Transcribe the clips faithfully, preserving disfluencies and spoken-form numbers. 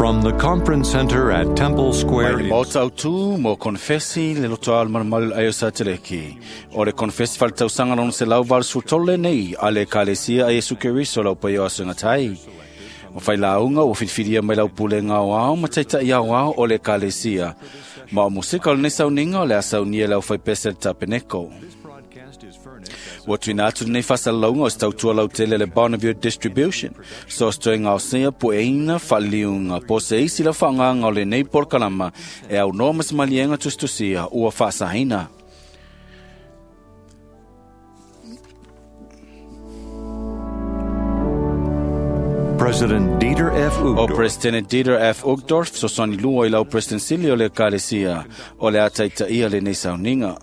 From the Conference Center at Temple Square. Mai le maota autu mo konfesi le loto al malumalu ai o Sateleki. O le konfesi faletausaga lona selau valu sefulu tolu lenei a le Ekalesia a Iesu Keriso lau paia o aso e gatai. O failauga ua filifilia mai lau pulega aoao ma taita'i aoao o le Ekalesia. Ma o musika o lenei sauniga o le a saunia e le aufaipese le tapeneko. Ua tuuina atu lenei faasalalauga o se tautua lautele le Bonneville Distribution. So se toe gaosia pueina faaliliuga po o se isi lau faaaogaga o lenei polokalama e aunoa ma se maliega tusitusia ua faasaina. President Dieter F. O Uchtdorf. President Dieter F. Uchtdorf fesoasoani lua i lau President sili o le Ekalesia o le a taitaia lenei sauniga.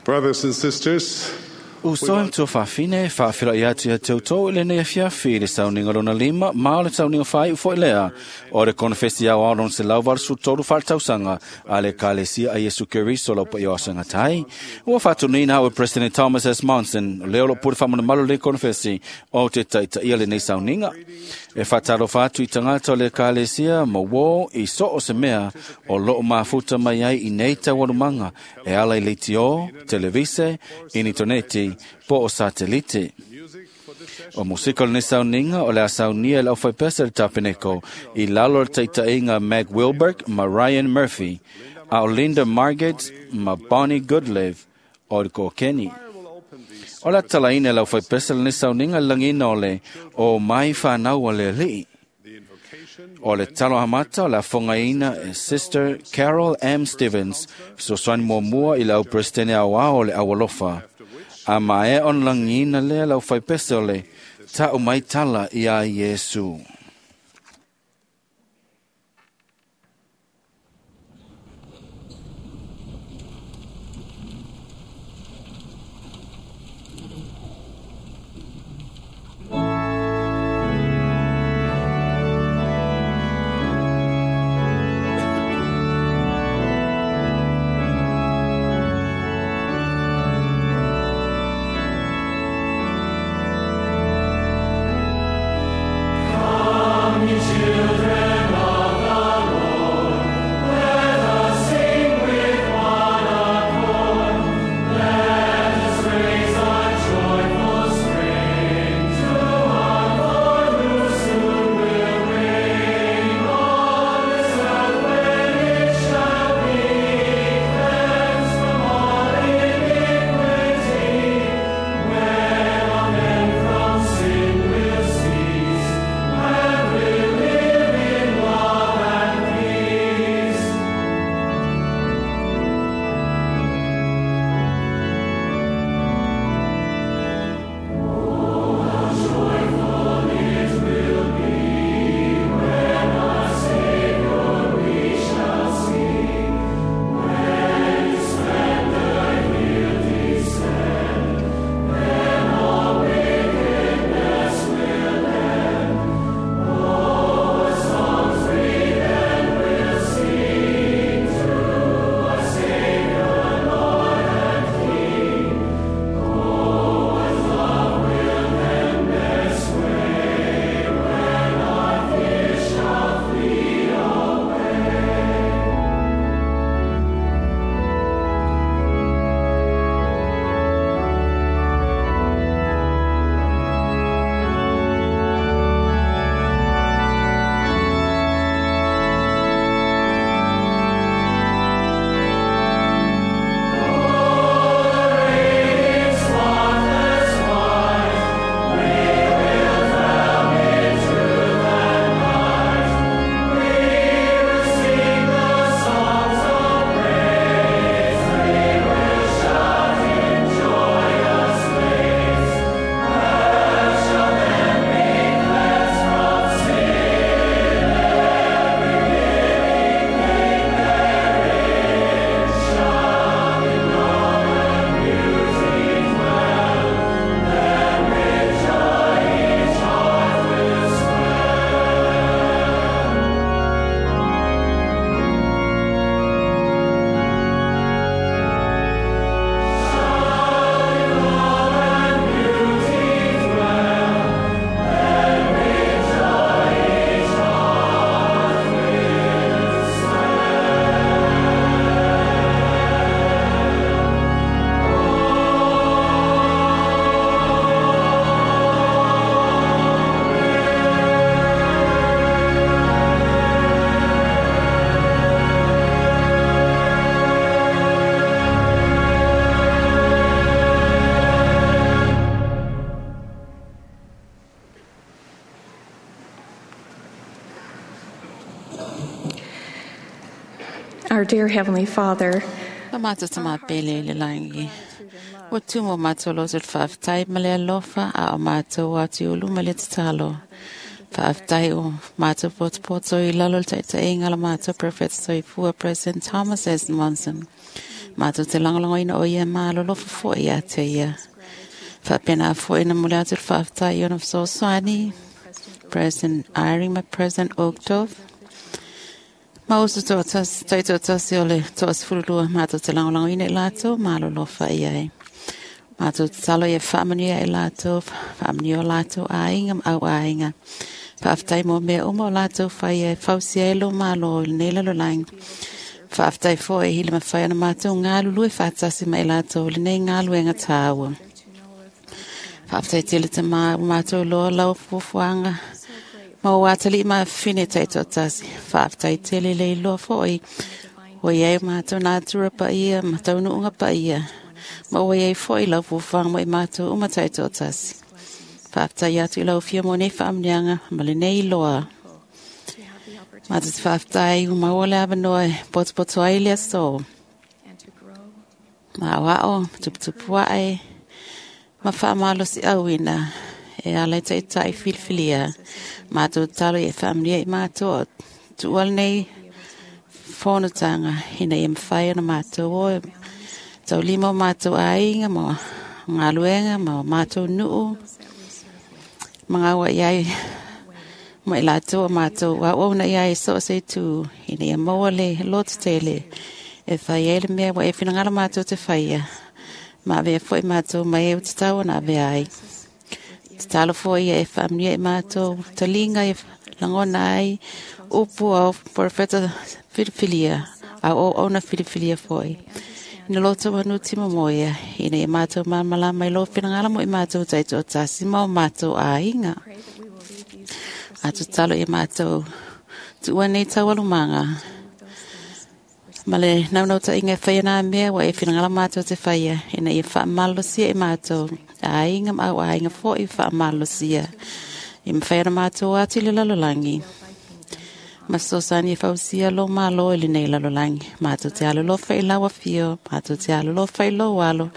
Brothers and sisters, Uso e matua faafine, faafeiloai atu ia te outou i lenei afiafi i le sauniga lona lima ma o le sauniga faaiu foi lea o le konefesi aoao lona selau valu sefulu tolu faletausaga a le Ekalesia a Iesu Keriso lau paia o aso e gatai. Ua faatonuina au e President Thomas S. Monson, lea o loo pule faamanumalo lenei konefesi o te taitaia lenei sauniga. E faatalofa atu i tagata o le Ekalesia ma uō i so o se mea o loo mafuta mai ai i nei taualumaga e ala i leitio, televise, initoneti, po o satelite. O musika o lenei sauniga o le a saunia e le aufaipese le tapeneko i lalo o le taitaiga Meg Wilberg ma Ryan Murphy, a o Linda Margaret ma Bonnie Goodlive o le Kokeni. O le a tatalaina e le aufaipese lenei sauniga i le lagiina o le o mai whanau o le alii. O le talo amata o le afogaina e Sister Carol M. Stevens, fesoasoani muamua i le au Presidente aoao o le Aualofa. A maea ona lagiina lea le aufaipese o le Ta'u mai tala ia Iesu. Come. Our dear Heavenly Father, Lo mātou tamapele i le langi. Ua tumo mātou loto le whaaftai ma le alofa a o mātou atu i ulu ma le tatalo. Whaaftai o mātou potopoto i lalo le taitainga la mātou Prophet Soifua President Thomas S. Monson. Mātou te langolongo ina o ia malo lofo fo ia te ia. Whaapena fo ina mule atu le whaaftai i ona whasoaswani. President Eyring ma President Uchtdorf. Ma usu toa tasi, taito tasi o le toa sefululua mātou te langolongo ina i lātou, malo lofa i ai. Mātou te talo ia whaamanuia i lātou, whaamanuia o lātou āinga ma au āinga. Whaaftai mō mea uma o lātou whai e fausia e lo malo i lenei lalolagi. Whaaftai fo e hile mawhai ana mātou ngā lulue whātasi ma i lātou i lenei ngā luenga tāua. Whaaftai tele te mā mātou loa lau fuafuaga. Ma o atali ma whine taito tasi. Whaaftai tele le iloa foi. O iei mātou nā tura pa ia, ma taunuunga pa ia. Ma o iei foi lau fuafuaga mo i mātou uma taito tasi. Whaaftai atu i lau fia mo nei whaamnianga, ma le nei loa. Mātou te whaaftai u maua le awanoa e potopoto ai le aso. Ma o ao, tuputupu ae, ma whaamalosi auina. E ala i taitai filifilia. Mātou talo i e whaamnia i mātou o tuual nei whonotanga. Hina i mwhai ana mātou o e tau lima o mātou āinga mo ngā luenga mo mātou nuu. Mga ua iai mo i lātou o mātou wa o na iai so se tū. Hina i maua le lotu tele. E whai e le mea wa e whinangala mātou te whaia. Ma vea fo i mātou mai e utatawa na vea ai. Te talo foi e whaamnia i mātou, talinga e langona ai, upu au profeta filifilia, au o ona filifilia foi. Ina loto wanu timo moia, ina i mātou māmalama i lo whinangala mo i mātou taito o tasi ma o mātou āinga. Atu talo i mātou, tuua nei taualumanga. Ma le naunau ta inga whaia nā mea wa e whinangala mātou te whaia, ina i whaamalosia i mātou. Āinga ma au āinga fo i whaamalosia. I mwhai ana mātou atu i le lalolangi. Ma sosani e whausia lo malo i le nei lalolangi. Mātou te alo lofa i lawa fio, mātou te alo lofa i lo alo.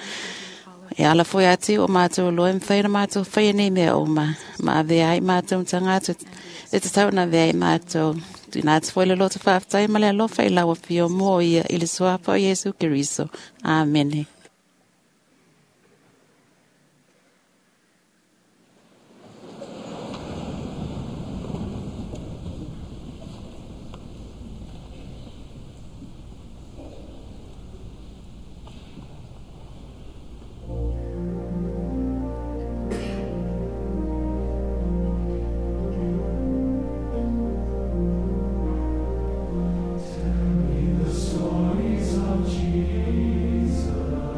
E ala foi atu o mātou lo e mwhai ana mātou whai nei mea oma. Ma avea ai mātou mtanga atu, e te tau na avea ai mātou. Tūna atu foi le loto whaaftai ma le alofa i lawa fio mō ia i le suapa o Yesu Keriso. Amene. The stories of Jesus.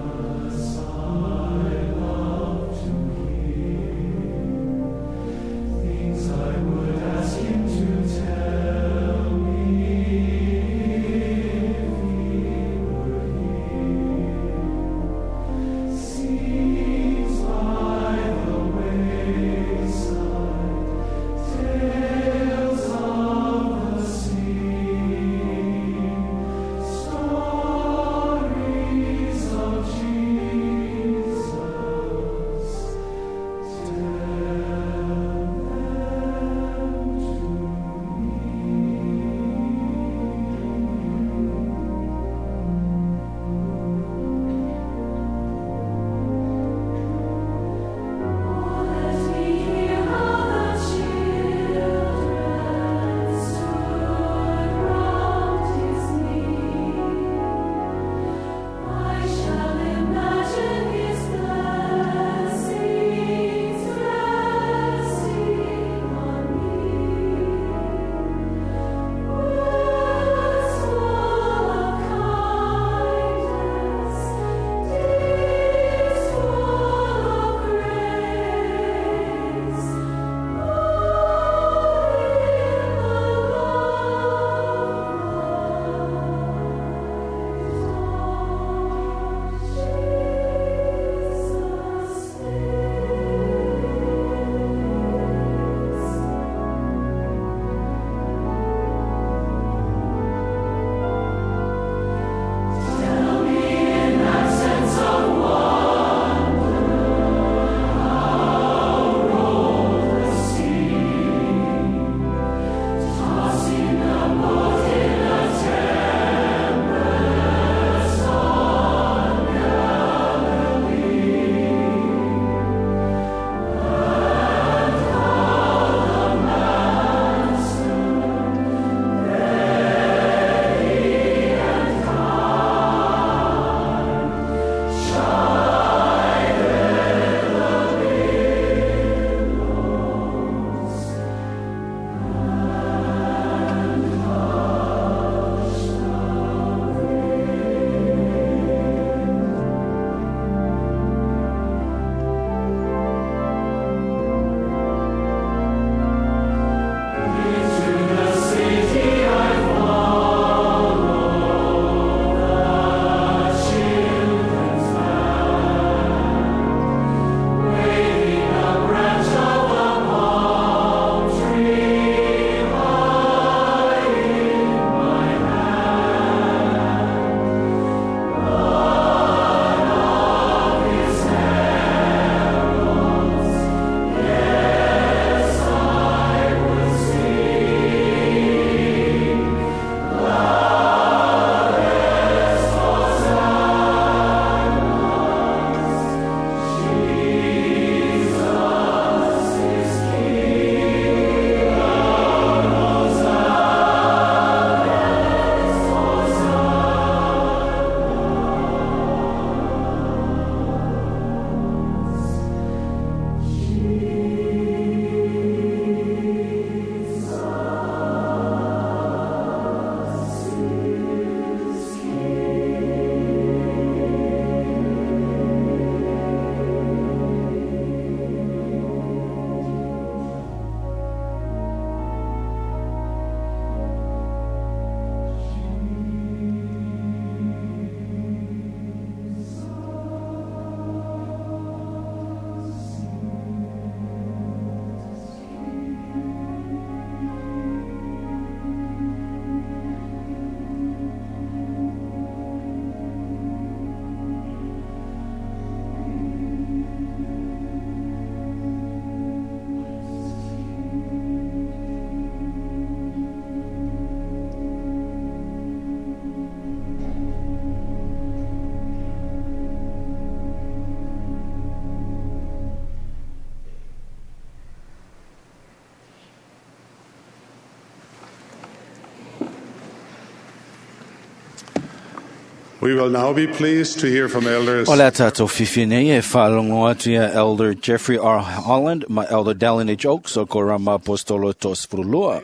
We will now be pleased to hear from elders. O le tātou fifi nei e whaalongo atu ia Elder Jeffrey R. Holland ma Elder Dallin H. Oaks o Korama Apostolo Tos Furulua.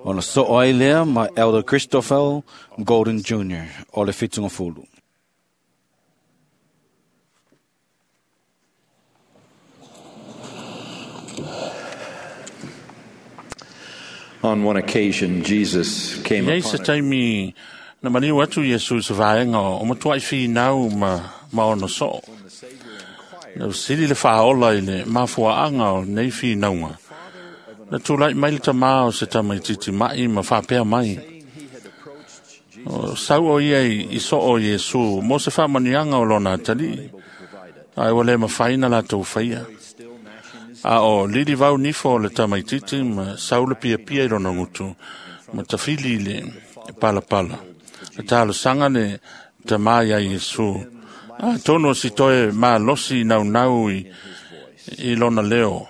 Ona so ai lea ma Elder Christopher Golden Junior o le fitunga fulu. On one occasion, Jesus came Iai se upon a taimi na maniu atu Iesu se vaenga o matua i whinau ma, ma ono soo. Na sili le whaola i le mafuaanga o nei whinaunga. Na tūlai mai le tamā o se tamaititi mai ma whapea mai. O sau o ia i, i so o Iesu, mo se whamanianga o lona atali. Ai o le mawhaina la tau whaia. A o lili vau nifo o le tamaititi ma sau le pia pia i lona ngutu. Ma tawhili i le palapala. Le talo sanga le tamā ia Iesu. A tono si toe mā losi nau nau i, i lona leo.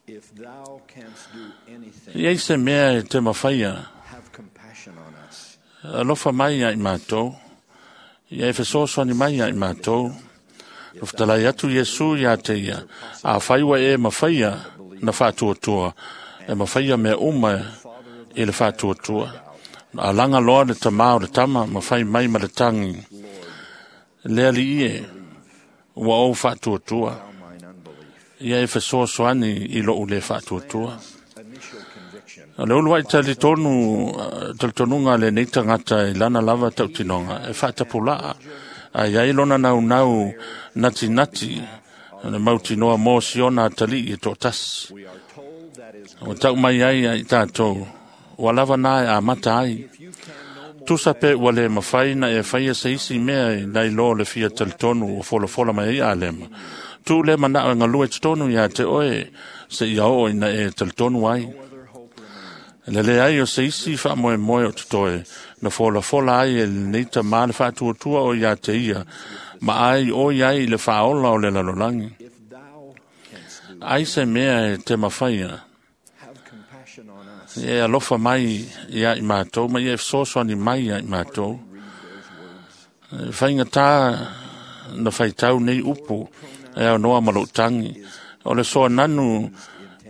If thou canst do anything, Iei se mea e te mawhaia. have compassion on us. Alofa mai ia i mātou. Ia e fesoasoani mai ia i mātou. Na whatalai atu Iesu ia te ia. A whaiwa e mawhaia na whātuatua. E mawhaia mea uma i le whātuatua. A langa loa le tamā o le tama, ma whai mai ma le tangi. Lea li ie, ua o whātuatua. Mine unbelief. Ia e fesoasoani i lou le whātuatua. Initial conviction O le ulu ai tali tonu, tali tonunga le nei tangata i lana lava tautinonga, e whaatapulaa. A iai lona nau nau nati nati, na mautinoa mō siona atali i tō tasi. We are told that is O tau mai ai ai tātou, ua lava nā e a mata ai. if you can no more Tusa pe ua le mawhai na e whaia se isi mea i nai lo le fia talitonu o folafola mai ai a lema. Tu le mana o ngalue tonu ia te oe se ia o ina e talitonu ai. other hope remains. Le le ai o se isi wha moe moe o tutoe, na fola fola ai e nei ta maa le whaatuatua o ia te ia, ma ai o ia i le whaola o le lalolangi. If thou canst do, Ai se mea e te mawhaia, have compassion on us. e alofa mai ia i mātou, ma ia e fesoasoani mai ia i mātou. Read those words. E Whainga tā na whaitau nei upu, e au noa malo tangi. O le soa nanu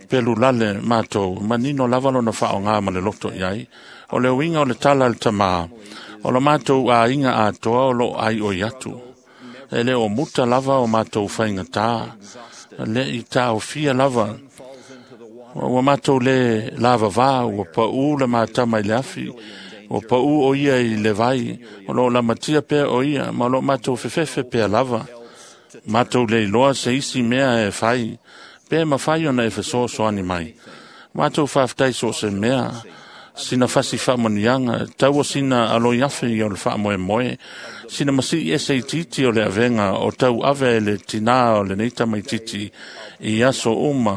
pelu lale mātou, manino lava lona whao ngā ma le loto iai. O le uinga o le tala le tamā, o le mātou a inga a toa o lo ai o iatu. E le o muta lava o mātou whainga tā, le i tā o fia lava. Falls into the water. Ua mātou le lava vā, ua pau le mātama i le afi, ua pau o ia i le vai, o lo lamatia pea o ia, ma o lo mātou fefefe pea lava. Mātou le iloa se isi mea e whai, pe mawhai ona e fesoasoani mai. Mātou whawhtai so se mea, sina fasi whamonianga, taua sina aloi afe i o le whaamoe moe, sina masi e se titi o le avenga o tau ave e le tinā o le neita mai titi i aso uma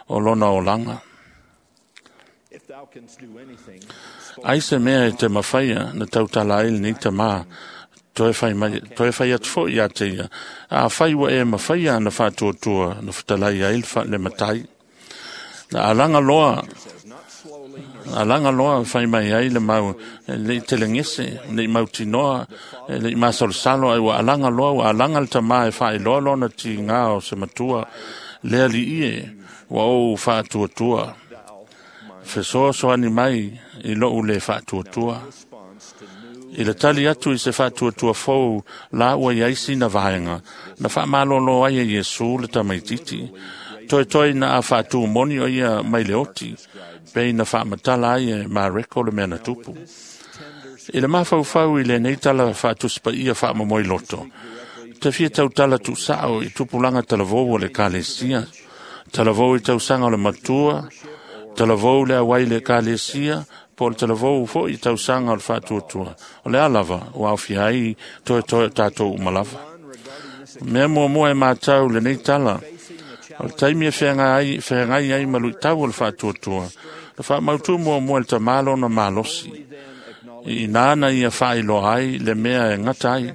o lona olanga. If thou canst do anything, Ai se mea e te mawhaia na tautala ai le neita mā, toe whai, mai, toe whai atu fo ia te ia. A whai wa e mawhaia na whātuatua, na whatalai ai le wha- le matai. Na alanga loa, says not slowly nor alanga loa whai mai ai le mau, e le i telengese, le i mautinoa, e le i masalosalo, ai ua alanga loa, ua alanga le tamā e whai loa lona ti ngā o se matua, lea li ie, ua ou whātuatua. thou mine Fesoasoani mai i lou le whātuatua. response to new I le tali atu i se whātuatua fou la ua iai sina vaenga, na whaamalolo ai e Iesu le tamaititi. Toi toi na a whātu moni o ia mai le oti, pe na whaamatala ai e Mareko le mea na tupu. tender I le mawhauwhau i le nei tala whaatuspa ia whaamamoi loto. Te fia tau tala tu sao i tupulanga talavou o le kalesia, talavou i tausanga o le matua, talavou le awai le kalesia, po le talavou fo i tausanga o le whaatuatua. O le alava, o awhia ai toe toe tātou umalava. one regarding this Mea mua mua e mātau le nei tala, facing the o le challenge taimi e whenga ai, whengai ai malu i tau o le whaatuatua. Le whaamautu mua mua le tamalo na malosi. then acknowledge I nāna ia whailo ai le mea e ngata ai.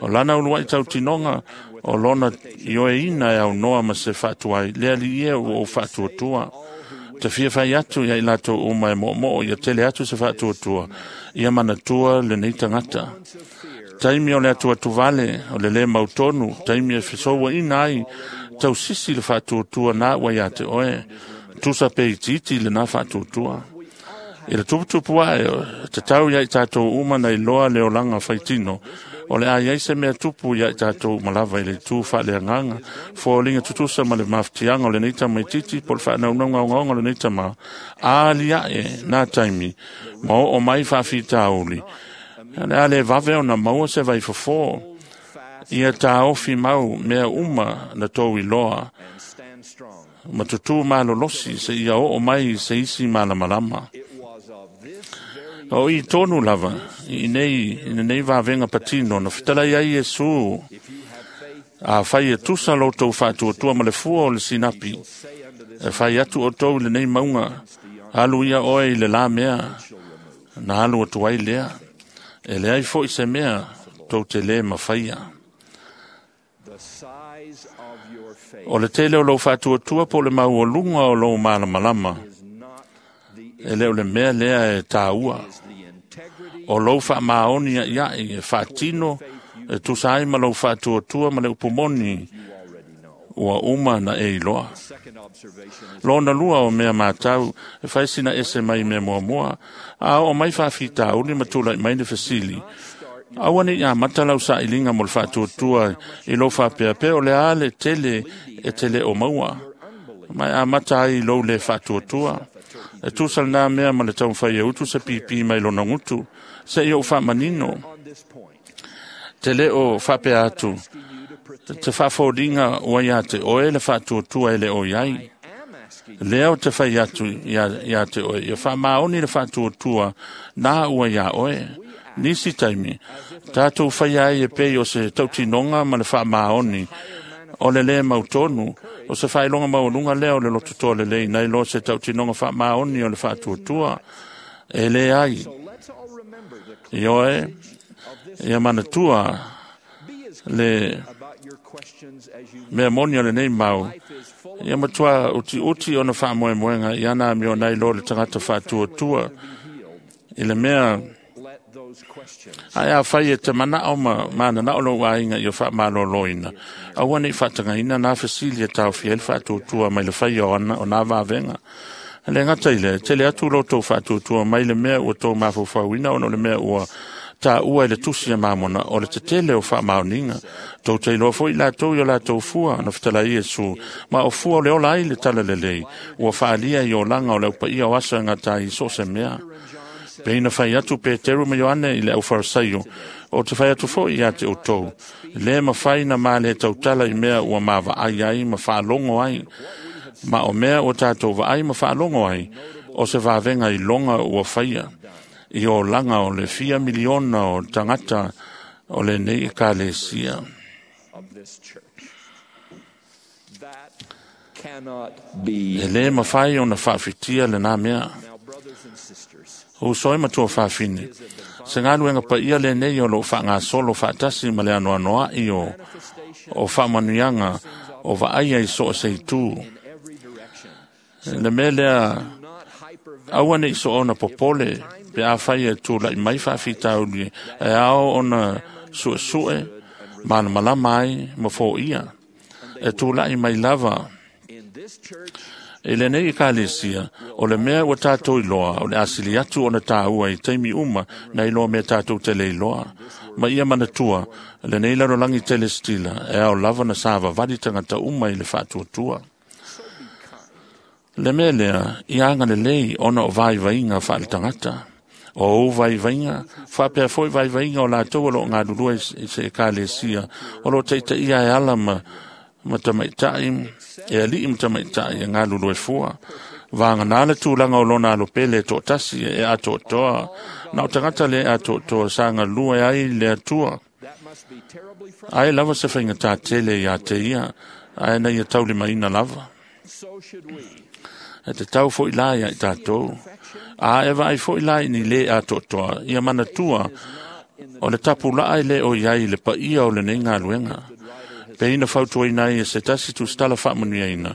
O lana ulu ai tau tinonga, o lona i oe ina e au noa ma se whaatua ai. Lea li ia o o whaatuatua. Te fia whai atu ia i lātou uma e mo mo ia tele atu se whaatuatua. Ia manatua le nei tangata. Taimi o le atu atu vale, o le le mautonu, taimi e fesoua ina ai, tau sisi le faatuatua nā ua ia te oe, tusa pe itiiti le nā faatuatua. I le tuputupu ae, te tau ia i tātou uma nei loa le olanga whaitino, o le ai ai se mea tupu ia i tātou malava i le tū whaaleanganga, fōlinga tutusa ma le mafutianga o le neita mai titi, po le whaanaunauga ongaonga o le neita ma, a lia e nā taimi, ma o o mai whaafitauli. Le a le vave o na maua se vai fofo, ia tāofi mau mea uma na tō i loa, ma tutu malolosi se ia o o mai se isi malamalama. O i tonu lava, i nei, i nei vavenga patino, na fitala ia Iesu, a whai e tusa lo tau whaatuatua ma le fua o le sinapi, e whai atu o tau le nei maunga, alu ia oe i le la mea, na alu atu ai lea, e le ai fo i se mea, tau te le mawhaia. O le tele o lau whaatuatua po le mau o lunga o lau malamalama, e leo le mea lea e tāua. O lau whaamaoni a iai e whaatino, e tusa ai ma lau whaatuatua ma le upumoni, ua uma na e iloa. Lona lua o mea mātau, e whaisina ese mai mea muamua, a o mai whaafitauli ma tūlai mai le fesili. Aua ni ia matalau sa ilinga mo le whaatuatua i lau whaapea o le a le tele e tele o maua. Mai a mata ai lou le whaatuatua. E tūsal nā mea ma le taumwhai e utu se pipi mai lona ngutu, se i o whaamanino. Te leo whapea atu, te whaafōringa ua ia te oe le whaatuatua e le o iai. Leo te whai atu ia, ia te oe, ia whaamaoni le whaatuatua nā ua ia oe. Nisi taimi, tātou whai ai e pei o se tautinonga ma le whaamaoni, o le le mautonu, o se whailonga maulunga lea o le lototoa le lei, nei lo se tautinonga whaamaoni o le whaatuatua, e le ai. I oe, ia manatua le mea moni o le nei mau, ia matua uti uti o na whaamoemoenga, i ana mi o nei lo le tangata whaatuatua, i le mea, ai a whai e te mana o ma mana na o lo ainga i o whaamaloloina. Aua nei whaatangaina nā whasili e tau whiel whaatuatua mai le whai o ana o nā vavenga. Le ngata i le, tele atu lo tau whaatuatua mai le mea ua tō mawhawhauina ono le mea ua tā ua i le tusi e mamona o le tetele o whaamaoninga. Tau te iloa foi la tau i o la tau fua na whitala Iesu, ma o fua o le ola ai le tala lelei, ua whaalia i o langa o le upa ia o asa ngā tai so se mea. Peina whai atu Peteru ma Ioane i le au Farisaio, o te whai atu foi ia te o tau. Le ma whai na maa le tautala i mea ua maa vaai ai ma whaalongo ai. Ma o mea o tātou vaai ma whaalongo ai, o se vavenga i longa ua whaia. I o langa o le fia miliona o tangata o le nei ekalesia. E le mawhai o na whaafitia le nā mea. O soe matua whaafine. Se ngaluenga pa ia le nei o lo wha solo whaatasi ma le anoanoa i o o whaamanuianga o vaaia i so se itu. Le mea lea aua nei so ona popole pe a whai e tūlai mai whaafitauli e ao ona sue sue mana malama ai ma fō ia. E tūlai mai lava. E le nei ekalesia, o le mea ua tātou i loa, o le asili atu o na tāua i teimi uma, na i loa mea tātou te le iloa. Ma ia manatua, le nei lalolangi tele stila, e ao lava na sava vali tangata uma i le whaatuatua. Le mea lea, i anga le lei ona o vai vainga whaale tangata. O o vai vainga, whapea foi vai vainga o lātou o lo ngā lulua i se ekalesia, o lo teita ia e ala ma, ma tamaitai, e alii ma tamaitai e ngā lulu e fua. Vānga nā le tūlanga o lona alo pele e tōtasi e a tōtoa. Na o tangata le a tōtoa sa ngā lua e ai le atua. Ai lava se whainga tā tele i a te ia, ai nei e tauli maina lava. E te tau fo i lai ai tātou. A e vai fo i lai ni le a tōtoa, ia manatua o le tapu laai le o iai le pa ia o le nei ngā luenga. Pe ina fautua ina e se tasi tu stala whaamanuia ina.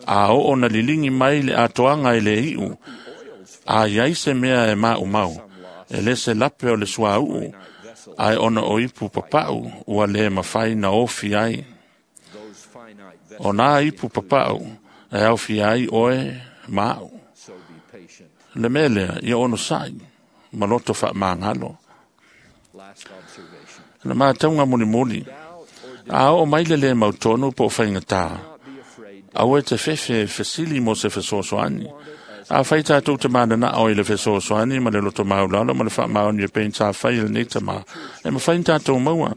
A o o na lilingi mai le atoanga i le iu. A iai se mea e maa umau. E le se lape o le sua uu. Ai ona o ipu papau ua le mawhai na ofi ai. O nā ipu papau e ofi ai oe maau. Le melea ia ono sai, maloto wha mangalo. Le mātaunga muli muli, a o mai le le mautonu po whainga. Awe te fefe fesili mo se fesoasoani. A whai tātou te mana na o i le fesoasoani ma le loto maulalo ma le whaamaoni e pein tā whai le nei tama. E ma whai tātou maua.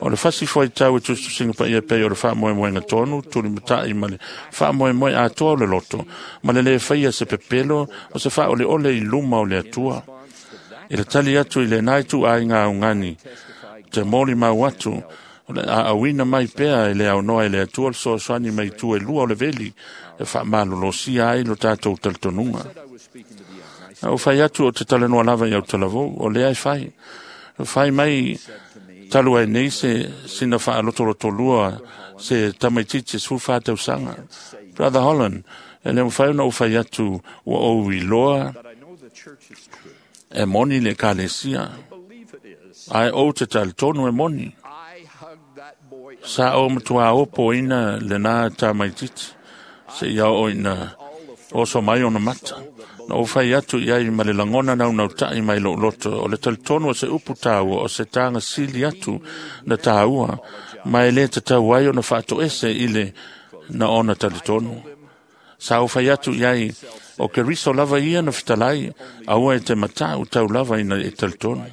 O le whasi fwai tau e tustusinga pa ia pei o le whaamoemoenga tonu, tuli matai ma le whaamoemoe atoa o le loto. Ma le le whaia se pepelo o se wha ole ole i luma o le atua. I le tali atu i le nai tu ai ngā ungani. Te moli mau atu. O le a awina mai pea e le au noa e le atua le soasoani mai tu e lua o le veli e whaamalolosia ai lo tātou taltonunga. O whai atu o te talanoa lava i au talavou, o lea e whai. O whai mai talu ai nei se sina whaalotolotolua se tamaititi sfu whātau sanga. Brother Holland, e le mwhai ona o whai atu wa o iloa e moni le kalesia. Ai o te taltonu e moni. Sa o matua opo ina le nā tamaititi. Se ia o ina oso mai ona mata. Na o whai atu i ai ma le langona nau nau tai mai lo loto. O le talitonu o se upu tāua o se tānga sili atu na tāua. Ma e le te tau ai ona whaato ese i le na ona talitonu. Sa o whai atu i ai o ke riso lava ia na whitalai aua e te matau tau lava ina e talitonu.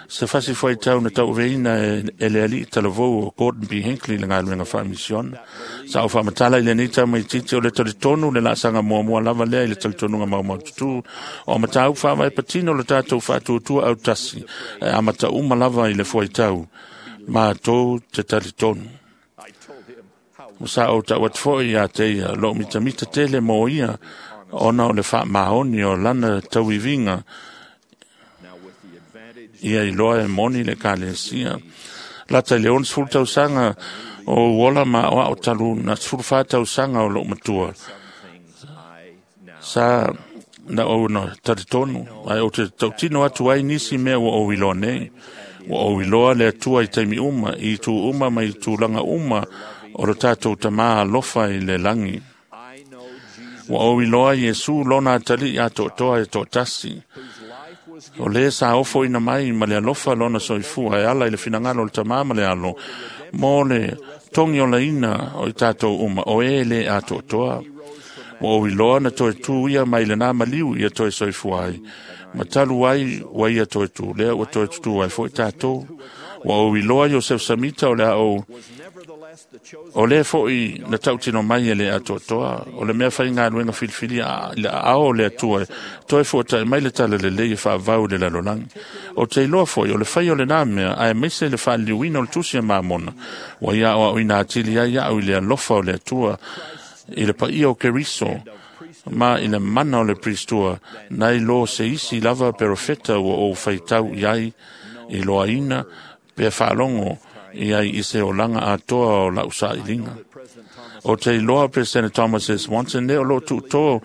Se fasi foi tau na tau veina e le ali talavou o Gordon B. Hinckley le ngā wha mission. Sa o whamatala i le nei tau mai titi o le talitonu le lasanga mua mua lava lea i le talitonu ngā mau mau tutu. O matau wha patino le tātou whaatuatua au tasi. E amata uma lava i le foi tau. Mā tō te talitonu. Sa o tau atfoi ia te ia lo mitamita tele mō ia ona o le wha maoni o lana tauivinga ia i loa e moni le kalesia. Lata i le on sfulu tausanga o uola ma o ao talu na sfulu wha tausanga o loo matua. Sa na o na taritonu, ai o te tautino atu ai nisi mea ua o iloa nei. Ua o iloa le atua i taimi uma, i tu uma ma i tūlanga uma o le tātou tamā alofa i le langi. Ua o iloa Iesu lona atali a to'otoa e to'atasi. O le sa ofo ina mai ma le alofa lona soifua e ala i le finagalo o le tamā ma le alo. Mo le tongi o laina o i tātou uma o e le a to'otoa. Ua o iloa na toe tū ia mai le nā maliu ia toe soifua ai. Ma talu ai ua ia toe tū lea ua toe tutu ai foi tātou. Ua o iloa Joseph Samita o le ao o le foi na tautino mai e le atoatoa o le mea whai ngā luenga filifili a le ao le atua toe fōtai mai le tala le lei e whaavau le lalolangi. O te iloa foi o le whai o le nā mea ae meise le whaaliuina o le tusi a māmona. Wa ia o au ina atili ai au i le alofa o le atua i le paia o Keriso ma i le mana o le pristua nai lo se isi lava perofeta ua o whaitau i ai i loaina pe whaalongo i ai i se olanga atoa o lau sa'ilinga. O te iloa President Thomas S. Monson ne o lo tu'utō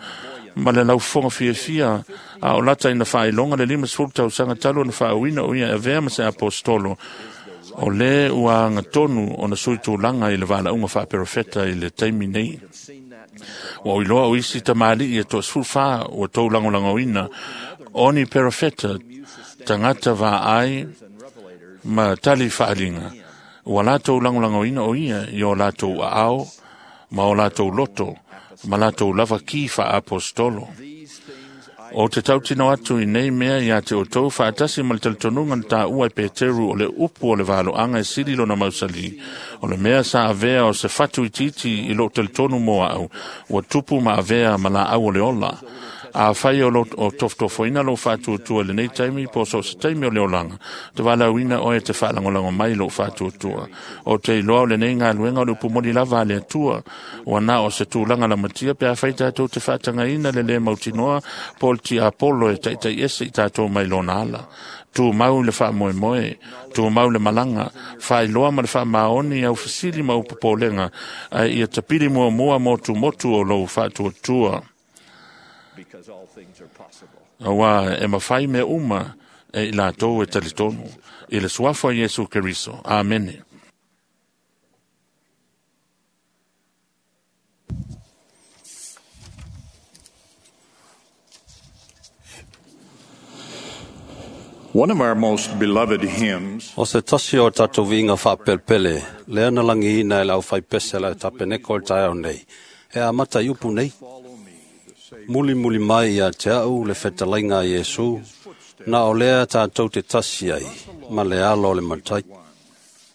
ma le laufoga fiafia a o lata ina fa'ailoga le lima sefulu tausaga talu ona fa'auina o ia e avea ma se apostolo o lē ua agatonu ona sui tulaga i le vala'uga fa'aperofeta i le taimi nei. Ua o iloa o isi tamali'i e to'asefulu fā ua tou lagolagoina oni perofeta tagata va'ai ma tali fa'aliga. Ua latou lagolagoina o ia i o latou a'ao ma o latou loto ma latou lava ki fa'aapostolo. O te tautino atu i nei mea ia te o tou fa'atasi ma le talitonuga na tāua e Peteru o le upu o le valo'aga e sili lona mausali. O le mea sa avea o se fatu itiiti i loo talitonu mo a'au ua tupu ma avea ma la'au o le ola. A whai o, lo, o tofotofoina lo whaatuatua le nei taimi po so se taimi o le olanga. Te walauina oe te whaalangolango mai lo whaatuatua. O te iloa o le nei ngā luenga o le upumoli lava a le atua. O ana o se tūlanga la matia pe a whai tātou te whaatangaina le le mautinoa po le ti apolo e taitai ese i tātou mai lona ala. Tū mau le whaamoemoe, tū mau le malanga, whailoa ma le whaamaoni au fasili ma upopolenga, ai ia tapili mua mua motu motu o lo whaatuatua. Auā e mafai mea uma e i latou e talitonu i le suafa o Iesu Keriso. Amene. One of our most beloved hymns O se tasi o tatou viiga faapelepele, lea na lagiina e le aufaipese a le tapeneko o le taeao nei, e amata i upu nei. Muli muli mai ia te au le fetalaiga a Iesu, na o lea tatou te tasi ai, ma le alo o le matai.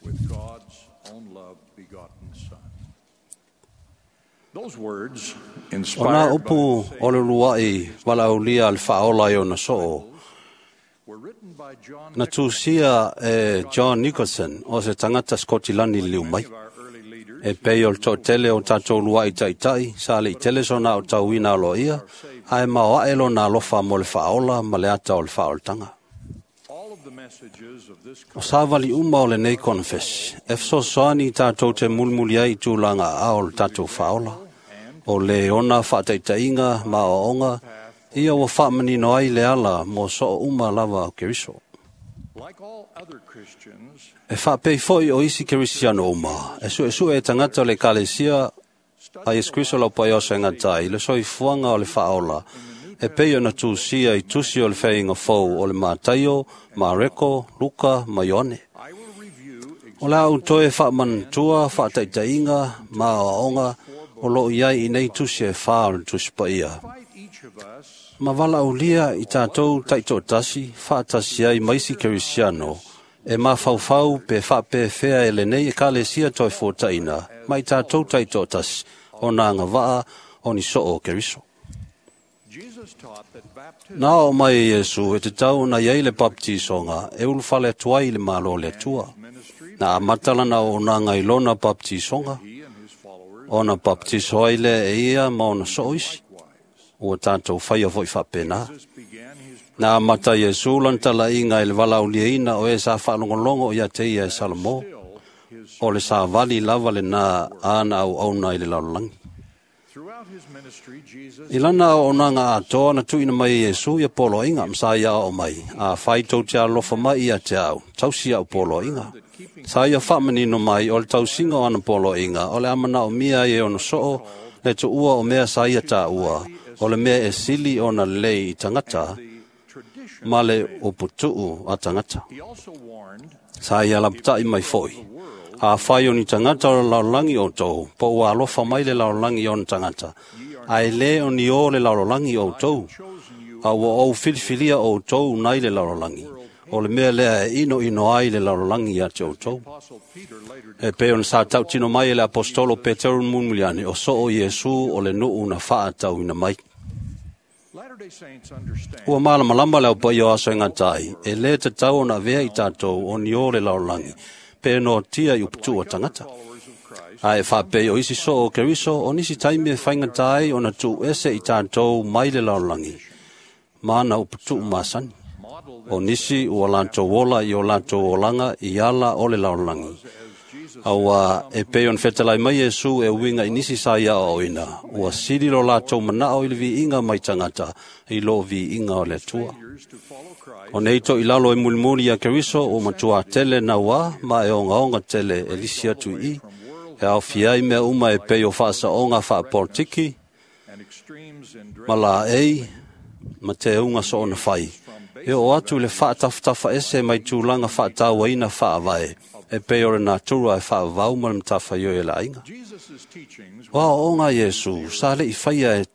with God's own love begotten Son. Those words, O nā inspired by upu o le luai valaaulia a le faaola i ona soo, were written by John na tusia e John Nicholson o se tagata Skotilani le liu mai. of our early leaders, E pei o le toatele o tatou luai taitai, sa le i tele sona o tauina aloaia, ae mao ae lona alofa mo le faaola ma le ata o le faaolataga. all of the messages of this O savali uma o lenei konefesi, e fesoasoani i tatou te mulimuli ai i tulaga aao o le tatou faaola. O le ona faataitaiga ma aoaoga, ia ua faamanino ai le ala mo soo uma lava o Keriso. like all other Christians, E faapei foi o isi Kerisiano uma, e suesue e tagata o le ekalesia a Iesu Kriso lau paia o se gata i le soifuaga o le faaola, e pei ona tusia i tusi o le feaiga fou o le Mataio, Mareko, Luka ma Ioane. I will review O le au toe faamanatua, faataitaiga ma aoaoga o loo i ai i nei tusi e whā o le tusi paia. invite each of us Ma valaaulia i tatou taitoatasi, faatasi ai ma isi Kerisiano, e mafaufau pe faapefea e lenei ekalesia toe fuataina, ma i tatou taitoatasi, o nā agavaa o ni soo o Keriso. Jesus taught that baptism Na o mai e Iesu e te tau na iai le baptisoga e ulufale atu ai i le malo o le Atua. ministry Na amata lana o nanga i lona baptisoga, he and his followers ona baptiso ai lea e ia ma ona soo isi. Ua tatou faia foi faapena. Jesus began his Na amata Iesu lana talaiga i le valaauliaina o e sa faalogologo ia te ia e Salomō. his O le savali lava lenā ana auauna i le lalolagi. throughout his ministry Jesus I lana auaunaga atoa na tuuina mai e Iesu ia poloaiga ma sa ia aao mai, afai tou te alolofa mai ia te au, tausi au poloaiga. Sa ia faamanino mai o le tausiga o ana poloaiga, o le a manaomia ai e ona soo, le tuua o mea sa ia taua, o le mea e sili ona lelei i tagata, the tradition ma le uputuu a tagata. he also warned Sa ia lapatai mai foi. Afai o ni tagata o le lalolagi outou, po ua alofa mai le lalolagi i ona tagata, ae lē o ni o le lalolagi outou, a ua ou filifilia outou nai le lalolagi, o le mea lea e inoino ai le lalolagi ia te outou. Apostle Peter later E pei ona sa tautino mai e le apostolo Peteru mulimuliane, o soo Iesu o le nuu na faatauina mai. Latter-day Saints understand Ua malamalama le au paia o aso e gata ai, e lē tatau ona avea i tatou o ni o le lalolagi, pe noatia i uputuu a tagata. followers of Christ Ae faapei o isi soo o Keriso, o nisi taimi e faigata ai ona tuu ese i tatou mai le lalolagi, ma na uputuu masani. model O nisi ua latou ola i o latou olaga i ala o le lalolagi. Auā e pei ona fetalai mai Iesu e uiga i nisi sa ia aoaoina, ua sili lo latou manao i le viiga mai tagata i loo viiga o le Atua. years to follow Christ O nei toilalo e mulimuli ia Keriso ua matuā tele nauā ma e ogaoga tele e lisi atu i i, e aofia ai mea uma e pei o faasaoga faapolitiki, and extremes in ma laei, ma teuga soona fai. E oo atu i le faatafatafa ese mai tulaga faatauaina faavae, e pei o le natura e faavavau ma le matafaioi e le aiga. Jesus' teachings O aoaoga a Iesu, sa le'i faia e,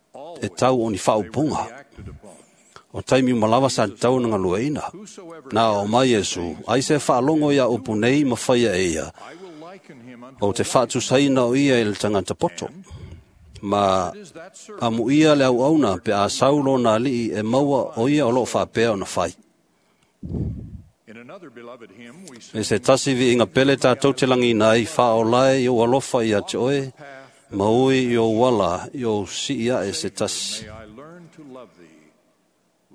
e tau o ni faaupuga. acted upon. O taimi uma lava sa tatau ona galueaiina. Na aoao mai Iesu, ai se faalogo ia upu nei ma faia e ia, I will liken him unto o te faatusaina o ia i le tagata poto. Ma is that servant amuia le auauna pe a sau lona alii e maua o ia o loo faapea ona fai. in another beloved hymn we sing E se tasi viiga pele tatou te lagina ai faaolae i ou alofa ia te oe, ma ui i ou ala i ou sii ae se tasi. may I learn to love thee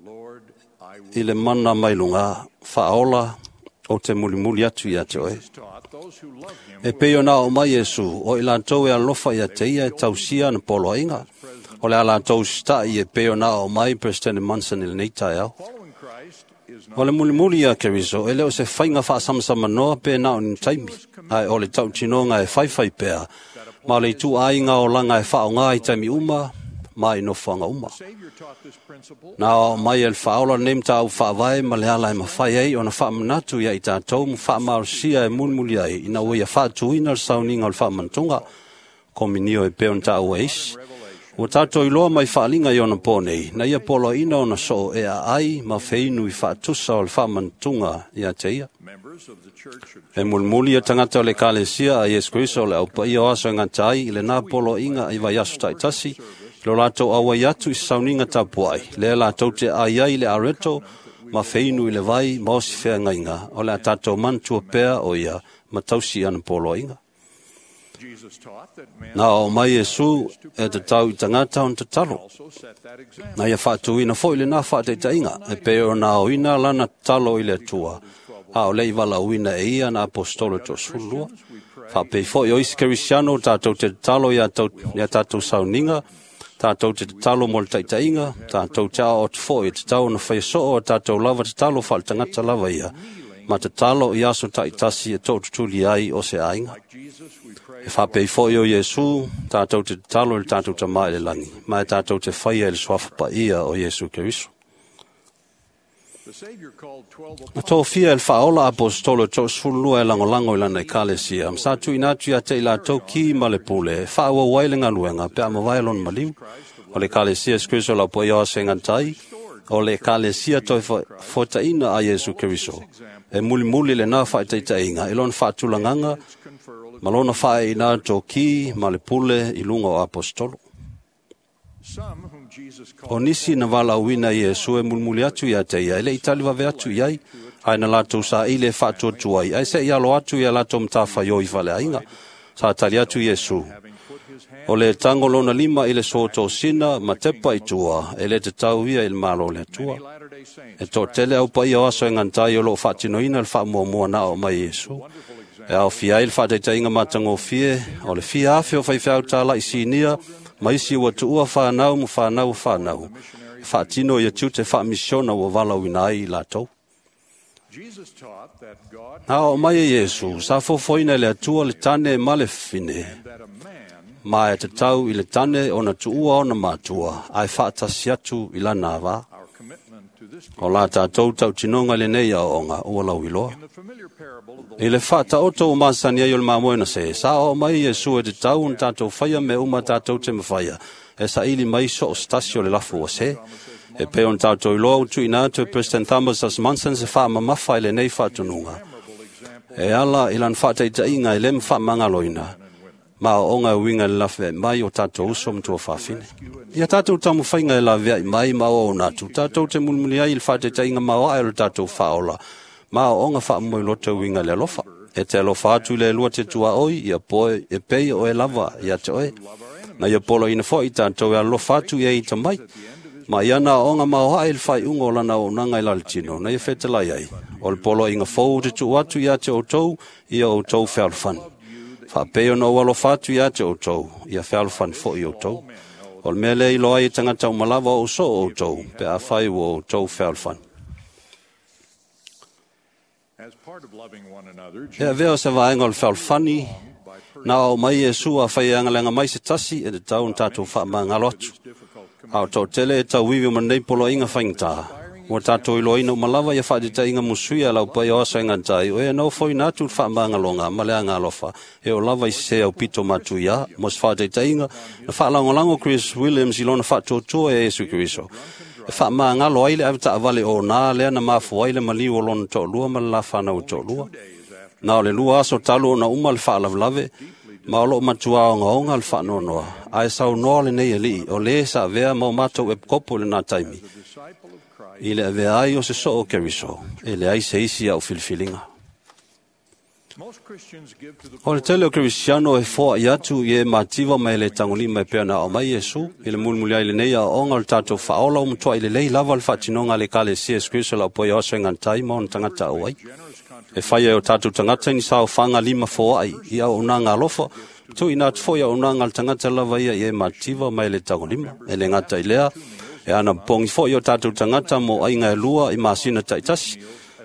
Lord I will I le mana mai luga, faaola o te mulimuli atu ia te oe. taught those who love him E pei ona o mai Iesu, o i latou e alofa ia te ia e tausia na poloaiga. O le ala tau sita'i e peo na o mai President Monson i lenei taeao. O le mulimuli ia Keriso, e leo se whainga whaasamasama pe na o ni taimi, ai o le tautinoga e whaiwhai pea, ma le tu ainga o langa e whaonga i taimi uma, ma i nofoanga uma. Na o mai el whaola nem tā u whaavae ma le ala e mawhai ei o na whaamanatu ia i tātou mu whaamausia e mulimuli ai ina ua ia whaatuina le sauninga o le whaamantunga, kominio e peon tā ua isi. Ua tātou iloa mai whaalinga i ona pōnei, na ia polo ina ona soo e a ai ma wheinu i whaatusa o le whaamantunga ia te ia. E mulimuli ia tangata o le kalesia a Iesu Kriso le au paia o aso e ngata ai i le nā polo inga i vai aso taitasi, lo lātou awai atu i sauninga tapuai, lea lātou te ai ai le areto, ma wheinu i le vai, ma osi whea ngainga, o le a tātou mantua pea o ia, ma tausi ana polo inga. Nā o mai Iesu e te tau i tangata on te talo. Nā ia whaatuina foi le nā whaateitainga, e peo nā o ina lana talo i le atua. A o lei wala uina e ia na apostolo tō sulua. Whaapei foi o isi Kerisiano tātou te talo ia tātou sauninga, tātou te talo mo le taitainga, tātou te ao te foi te tau na whai soo o tātou lava te talo whaal tangata lava ia. Ma te talo i aso taitasi e tō tutuli ai o se ainga. E whapei foi o Iesu, tātou te talo i le tātou ta mai le langi, ma e tātou te whaia i le suafa ia o Iesu Keriso. Na tō fia el whaola apostolo tō sfulua e langolango i lana i kalesia, msa tu ina tu ia te i lātou ki ma le pule, e whaua wai le ngaluenga, pe ama vai lon maliu, o le kalesia Iesu Kristo lau po ia o se ngantai, o le kalesia toi fotaina a Iesu Keriso. E mulimuli le nā whaitaitainga, e lon whaatulanganga, ma lona whae ina tō ki ma le pule i lunga o apostolo. O nisi na wala uina i Iesu e mulimuli atu ia te ia, ele itali wawe atu iai, ai na lātou sa ile whaatuatuai, ai se i alo atu ia lātou mtāwhai o i wale ainga, sa tali atu Iesu. O le tango lona lima i le soto sina, ma tepa i tua, e le te tau ia i le malo le atua. E tō tele au pa ia o aso e ngantai o lo whaatinoina le whaamuamua na o mai Iesu. E au fia i le whaataitainga matangofie, o le fia afe o whaiwhiau tāla i sinia, ma isi ua tuua whanau mu whanau whanau. Whaatino ia tiute whaamisiona ua wala uina ai i lātou. Nā o mai e Iesu, sa fofoina le atua le tane ma le fine. Ma e te tau i le tane o na tuua o na mātua, ai whaatasi atu i lana wā. O la tātou tau tinonga le nei a onga, ua lau iloa. I le whaata oto o masani ai o le mamoena se, sa o mai Iesu e te tau un tātou whaia me uma tātou te mawhaia, e sa ili mai so o stasi o le lafu o se. E pe on tātou iloa utu ina atu e President Thomas S. Monson se wha mamafa i le nei whaatununga. E ala i lan whaataitainga i le mwhaamangaloina, ma o onga uinga le lafe mai o tātou uso mtua whawhine. Ia tātou tamu whainga e lawea i mai ma o natu, tātou te mulimuli ai i le whaataitainga ma o ae o le tātou whaola, ma o onga whaamoi loto uinga le alofa. E te alofa atu le lua te tua oi, ia poe e pei o e lava ia te oe. Na ia polo ina foi tātou e alofa atu ia i ta mai. Ma ia na onga ma o hae le whai ungo lana o nanga i lalitino, na ia whetelai ai. O le polo inga fou te tu atu ia te o tau, ia o tau whealofani. Whaapeo na o alofa atu ia te o tau, ia whealofani fo i o tau. O le mea lea i loa i tangata o malawa o so o tau, pe a whai o tau whealofani. Ea veo se vaenga o le whealofani, nā o mai Iesu a whai angalenga mai se tasi e te tau n tātou whaamangalo atu. A o tau tele e tau wiwi o manei polo inga whaingtā. Ua tātou iloa ina o malawa ia whaatitainga musuia lau pai o aso e ngantai, o e nau foi nātu le whaamangaloga ma le anga alofa, e o lava i se au pito matu ia, mo se whaatitainga, na whaalangolango Chris Williams i lona whaatuatua e Iesu Keriso. E whaamangalo ai le awetaavale o nā lea na mafu ai le maliu o lona to'olua ma le lafana o to'olua. Nā o le lua aso talu o na uma le whaalavlave, ma o loo matua o ngaonga le whaanonoa. Ae sau noa le nei alii, o le sa vea mau mātou e kopo le nā taimi. I le avea ai o se soo Keriso, e le ai se isi au filifilinga. O le tele o Kerisiano e foa i atu i e mativa mai le tangolima e pea na o mai Iesu, i le mulimuli ai le nei a onga o le tātou whaola o mutua i le lei lava le whaatinonga le kale si Iesu Kristo lau poi oso e ngantai ma ona tangata au ai. E whai e o tātou tangata ni sao whanga lima foa ai, i au o nā ngā alofa, Tuuina atu foi auaunaga a le tagata lava ia i e matitiva mai le tagolima. E le gata i lea, e anapogi foi o tatou tagata mo aiga e lua i masina taitasi.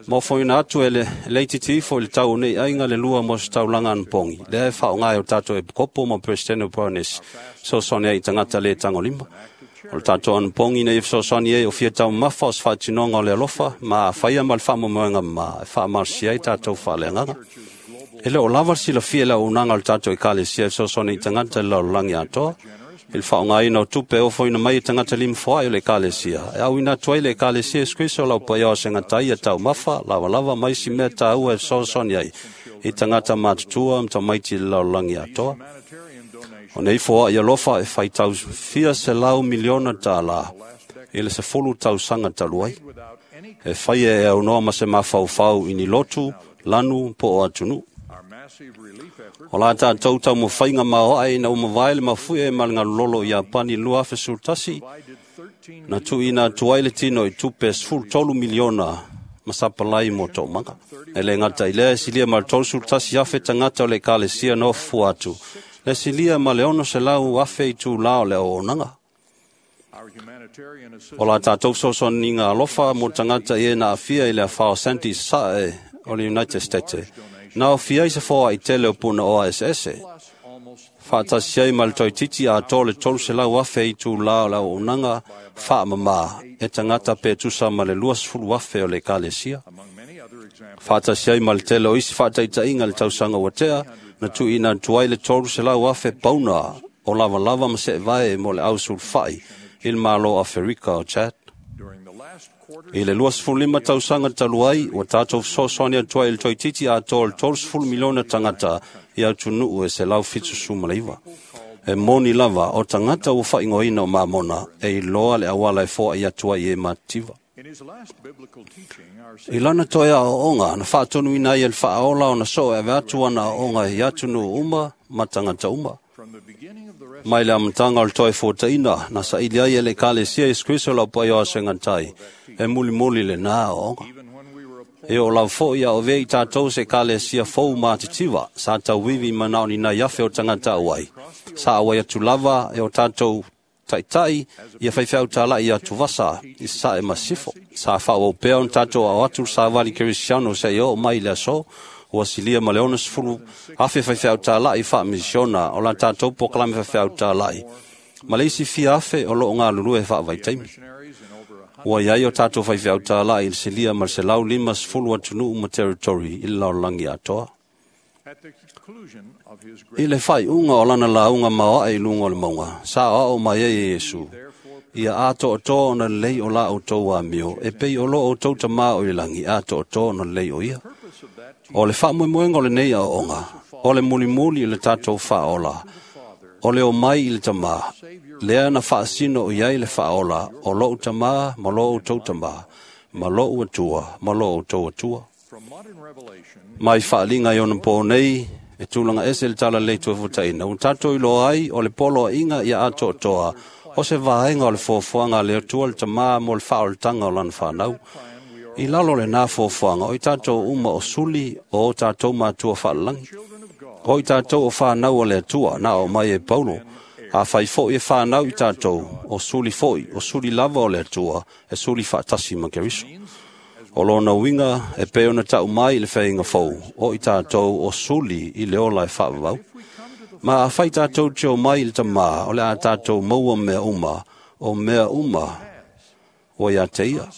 Ma ofoina atu e le leititi ifo i le tau o nei aiga le lua mo se taulaga anapogi. Lea e faaaoga e o tatou epikopo ma Peresetene o Poronesi, fesoasoani ai i tagata le tagolima. O le tatou anapogi nei e fesoasoani ai o fia taumamafa o se faatinoga o le alofa, ma afaia ma le faamoemoega ma e faamalosia ai tatou faaleagaga. E le o lava le silafia i le auaunaga o le tatou ekalesia e fesoasoani i tagata i le lalolagi atoa. I le faaaogaina o tupe e ofoina mai e tagata limafoai o le ekalesia, e auina atu ai le ekalesia Iesu Keriso o lau paia o segatai ia taumafa, lavalava ma isi mea taua e fesoasoani ai i tagata matutua ma tamaiti i le lalolagi atoa. O nei foai alofa e faitau fia selau miliona tālā i le sefulu tausaga talu ai. E faia e aunoa ma se mafaufau i ni lotu, lanu po o atunuu. O la tatou taumafaiga maoae ina ua mavae le mafuie ma le galulolo i Iapani lua afe sefulu tasi, na tuuina atu ai le tino i tupe sefulu tolu miliona ma sapalai mo toomaga. E le gata i lea e silia ma le tolusefulu tasi afe tagata o le ekalesia na ofufua atu, le silia ma le ono selau afe i tūlā o le auaunaga. O la tatou fesoasoaniga alofa mo tagata i e na aafia i le afa o Sandy Sae o le United States, na ofia ai se foai tele o puna oa eseese. Faatasi ai ma le toeitiiti atoa le tolu selau afe i tūlā o le auaunaga faamamā e tagata pe tusa ma le luasefulu afe o le ekalesia. Faatasi ai ma le tele o isi faataitaiga le tausaga ua tea, na tuuina atu ai le tolu selau afe pauna o lavalava ma seevae mo le ausulufai i le Malo o Aferika o Chad. I le luasefulu lima tausaga talu ai, ua tatou fesoasoani atu ai i le toeitiiti atoa le tolusefulu miliona tagata i atunuu e selau fitusefulu ma le iva. E moni lava o tagata ua faaigoaina o mamona e iloa le auala e foai atu ai i e matitiva. I lana toe aoaoga, na faatonuina ai e le faaola ona soo e ave atu ana aoaoga i atunuu uma ma tagata uma. Mai le amataga o le toe fuataina, na saili ai e le ekalesia Iesu Keriso lau paia o asegatai, e mulimuli lena aoaoga. E oo lava foi a o avea i tatou se ekalesia fou matitiva, sa tauivi manao ni nai afe o tagata auai. Sa auai atu lava e o tatou taitai ia faifeau talai ia atuvasa i sae ma sifo. Sa faaauau pea ona tatou ao atu le savali kerisiano seia oo mai i le aso, ua silia ma le onosefulu afe faifeau talai faamisiona o la tatou polokalame faifeau talai, ma le isi fia afe o loo galulue faavaitaimi. Ua iai o tatou faifeau talai i le silia ma le selau limasefulu atunuu ma territory i le lalolagi atoa. I le faaiuga o lana lauga maoae i luga o le mauga, sa aoao mai ai e Iesu, ia atoatoa ona lelei o la outou amio, e pei o lo outou tamā o i le lagi, atoatoa ona lelei o ia. O le faamoemoega o lenei aoaoga, o le mulimuli i le tatou faaola, o le omai i le tamā, lea na faasino i ai le faaola o lou tamā ma lo outou tamā, ma lou Atua ma lo outou Atua. Mai faaliga i ona po nei, e tulaga ese le tala lelei toefutaina. Ua tatou iloa ai o le poloaiga ia atoatoa, o se vaega o le fuafuaga a le Atua le tamā mo le faaolataga o lana fanau. I lalo lena fuafuaga, o i tatou uma o suli o o tatou matua faalalagi. O i tatou o fanau o le Atua, na o mai e Paulo. A fai foi e fanau i tatou, o suli foi, o suli lava o le Atua, e suli faatasi ma Keriso. O lona uiga e pei ona tau mai i le faiga fou, o i tatou o suli i le ola e faavavau. Ma afai tatou te omai i le tamā, o le a tatou maua mea uma, o mea uma ua ia te ia.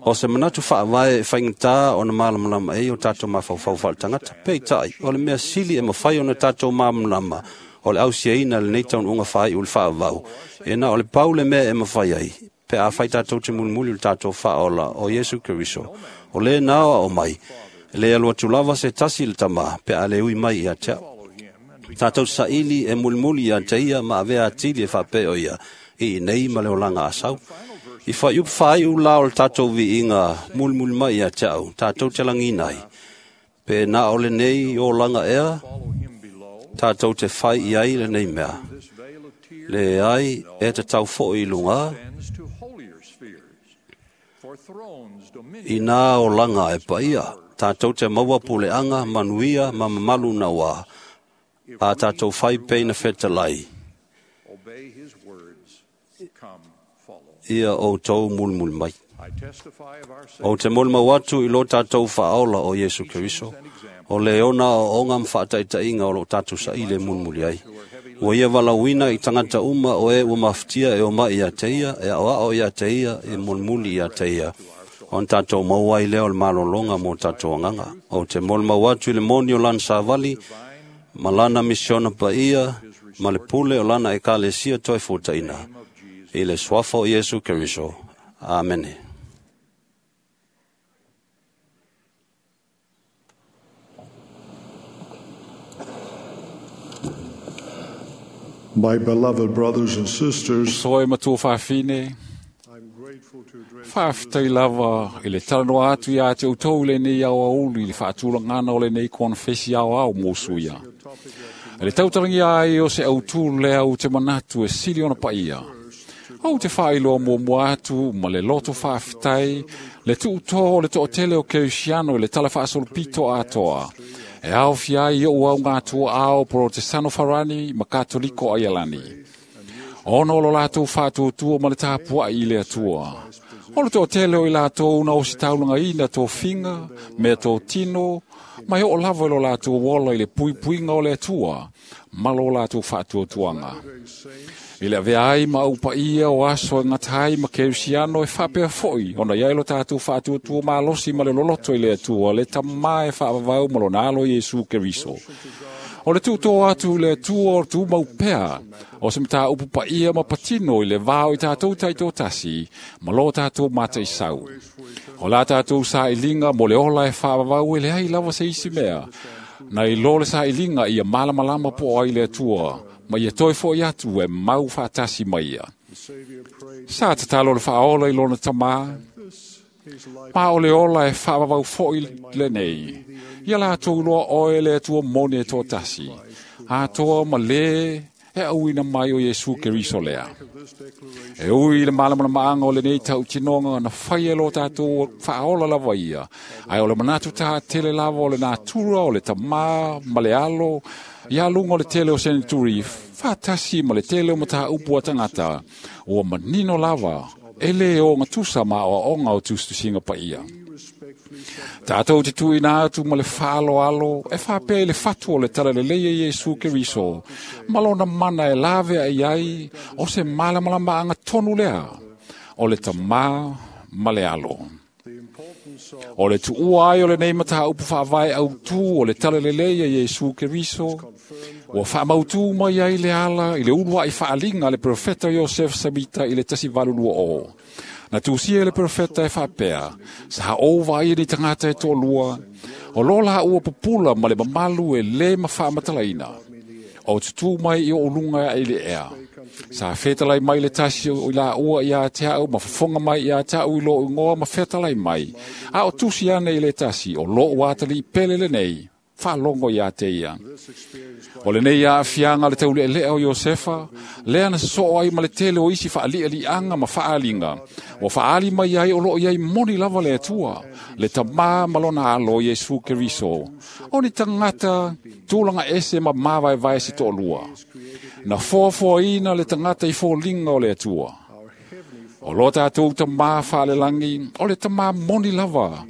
O se manatu faavae e faigata ona malamalama ai o tatou mafaufau faaletagata. Peitai, o le mea sili e mafai ona tatou malamalama, o le ausiaina lenei taunuuga faaiu le faavavau, e na o le pau le mea e mafai ai, pe afai tatou te mulimuli le tatou faaola o Iesu Keriso. O le na o mai, le alu atu lava se tasi le tamā, pe a le ui mai ia te au. Tatou saili e mulimuli ia te ia ma avea atili e faapea o ia, i nei ma le olaga asau. I faaiupu faaiu la o le tatou viiga mulimuli mai ia te au, tatou te lagina ai. Pe na o lenei olaga ea, tatou te fai i ai lenei mea. Le ai e te tau foi i luga, i nā olaga e paia, tatou te maua puleaga, manuia ma mamalu nauā, A tātou whai peina whetalai. Ia o tau mulmul mai. O te mulmau atu i lo tātou whaola o Yesu Keriso. O le ona o onga mwhaataitainga o lo tātou sa ile mulmuli ai. Ua ia walauina i tangata uma o e ua maftia e o mai ia teia, e ao ao ia teia, e mulmuli ia teia. O tātou mauai leo le malolonga mō tātou anganga. O te mulmau atu i le moni o lana sāvali, ma lana misiona pa ia, ma le pule o lana e kalesia toi futaina. I le suafa o Yesu Keriso. Amene. My beloved brothers and sisters, Soe matua whawhine, I'm grateful to address whawhitai lava i le talanoa atu ia te utou le nei au aulu i le whaatulangana o le nei konfesi au au mōsu ia. E le tautarangi ai o se autu lea u te manatu e sili ona paia. Au te whailoa mua mua atu ma le loto whawhitai, le tuuto o le to'otele o Keusiano i le tala whaasolopito atoa. E au fiai o au ngā tua ao Protestano Farani ma Katoliko Aialani. Ono o lo lātou whātuatua ma le tāpua i le atua. O le to'otele o i lātou na o si taulanga ina tō finga, mea tō tino, mai o lava i lo lātou wola i le puipuinga o le atua, ma lo lātou whātuatuanga. I le avea ai ma upa ia o aso e ngatai ma Keusiano e whapea foi, ona iai lo tātou whātuatua malosi ma le loloto i le atua, le tamae whaavavau ma lo nalo Yesu Keriso. O le tūtō atu le atua o tūmau pea, o se mata upu pa ia ma patino i le vao i tātou taito tasi, ma lo tātou mata i sau. O la tātou sa i linga mo le ola e whaavavau e le ai lava se isi mea. Na i lo le sa i linga ia malamalama po ai le atua, ma ia toi foi atu e mau whaatasi mai ia. Sa tatalo le whaola i lona tamā, ma o le ola e whaavavau foi le nei. Ia lātou loa oe le atua mone e tō tasi. Atoa ma le e auina mai o Yesu Keriso lea. E ui le malamala maanga o le nei tau tinonga na whai e lo tātou whaola lava ia. Ai o le manatu tā tele lava o le nātura o le tamā ma le alo, ia lunga o le tele o senituri, whātasi ma le tele o mata upu a tangata, o manino lava, e le o ngatusa ma o onga o tustusinga pa ia. Tātou te tuina atu ma le whaalo alo, e whapea i le whatu o le talaleleia Yesu Keriso, ma lona mana e lave ai ai, o se malamalama anga tonu lea, o le tamā ma le alo. O le tuua ai o le nei mata upu whaavae au tū o le talaleleia Yesu Keriso, ua whaamautu mai ai le ala i le ulua i whaalinga le profeta Joseph Samita i le tasi valulua o. Na tūsia le profeta e whapea, sa ova ai ni tangata e tōlua, o lola ua pupula ma le mamalu e le ma whaamatalaina. O tutu mai i o ulunga e le ea. Sa whetalai mai le tasi o la ua i a te au, ma whafonga mai i a te au i lo ingoa ma whetalai mai. A o tusi ane i le tasi, o lo uatali i pele le nei, whalongo i a te ia. O le nei a fianga le taule lea o Iosefa, lea na so ai ma le tele o isi whaali anga ma whaalinga. O whaali mai ai o lo iai moni lava le atua, le tamā malona alo Yesu Keriso. O ni tangata tūlanga ese ma māvae vae si to'olua. Na foafoa ina le tangata i fōlinga o le atua. O lo tātou tamā whaalelangi, o le tamā moni lava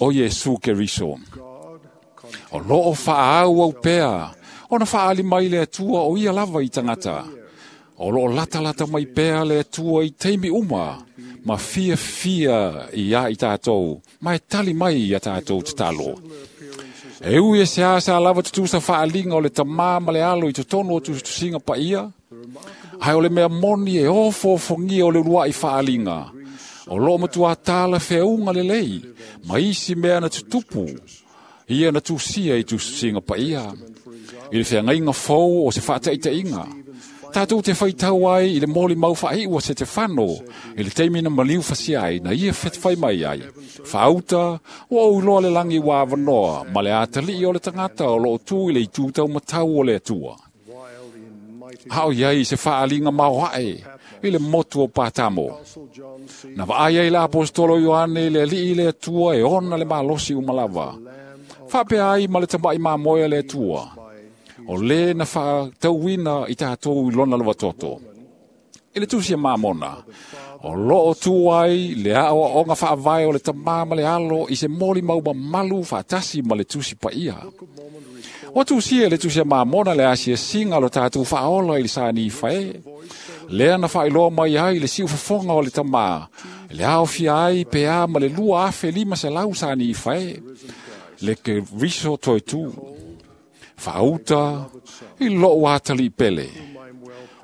o Yesu Keriso. O loo whaau au pea, o na whaali mai le atua o ia lava i tangata. O loo lata lata mai pea le atua i teimi uma, ma fia fia i a i tātou, ma e tali mai i a tātou te talo. E ui e se asa lava tutusa whaalinga o le tamā ma le alo i totonu o tutusinga pa ia, hai o le mea moni e ofo-ofongia o le urua i whaalinga. O loo matua tāla wheunga le lei, ma isi mea na tutupu, ia na tusia i tusinga pa ia. I le wheangainga fou o se whaataitainga. Tātou te whaitau ai i le moli mau whaiua se te whano, i le teimi na maliu whasi ai, na ia whetwhai mai ai. Whauta, o au loa le langi wā wanoa, ma le ātali o le tangata o loo tū i le itūtau matau o le atua. Hao iai se whaalinga mauhae, i le motu o Pātamo. Na vaai ai le apostolo Ioane i le alii le atua e ona le malosi umalava. Whapea ai ma le tamai māmoea le atua. O le na whaatauina i tātou i lona lava toto. I le tusi a Mamona, o loo tuai le ao onga whaavae o le tamā ma le alo i se moli mauma malu whaatasi ma le tusi paia. O tusi e le tusi a Mamona le asia singa lo tātou whaola i le sani whae. Lea na whailoa mai ai le siu fafonga o le tamā. Le ao fia ai pea ma le lua afe lima se lau sani whae. Le ke riso toi tū. Whaauta i loo atali pele.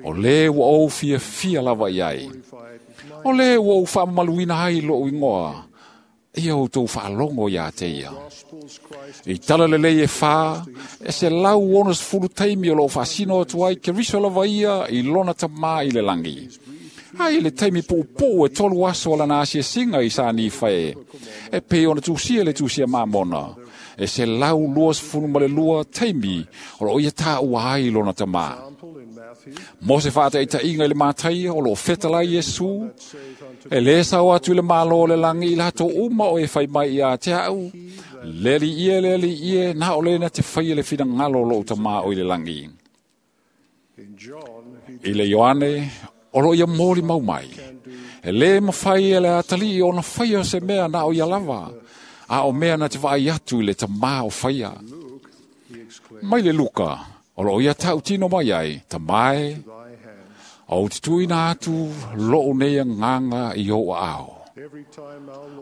O le ua ou fia fia lava iai. O le ua ou whaamaluina ai loo ingoa. Ia o tau whaalongo ia te ia. I tala lelei e wha, e se lau ono sefulu taimi o loo whaasino atu ai ke riso lava ia i lona tamā i le langi. Ai le taimi puupuu e tolu aso o lana asia singa i sani whae. E pe ona tusia le tusia Mamona. E se lau lua sefulu ma le lua taimi o loo ia tā ua ai lona tamā. Mo se whaata i tainga i le mātaia o loo whetala i Yesu. E le sao atu i le malo o le langi i lato uma o e whai mai i a te au. Leli ie, leli ie, nā o lena te whai le whina ngalo lo tamā o i le langi. I le Ioane, o lo ia mōli mau mai. E le mawhai e le atali o na whai o se mea nā o ia lava. A o mea na te waai atu i le tamā o whaia. Mai le Luka, o lo ia tautino mai ai, tamae, o te tuina atu loo nei nganga i o ao.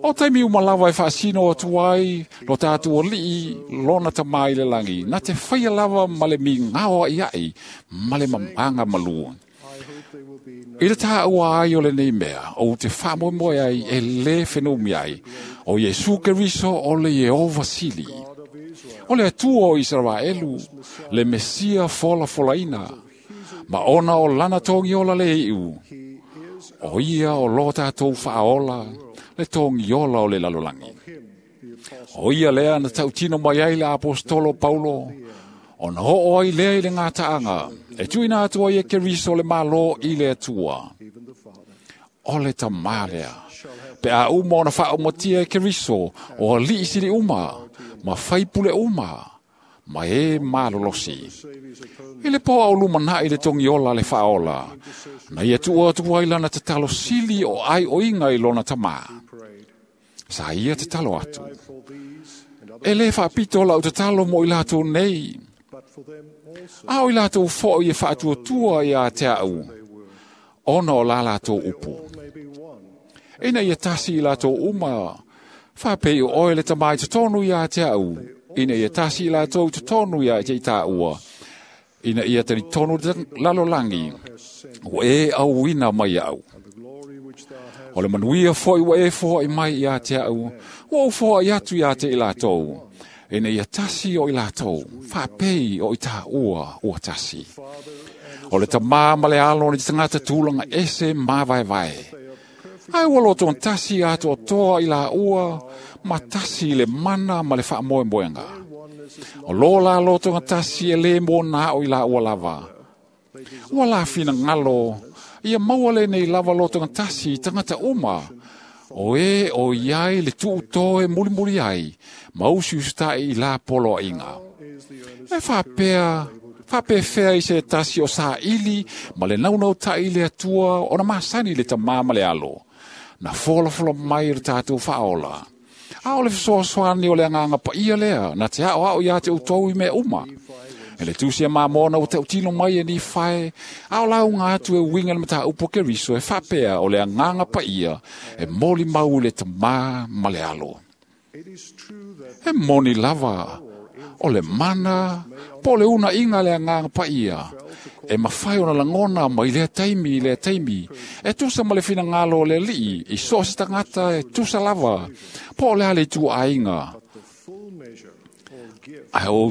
O taimi umalawa e whaasino atu ai, lo tātu o lii, lona tamai le langi, na te whaia lava male mi ngao i ai, male mamanga malua. I le tā ua ai o le nei mea, o te whaamoemoe ai e le whenumi ai, o Yesu Keriso o le Yehova Sili. O le Atua o Israelu, le Mesia fola folaina, ma ona o lana tongi ola le iu. O ia o lo tātou whaola, le tongi ola o le lalolangi. O ia lea na tautino mai ai le apostolo Paulo, o na hoo ai lea i le ngā taanga, e tuina atua i e Keriso le malo i le Atua. O le tamā lea, pe a uma o na whaomatia e Keriso, o a lii sili uma, ma whaipule uma, ma e malolosi. I le poa o lumana i le tongiola le whaola, na ia tua atua i lana te talo sili o ai o inga i lona tamā. Sa ia te talo atu. E le whaapito la o te talo mo i lātou nei. A o i lātou fo i e whaatuatua i a te au. Ona o la lātou upu. Ina ia tasi i lātou uma, whaapei o oe le tamai te tonu i a te au. Ina ia tasi i lātou te tonu i a te i ua. Ina ia tani tonu te lalolangi. O e au ina mai au. O le manuia foi ua e foi mai i a te au. Ua au foi atu i a te i lātou. Ina ia tasi o i lātou. Whaapei o i tā ua ua tasi. O le tamā ma le alo ni te tangata tūlanga ese mā vai vai. Ai ua loto tasi atu o toa i la ua, ma tasi le mana ma le whaamoemoenga. O lo la loto tasi e le mō nā o i la ua lava. Ua la whina ngalo, ia maua le nei lava loto tasi tangata uma. O e o iai le tuuto e mulimuli ai, ma usi ustai i la polo inga. E whaapea, whaapewhea i se tasi o saa ili, ma le naunau tai le atua, o na masani le tamā ma le alo. Na fola fola mai le tātou whaola. A o le fesoasoani o le anganga paia lea, na te ao ao ia te utou i mea uma. E le tusi a Mamona o te utino mai e ni whae, a o lau ngā atu e winga le mata upo Keriso e whapea o le anganga paia, e moli mau le tamā ma le alo. E moni lava, o le mana, po le una inga le anganga paia, e mawhai ona langona mai lea taimi lea taimi, e tusa ma le whina ngalo o le lii, i so se tangata e tusa lava, po le ale tu ainga. Ai o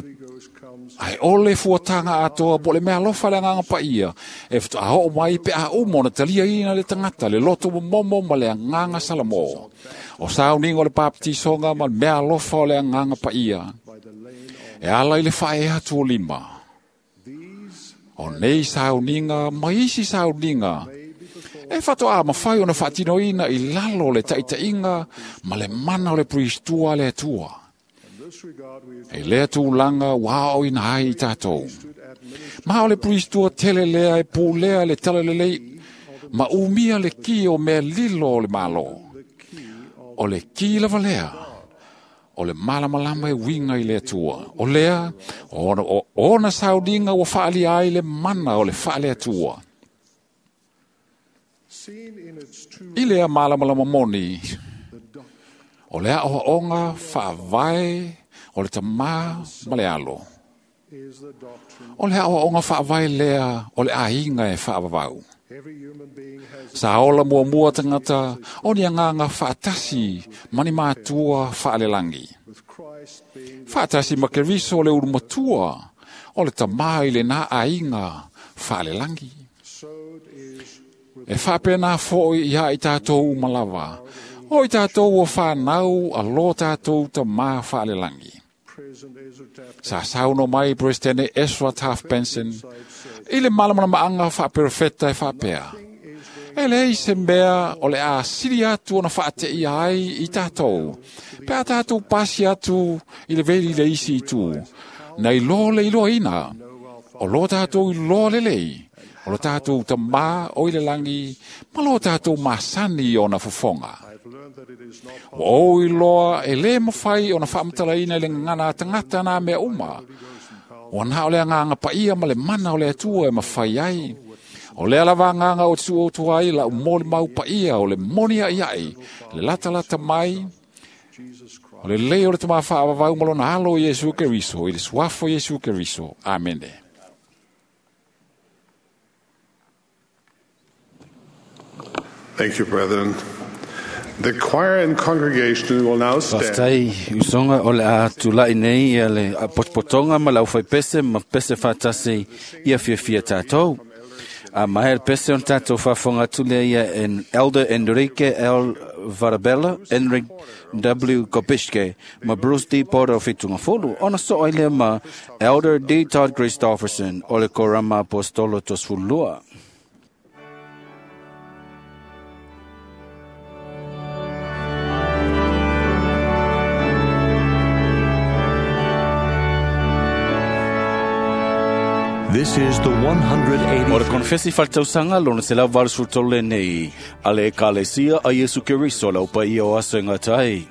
Ai ole fuatanga atoa po le mea alofa le anganga paia, e a o mai pe a umo na talia ina le tangata, le loto momo ma le anganga salamo. O sauningo le baptisonga ma le mea alofa o le anganga paia. E ala i le whae atu o lima. O nei sauninga, ma isi sauninga. E whato a mawhai o na whaatino ina i lalo le taitainga ma le mana o le priestua le atua. E lea tulaga ua aoaoina ai i tatou. Ma o le priestua tele lea e pulea le talalelei ma umia le ki o mea lilo o le malo. O le ki lava lea, o le malamalama e uiga i le Atua. O lea, ona, o, ona sauniga ua faalia ai le mana o le faale-Atua. I lea malamalama moni, o le aoaoga faavae o le tamā ma le alo. O le aoaoga faavae lea o le aiga e faavavau. Sa ola muamua tagata o ni agaga faatasi ma ni matua faalelagi. Faatasi ma Keriso o le ulumatua o le tamā i lenā aiga faalelagi. E faapena foi ia i tatou uma lava, o i tatou o whanau a lo tatou tamā faalelagi. Sa sauno mai Presidente Ezra Taft Benson i le malamalamaanga faaperofeta e faapea. E leai se mea o le a sili atu ona faateia ai i tatou, pe a tatou pasi atu i le veli le isi itu, na iloa le iloaina, o lo tatou iloa lelei, o lo tatou tamā o i le lagi, ma lo tatou masani ona fofoga. Ua ou iloa e lē mafai ona faamatalaina i le gagana a tagata nā mea uma. Ua na o le agaga paia ma le mana o le Atua e mafai ai. O lea lava agaga o te atu ai lau molimau paia o le moni aiai, le latalata mai, o le lei o le tamā faavavau ma lona alo o Iesu Keriso, i le suafa o Iesu Keriso. Amene. Thank you, brethren. The choir and congregation will now stand. Faafetai usoga o le a tula'i nei ia le potopotoga ma le aufaipese ma pese faatasi ia fiafia tatou. A maea le pese ona tatou faafofoga atu lea ia en Elder Enrique L. Varabella, Enric W. Kopischke ma Bruce D. Porter o Fitungafulu, ona soo ai lea ma Elder D. Todd Christofferson o le Korama Apostolo Tosefululua. This is the one hundred eighty. O le konfesi faaletausaga lona selau valusefulu tolu lenei a le Ekalesia a Iesu Keriso lau paia o aso e gata ai.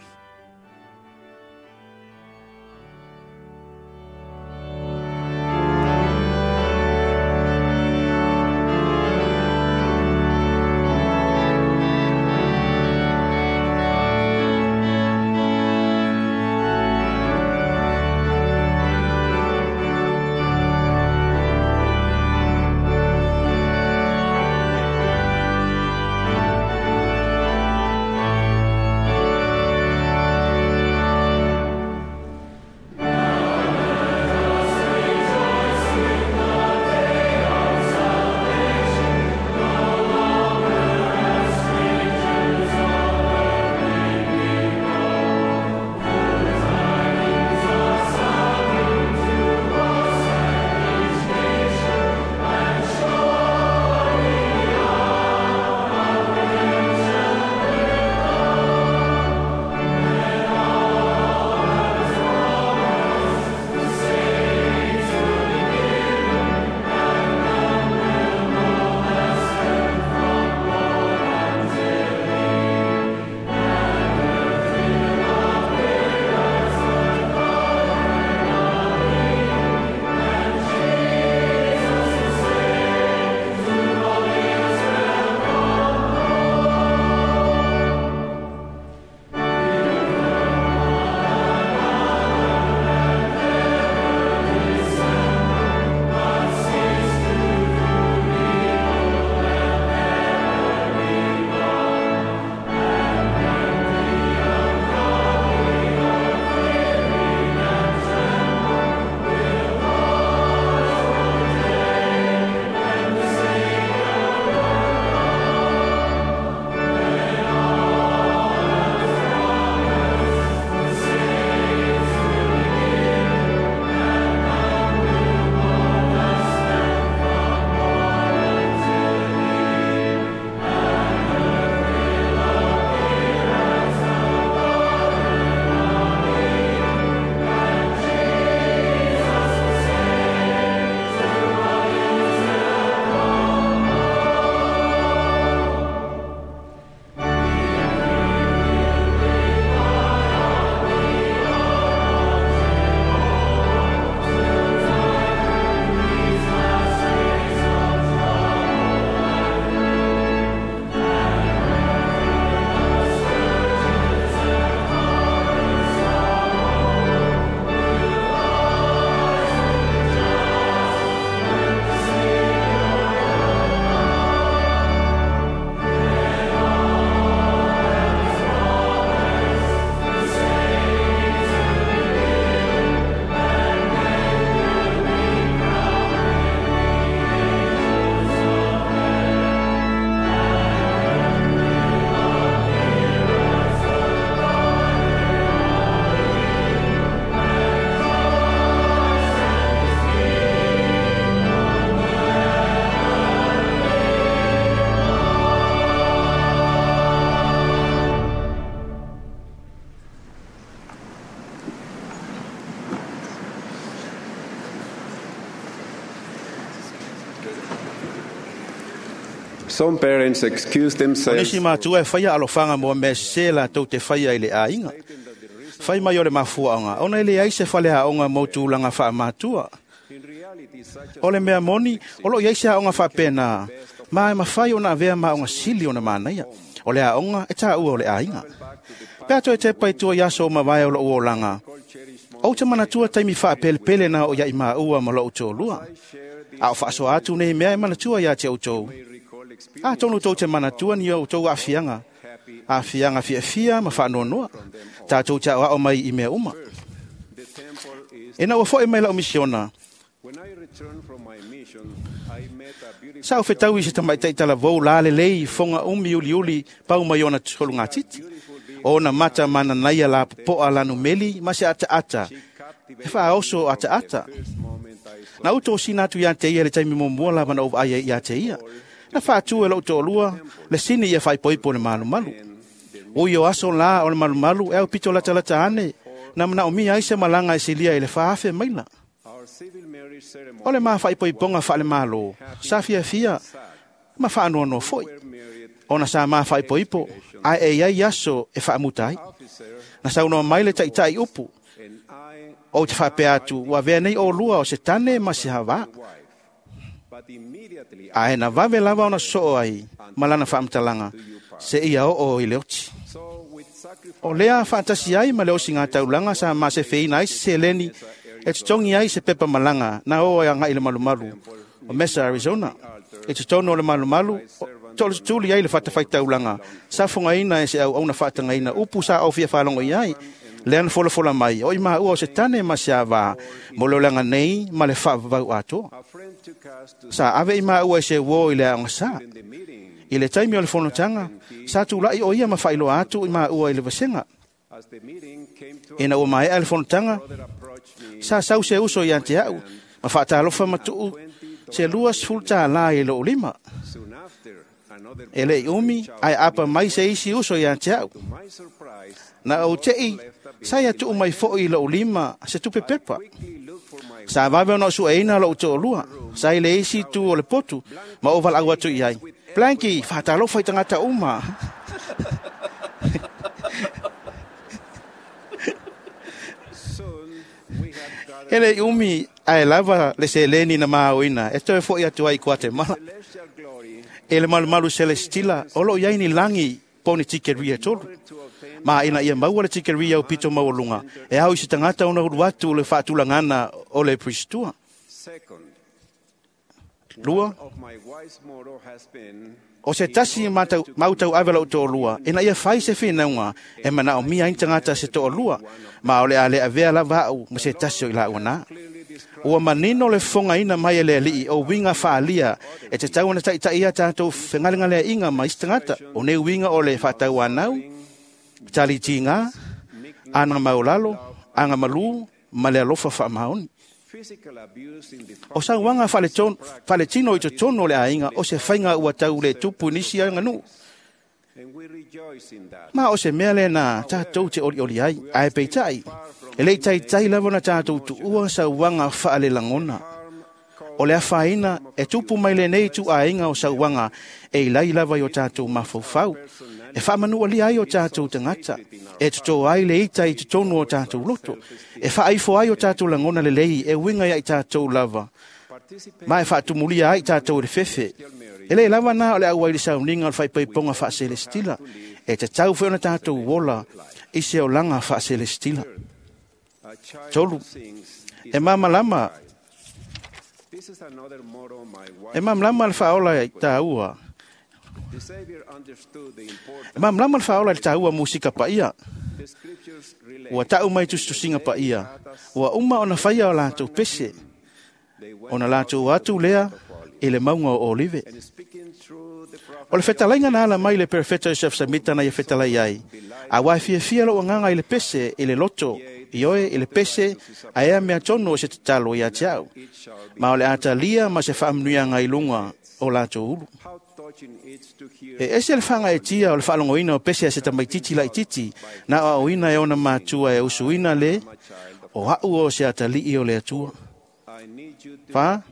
Some parents excuse O themselves nisi matua e whaia alofanga mo mea se la tau te whaia i le āinga. Whai mai o le mafuaanga, ona ele ai se whale haonga mo tūlanga wha matua. O le mea moni, o lo iai se haonga wha pēnā, ma e mawhai ona avea ma onga sili ona mānaia. O le haonga e tā ua o le āinga. Pea toe te pai tua iaso o mawae o lo uolanga. O te manatua taimi wha pele pele na o iai maa ua ma lo utolua. A o whaasoa atu nei mea e manatua ia te outou. A tonu tau te manatua ni o tau afianga. Afianga fia fia ma whaanonoa. Tātou te ao mai i mea uma. E na ua foe mai lau misiona. Sa o whetau i se tamaitai talavou la lelei fonga umi uli uli pau mai ona tolu ngā titi. O na mata mana naia la popoa lanu meli ma se ata ata. E whaoso ata ata. Na uto sina atu ia te ia le taimi momua la mana o aia ia te ia. Na whaatu e lau tōlua, le sini ia whaipoipo le malu malu. O io aso la o le malu malu, e au pito lata lata ane, na mana o mia aise malanga e silia i le whaafe maila. O le maa whaipoiponga whaale malo, sa fia fia, ma whaanoano foi. Ona sa maa whaipoipo, ai e iai aso e whaamutai. Na saunoa mai le taitai upu, o te whapea atu, wa vea nei o lua o se tane ma se hawa. Ae na vave lava ona soo ai, malana whaamtalanga, se ia o o i le oti. O lea whaatasi ai ma le osi ngā taulanga sa ma se whiina ai se seleni, e tutongi ai se pepa malanga, na o ai anga i le malumalu, o Mesa, Arizona. E tutono o le malumalu, tolu tuli ai le whatawhai taulanga, sa whangaina e se au auna whaatangaina, upu sa au fia whalongo i ai, lean fola fola mai, o i maha ua o se tane ma se awa, mo lolanga nei ma le whaavau atoa. Sa ave i maha ua e se uo i le aonga sa. I le taimi o le fonotanga, sa tūlai o ia ma whailoa atu i maha ua i le vasenga. E na ua maea le fonotanga, sa sau se uso i ante au, ma whaatalofa matuu se lua sfulta la i lo lima. E le i umi, ai apa mai se isi uso i ante au. Na o tei, sa ia tuu mai fo i lo lima se tupe pepa. Sa vave ona su eina lo to'olua, sa i le isi tu o le potu, ma o valau atu i ai. Blanky, whaatalofa i tangata uma. Hele i umi, ae lava le seleni na maoina, e toe fo i atu ai Guatemala. E le malumalu celestila, o lo iai ni langi poni tikeria tolu. Ma ina ia maua le tikeria o pito maualunga, e au i se tangata ona ulu atu le whaatulangana o le pristua. Lua, o se tasi matau, mautau ave lau to'olua, ina ia fai se whinaunga, e mana o mia intangata se to'olua, ma o le ale avea lava au ma se tasi o i lau ana. Ua manino le fonga ina mai e le alii o winga whaalia, e te tau ana taitai ia tātou whengalengalea inga ma istangata, o ne winga o le whaatau anau, tali tinga, anga maulalo, anga malu, ma le alofa whaamaoni. O sauanga whaletino i te tono le ainga o se whainga ua tau le tupu nisi a nganu. Ma o se mea le na tātou te oli oli ai, ai peitai. E lei taitai lava na tātou tu ua sauanga whaale langona. O le awhaina e tupu mai le nei tu ainga o sauanga e ilai lava i o tātou mafaufau. E whaamanu ali ai o tātou tangata, e tuto ai le ita i totonu o tātou loto, e whaaifo ai o tātou langona le lei, e winga ia i tātou lava. Ma e whaatumulia ai tātou le fefe. E le lava nā o le au ai le sauninga o le whaipaiponga whaaselestila, e te tau whaona tātou wola i se olanga whaaselestila. Tolu, e mamalama, e mamalama le whaola i tāua. E mamlama le whaola le tāua musika paia. Ua tau mai tusitusinga paia. Ua uma ona whaia o lātou pese. Ona lātou atu lea i le maunga o Olive. O le whetalainga na ala mai le perfecto Joseph Smith na ia whetalai ai. A wai fia fia lo anganga i le pese, i le loto, i oe i le pese, a ea mea tono o se tatalo i a te au. Ma o le atalia ma se whaamnuianga i lunga o lātou ulu. E ese le whanga e tia o le whaalongoina o pese a se tamaititi lai titi, na o auina e ona mātua e usuina le, o hau o se atalii o le atua. Wha,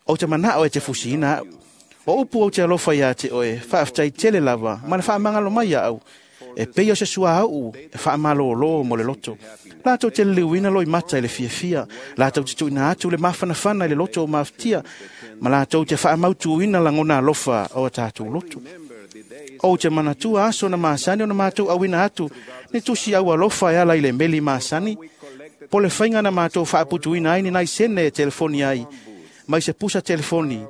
o te manao e te fusiina au, O upu au te alofa ia te oe, whaaftai tele lava, ma le whaamangalo mai au. E peia se sua au, e whaamalolo mo le loto. Lātou te liliuina loi mata i le fiafia, lātou te tuina atu le mafanafana i le loto o maftia, ma lātou te whaamautuina langona alofa o a tātou loto. O te manatua aso na masani o na mātou awina atu, ne tusi au alofa e ala i le meli masani, po le whainga na mātou whaaputuina ai ni nai sene e telefoni ai, mai se pusa telefoni,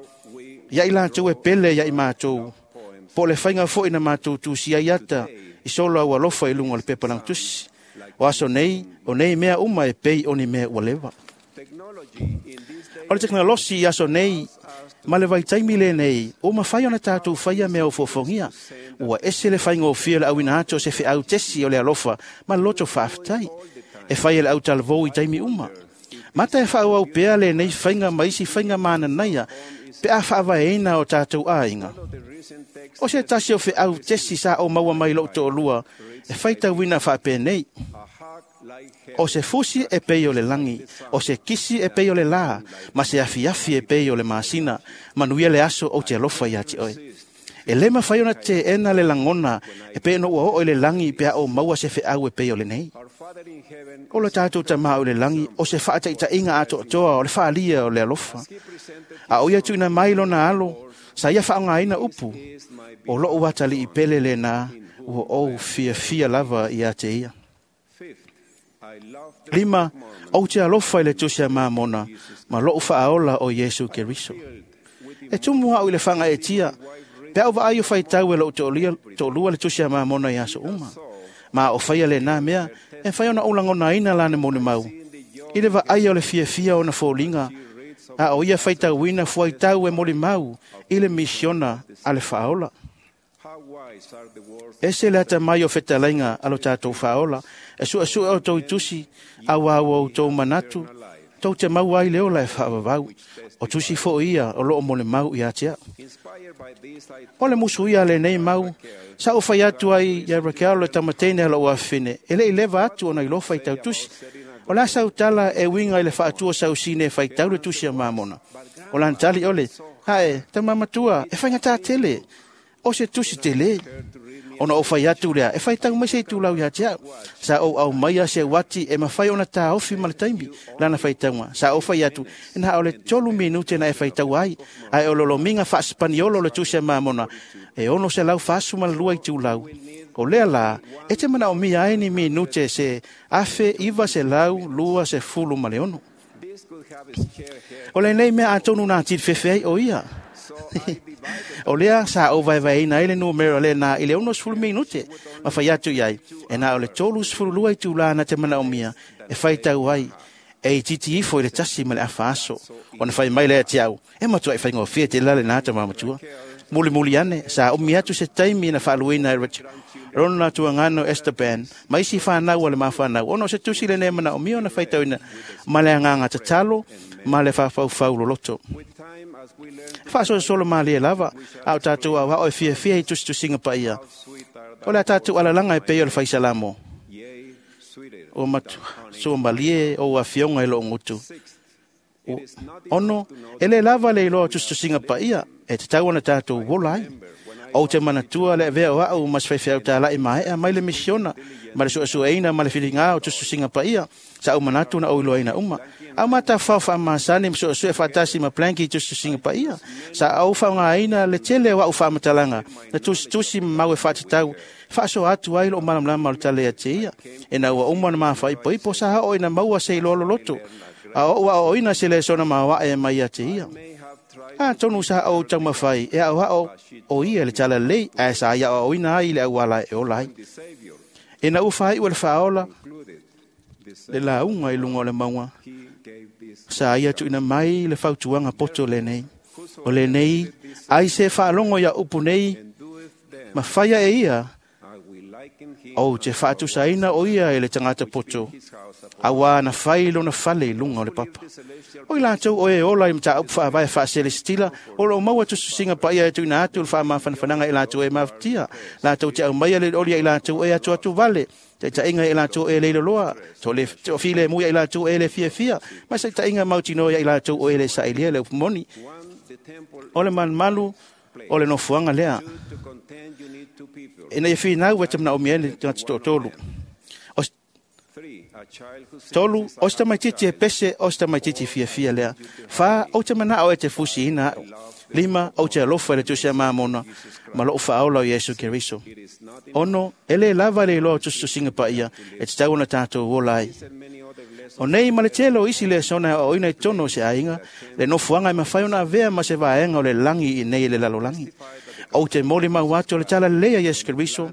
ia i lātou e pele ia i mātou, po le whainga foi na mātou tusi ai ata, i solo au alofa i lunga o le pepa lang tusi. O aso nei, o nei mea uma e pei o ni mea ua lewa. O le teknolosi i aso nei, ma le vaitaimi le nei, o mawhai ona tātou whaia mea o fōfongia. Ua ese le whainga o fia le awina atu o se wheau tesi o le alofa, ma loto whaaftai. E whai le au talvou i taimi uma. Mata e whaau au pea le nei whainga maisi whainga mana naia, pe a whaavaeina o tātou āinga. O se tasi o wheau tesi sa o maua mai lo to'olua, e whaitauina whaapenei. O se fusi e pei o le langi, o se kisi e pei o le lā, ma se afiafi e pei o le masina, manuia le aso o te alofa ia te oe. E le mawhai ona te ena le langona, e pe no ua o le langi pe a o maua se wheau e pei o le nei. O le tātou tamā o le langi, o se whaataitainga ato toa o le whaalia o le alofa. A o ia tuina mai lona alo, sa ia whaongaina upu, o loo watali i pele le nā, ua o fia fia lava ia te ia. Lima, au te alofa i le tusi a mamona, ma loo whaaola o Yesu Keriso. E tumu au i le whanga e tia, pe au vaai o whaitau e loo to'olua le tusi a mamona i aso uma. Ma o whaia le nā mea, e whai ona ulangona ina lane mone mau. I le vaai o le fiafia o na fōlinga, a o ia whaitauina fuaitau e moli mau, i le misiona a le whaola. Ese le ata mai o whetalainga alo tātou whaola, e sua sua o tau tusi, au au o tau manatu, tau te mau ai le ola e whaavavau, o tusi fo ia o loo mole mau i atea. O le musu ia le nei mau, sa o whai atu ai ia Raquel le tamatene ala o awhine, e le i lewa atu ona i lofa i tau tusi. O la sau tala e winga i le whaatua sau sine whai tau le tusi a mamona. O lan tali ole, hae, tamamatua, e whainga tā tele, o se tusi tele. Ona o whai atu lea, e whai tau mai se i tūlau ia te au. Sa o au mai a se wati e mawhai ona tā ofi ma le taimi, lana whai taunga. Sa o whai atu, e na o le tolu minute na e whai tau ai, ai o lolominga wha spaniolo le tusi a mamona, e ono se lau whasu ma le lua i tūlau. O lea la, e te mana o mia ai ni minute se afe iwa se lau lua se fulu ma le ono. O le nei mea atonu nā tiri whewhe ai o ia. O lea sa o vaevaeina ai le numero le nā i le ono sefulu minute ma whai atu iai. E nā o le tolu sefulu lua i tūlā te mana o mia e whai tau ai e i titi ifo i le tasi ma le afa aso. O na whai mai lea te au. E matua i whai ngōwhia te lale nā ta mamatua. Muli muli ane, sa umi atu se taimi na whaaluina e Richard. Rona tuangano Esteban, maisi whanau ale mawhanau. Ono se tusi le nemana o mio na whaitauina ma le anganga tatalo, ma le whawhau loloto. Whaaso solo ma le lava, au tātou au hao e fia fia i tusi tusinga pa ia. O le tātou alalanga e pei o le whaisalamo. O matu, so malie o afionga e lo ngutu. O, ono, ele lava le iloa tusi tusinga pa ia, e te tau ana tātou wola ai. O te manatua le vea o au mas whaiwhiau tā lai maea mai le misiona, ma le suasuaina ma le whiringa o tususinga pa ia, sa au manatu na o iloaina uma. Au mata whao wha masani ma suasua e whatasi ma planki tususinga pa ia, sa au whaungaina le tele o au whaamatalanga, na tusitusi mau e whatatau, whaaso atu ai lo malamlama o le tale a te ia, e na ua uma na mawhai poipo sa hao ina maua se iloa loloto, a o ua o ina se le sona mawae e mai a te ia. A tonu sa o taumawhai, e au hao o ia le tala lei, a sa ia o ina ai le auala e ola ai. E na uwhai ua le whaola, le launga i lunga o le maunga, sa ia tuina mai le whautuanga poto le nei. O le nei, ai se whaalongo ia upu nei, ma whaia e ia, o te whaatusaina o ia e le tangata poto, awa na whai lona whale i lunga o le papa. O i lātou o e ola i mta upu whaavae whaaselestila, o lo maua tususinga pa ia e tuina atu le whaamawhanawhananga i lātou e mawhtia, lātou te au mai ale olia i lātou e atu atu vale, te tainga i lātou e leilo loa, to le to file muia i lātou e le fia fia, ma se tainga mautino ia i lātou o e le sailia le upumoni. O le manmalu, O le nofoaga lea. Ina ia finau e te manaomia ai le tagata toatolu. O tolu, o se tamaitiiti e pese, o se tamaitiiti fiafia lea. Fa, ou te manao e te fusiina au. Lima, ou te alofa i le tusi a mamona, ma lou faaola o Iesu Keriso. Ono, e lē lava le iloa o tusitusiga paia, e tatau ona tatou ola ai. O nei ma le tele o isi lesona e aoaoina i totonu o se aiga, le nofoaga e mafai ona avea ma se vaega o le lagi i nei i le lalolagi. Ou te molimau atu o le talalelei a Iesu Keriso,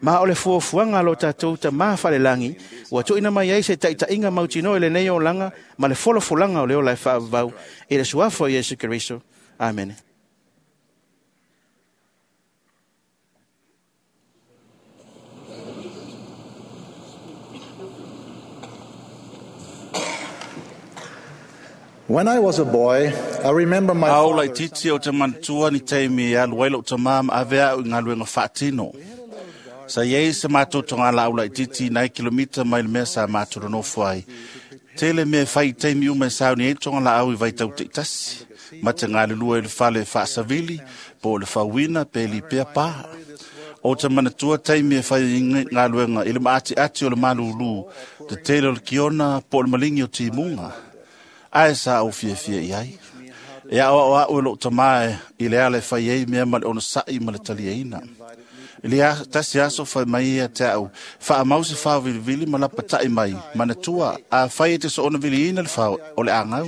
ma o le fuafuaga a lo tatou tamā falelagi, ua tuuina mai ai se taitaiga mautinoa i lenei olaga ma le folafolaga o le ola e faavavau i le suafa o Iesu Keriso. Amene. When I was a boy, I remember my Au father laititi o te manatua ni taimi e alu ai lou tamā ma ave au i galuega faatino. Sa iai se matou togalaau laititi nai kilomita mai le mea sa matou nonofo ai. Tele mea e fai i taimi uma e sauni ai togalaau i vaitau taitasi, ma te galulue i le fale faasavili, po o le fauina pe lipea pā. O te manatua taimi e fai ai galuega i le maatiati o le malūlū, te tele o le kiona po o le maligi o timuga. Ae sa ou fiafia i ai. E aoao au e lou tamā i le ala e fai ai mea ma le onosai ma le taliaina. I le tasi aso fai mai ia te au, faamau se fao vilivili ma lapatai mai, manatua, a fai e te soona viliina le fao o le agau.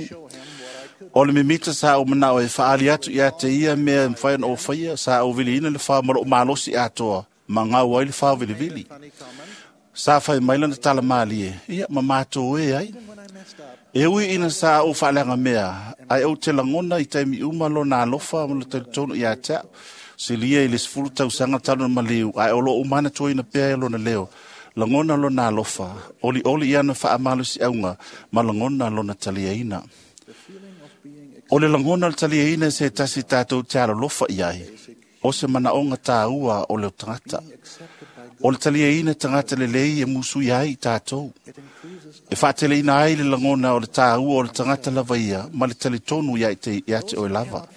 O le mimita sa ou manao e faali atu ia te ia mea e mafai ona ou faia, sa ou viliina le fao ma lou malosi atoa, ma gau ai le fao vilivili. Sa fai mai lana tala malie, ia ma matou e ai. E ui ina sa ou faaleaga mea, ae ou te lagona i taimi uma lona alofa ma le talitonu ia te au. Silia i le sefulu tausaga talu na maliu, ae o loo manatuaina pea e lona leo. Lagona lona alofa, olioli i ana faamalosiauga ma lagona lona taliaina. O le lagona o le taliaina se tasi tatou te alolofa i ai, o se manaoga tāua o le tagata. O le taliaina tagata lelei e musui ai i tatou. E faateleina ai le lagona o le tāua o le tagata lava ia ma le talitonu ia te, ia te oe lava.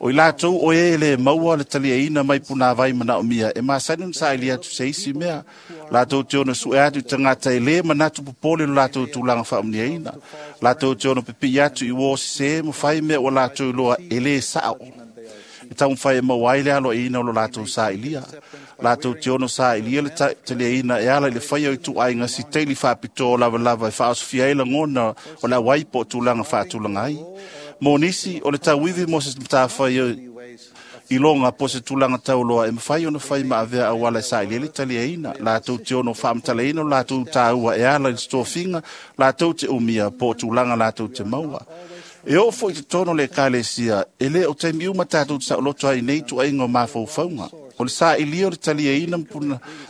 O i latou o e le maua le taliaina mai punāvai manaomia e masani ona saili atu se isi mea. Latou te ono sue atu i tagata e lē manatu popole lo latou tulaga faamuniaina. Latou te ono pipii atu i uo sesē ma fai mea ua latou iloa e lē sao. E taumafai e maua ai le aloaina o lo latou sailia. Latou te ono sailia le taliaina e ala i le faia o ituaiga siteili faapitoa lavalava e faaosofia ai lagona o le auai po o tulaga faatulaga ai. Mo nisi, o le tauivi mo se matafai iloga po o se tulaga tauloa e mafai ona fai ma avea auala e sailia le taliaina. Latou te ono faamatalaina o latou tāua e ala i le tofiga, latou te umia po o tulaga latou te maua. E oo foi i totonu o le ekalesia, e lē o taimi uma tatou te saoloto ai nei tuaiga o mafaufauga. O le sailia o le taliaina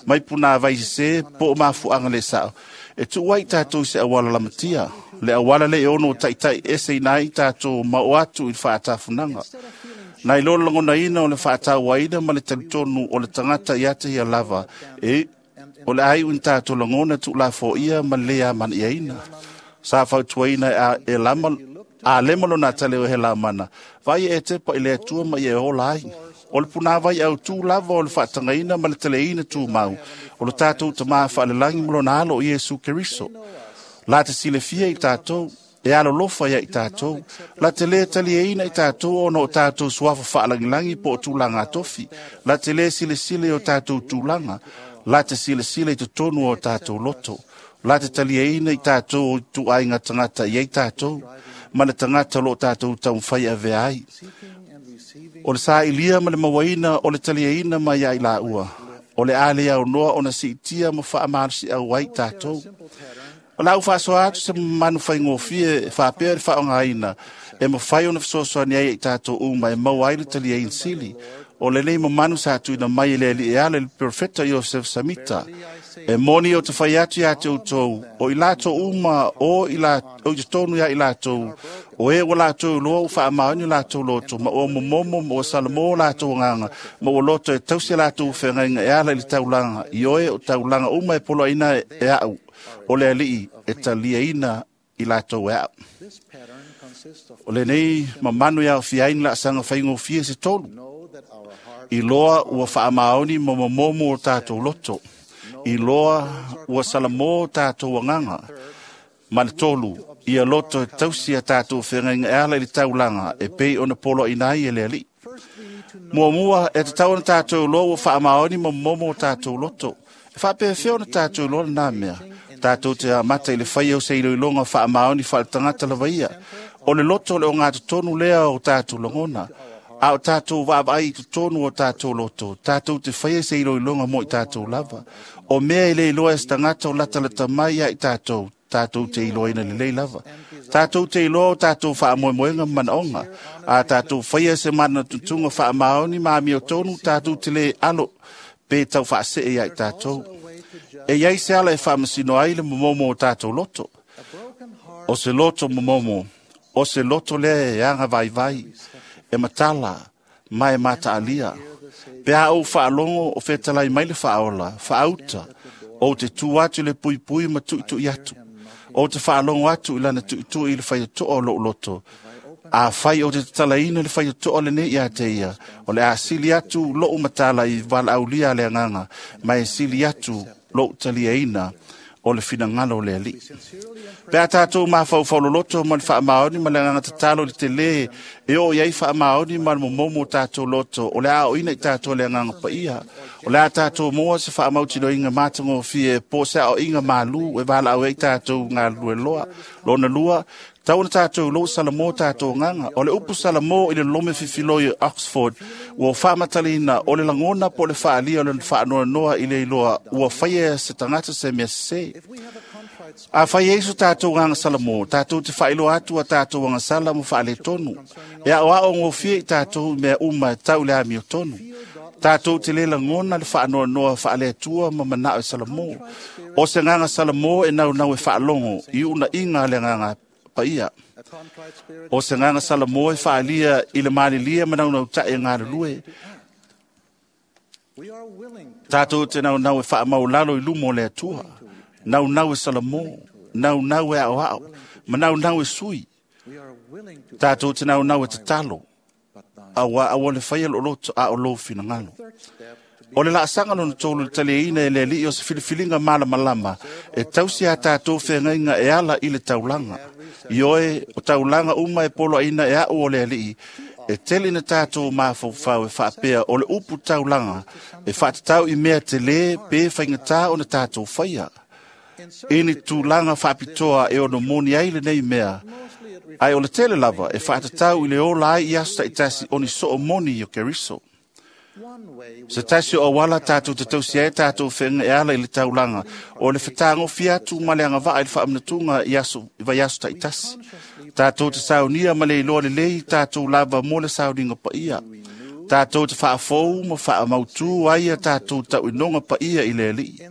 mai punāvai sesē po o mafuaaga le sao. E tuu ai tatou i se auala lamatia. Le auala le e ono o taitai eseina ai tatou ma o atu i le faatafunaga. Nai lo le lagonaina o le faatauaina ma le talitonu o le tagata ia te ia lava, e o le ai ina tatou lagona tuulafoia ma le lē amana'iaina. Sa fautuaina e lama a lema lona tale o he lamana, vai e te pa i le atua ma ia e ola ai. O le punāvai au tū lava o le faatagaina ma le teleina tūmau, o le tatou tamā faalelagi ma lona alo o Iesu Keriso. La te silafia i tatou, e alolofa ia i tatou, la te lē taliaina i tatou ona o tatou suafa faalagilagi po o tulaga atofi, la te lē silasila i o tatou tulaga, la te silasila i totonu o tatou loto, la te taliaina i tatou o ituaiga tagata i ai tatou, ma le tagata o loo tatou taumafai avea ai. O le sailia ma le mauaina o le taliaina mai ai laua, o le a le aunoa ona siitia ma faamalosiau ai tatou. O le au faasoa atu se manu faigofie e faapea le faaaogaina e mafai ona fesoasoani ai i tatou uma e maua ai le taliaina sili. O lenei mamanu sa tuuina mai e le alii e ala i le perofeta Iosef Samita. E moni o te fai atu ia te outou, o i latou uma o i totonu ia i latou, o e ua latou iloa ua faamaoni o latou loto, ma ua momomo ma ua salamo o latou agaga, ma ua loto e tausi a latou feagaiga e ala i le taulaga, i oe o taulaga uma e poloaina e au, o le alii e taliaina i latou e au. O lenei mamanu e aofia ai ni laasaga faigofie se tolu. Iloa ua faamaoni ma momomo o tātou loto. Iloa ua salamo o tātou agaga. Ma le tolu, ia loto e tausi a tātou whengainga e ala i le taulaga e pei ona polo ina ai e le alii. Muamua e tatau ona tātou loa ua faamaoni ma momomo o tātou loto. E faapefea ona tātou loa lena mea. Tātou te amata i le whai au se iloiloga faamaoni faaletagata lava ia. O le loto le o ngā totonu lea o tātou lagona. A o tātou vaavaai i totonu o tātou loto. Tātou te whai se iloiloga mo i tātou lava. O mea i le iloa e se tagata o latalata mai ia i tātou. Tātou te iloaina lelei lava. Tātou te iloa o tātou whaamoemoenga manaonga. A tātou whaia se mana tutunga whaamaoni ma amio tonu, tātou te le alo pe tau whaasee ia i tātou. E iai se ala e whaamasino ai le momomo o tātou loto. O se loto momomo, o se loto lea e anga vai vai, e matala, mai mata alia. Pe a ou whaalongo o whetalai mai le whaola, whaauta, o te tū atu le pui pui ma tui tui atu. O te whaalongo atu i lana tui tui i le whaitoa o lou loto. A whai o te tatalaina le whaitoa le nei ia te ia. O le asili atu lou matala i walaaulia le anganga, ma e sili atu lou taliaina o le finangalo o le alii. Pe a tātou mafaufau ma le faamaoni ma le agaga tatalo i le telē e oo i ai faamaoni ma le momomo o tātou loto, o le aoina i tātou le agaga paia. O le a tātou moa se faamautinoina matagofie po o se aoiga malū e valaau ai tātou galulue loa. Lona lua, tau ona tātou lou salamo tātou agaga. O le upu salamo i le lome fifiloi o Oxford, ua faamatalaina o le lagona po o le faalia o le faanoanoa i le iloa ua faia se tagata se mea sesē. A whai eiso tātou nganga salamo, tātou te whailoa atu a tātou nganga salamo whaale tonu. E ao ao ngofia i tātou mea uma tau le amio tonu. Tātou te lela ngona le whaanoa noa whaale atua ma manao e salamo. O se nganga salamo e nau nau e whaalongo, i una inga le nganga paia. O se nganga salamo e whaalia i le maalilia ma nau nau tae ngā lulue. Tātou te nau nau e whaamaulalo i lumo le atua. Nau nau e salamo, nau nau e ao ao, ma nau nau e sui. Tātou te nau nau e tatalo, awa awa le whaia loloto a o lou finangalo. O le laasanga lona tolu le taliaina e le alii o se filifilinga malamalama, e tausi a tātou whengainga e ala i le taulaga. I oe, o taulaga uma e polo aina e au o le alii, e tele na tātou mafaufau e faapea o le upu taulaga, e whaatatau i mea te le pe whaingatā o na tātou whaia. Ini tūlanga whaapitoa e ono moni ai le nei mea. Ai o le tele lava e whaatatau i le ola ai i aso taitasi oni soo moni i o Keriso. Se tasi o awala tātou te tausi ai tātou whenga e ala i le taulaga, o le whatāngofi atu ma le angawaa i le whaamanatunga i aso, i vai aso taitasi. Tātou te saunia ma le iloa lelei tātou lava mo le sauninga paia. Tātou te whaafou ma whaamautū ai a tātou tauinonga paia i le alii.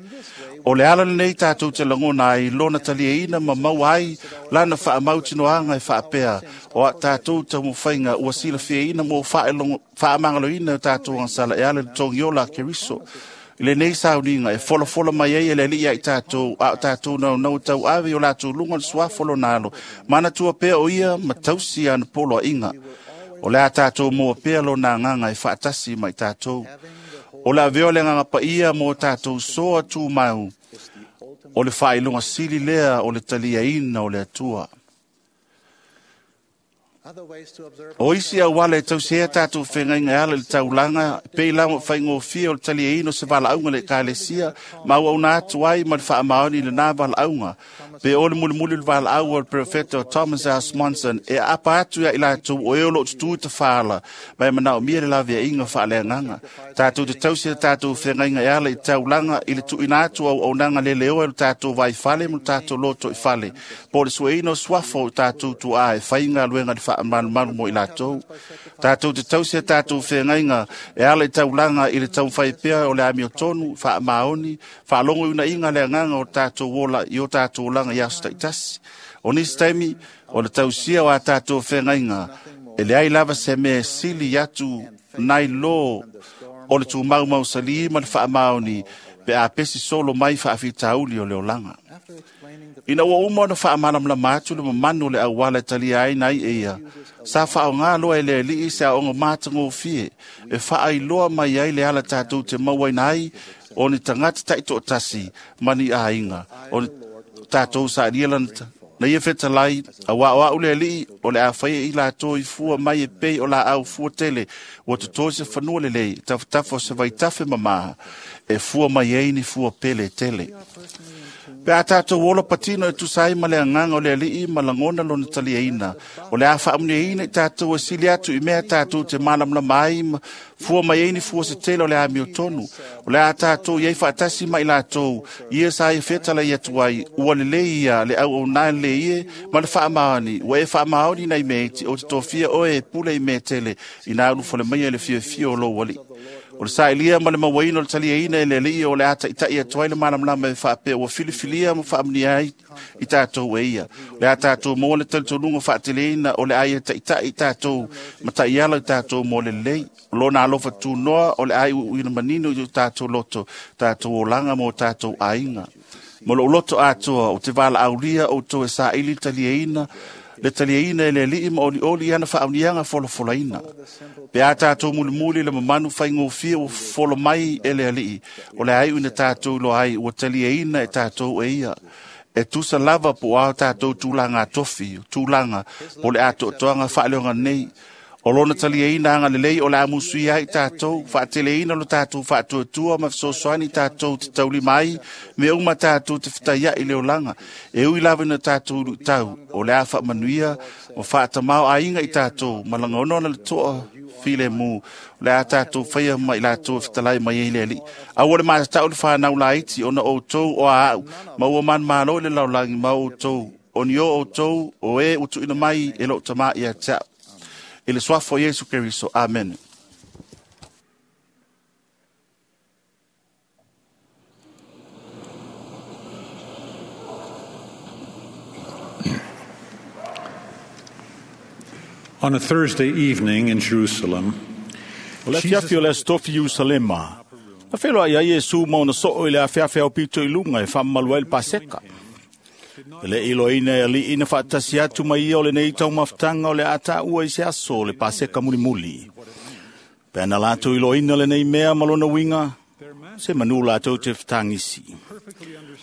O le ala nei tātou te langona ai lona taliaina ma mau ai lana whaamautinoanga e whaapea o a tātou taumawhainga ua silafiaina mo whaamangaloina o tātou angsala e ala le tongiola a Keriso. I le nei sauninga e folafola mai ai e le alii ai tātou a o tātou nau nau tau ave o lātou lunga le suafolo nalo. Mana tua pea o ia ma tausi ana polo a inga. O le a tātou mua pea lo nā nganga e whaatasi mai tātou. O le aveo le nganga paia mō tātou soa tū mau. O le whailunga sili lea o le taliaina o le atua. O isi au wale e tausea tātou whengainga ala le taulanga, pe lama whaingofia o le taliaina o se valaauga le kalesia, ma au auna atu ai ma le whaamaoni le nā valaauga. Pe o le mulimuli le valaau o le prefeta o Thomas S. Monson, e apa atu ia i lātou o eo lo tutu i te whaala, mai manao mia le lavea inga whaaleanganga. Tātou te tausea tātou whengainga e ala i taulanga i le tuina atu au aunanga le leoa i le tātou vai whale mo le tātou loto i whale. Po le sueina o suafo o tātou tuā e whainga luenga le whaamalumalu mo i lātou. Tātou te tausea tātou whengainga e ala i taulanga i le taumwhai pea o le amio tonu, whaamaoni, whaalongo una inga le anganga o tātou ola i o tātou olanga i aso taitasi. O nisi taimi, o le tausia o a tātou whengainga, e le ai lava se mea sili atu nai lō o le tūmaumau sali ma le whaamaoni, Pe a pesi solo mai faafitauli o le olaga. Ina ua uma ona faamalamalama atu le mamanu o le auala e talia ai nai e ia, sa faaaoga loa e le alii se aoga matagofie e faailoa mai ai le ala tatou te mauaina ai o ni tagata taitoatasi ma ni aiga o ni tatou sailia lana na ia fetalai, auā o a'u le alii o le a faia i latou i fua mai e pei o laau fua tele ua totō se fanua lelei tafatafa o se vaitafe mamā e fua mai ai ni fua pele tele. Pe a tātou ola patino e tusa ai ma le agaga o le alii ma lagona lona taliaina, o le a faamuniaina i tātou e sili atu i mea tātou te malamalama ai ma fua mai ai ni fua se tele o le amiotonu. O le a tātou i ai faatasi ma i latou, ia sa ia fetalai atu ai, ua lelei ia le auaunae lelei e ma le faamaoni, ua e faamaoni nai mea iti o te tofia oe e pule i mea tele, ina ulufale maia i le fiafia o lou alii. O le sailia ma le mauaina o le taliaina e le alii o le a taʻitaʻi atu ai le malamalama e faapea ua filifilia ma faamunia ai i tatou e ia. O le a tatou maua le talitonuga faateleina o le a ia taʻitaʻi i tatou ma taʻiala i tatou mo le lelei. O lona alofa tunoa o le a iuiuina manino i o tatou loto, tatou olaga ma o tatou aiga. Ma lou loto atoa o te valaaulia outou e saili le taliaina le taliaina e le alii ma olioli i ana faauniaga folafolaina. Pe a tatou mulimuli le mamanu faigofie ua folo mai e le alii, o le a iu ina tatou iloa ai ua taliaina e tatou e ia. E tusa lava po o a tatou tulaga tofi, tulaga po le atoatoaga faaleoga nei. O lona taliaina agalelei o le a musuia ai tatou, faateleina lo tatou faatuatua ma fesoasoani tatou te taulima ai, mea uma tatou te fetaiai i le olaga. E ui lava ina tatou luitau, o le a faamanuia ma faatamao aiga i tatou, ma lagona ona le toa filemu, o le a tatou faia ma i latou e fetalai mai ai le alii. Aua le matatau le fanau laiti ona outou o a au, ma ua manumalo i le lalolagi ma outou, o ni o outou o e ua tuuina mai e lou tamā ia te a'u. I le suafa o Iesu Keriso. Amen. On a Thursday evening in Jerusalem, O le afiafi o le aso tofi Ierusalema, na feloai ai Iesu ma ona soo i le afeafe au pito i luga e faamamalu ai le Paseka. E le iloaina e alii na faatasi atu mai ia o lenei taumafataga o le a taua i se aso o le Paseka mulimuli. Pe ana latou iloaina lenei mea ma lona uiga, se manu latou te fetagisi.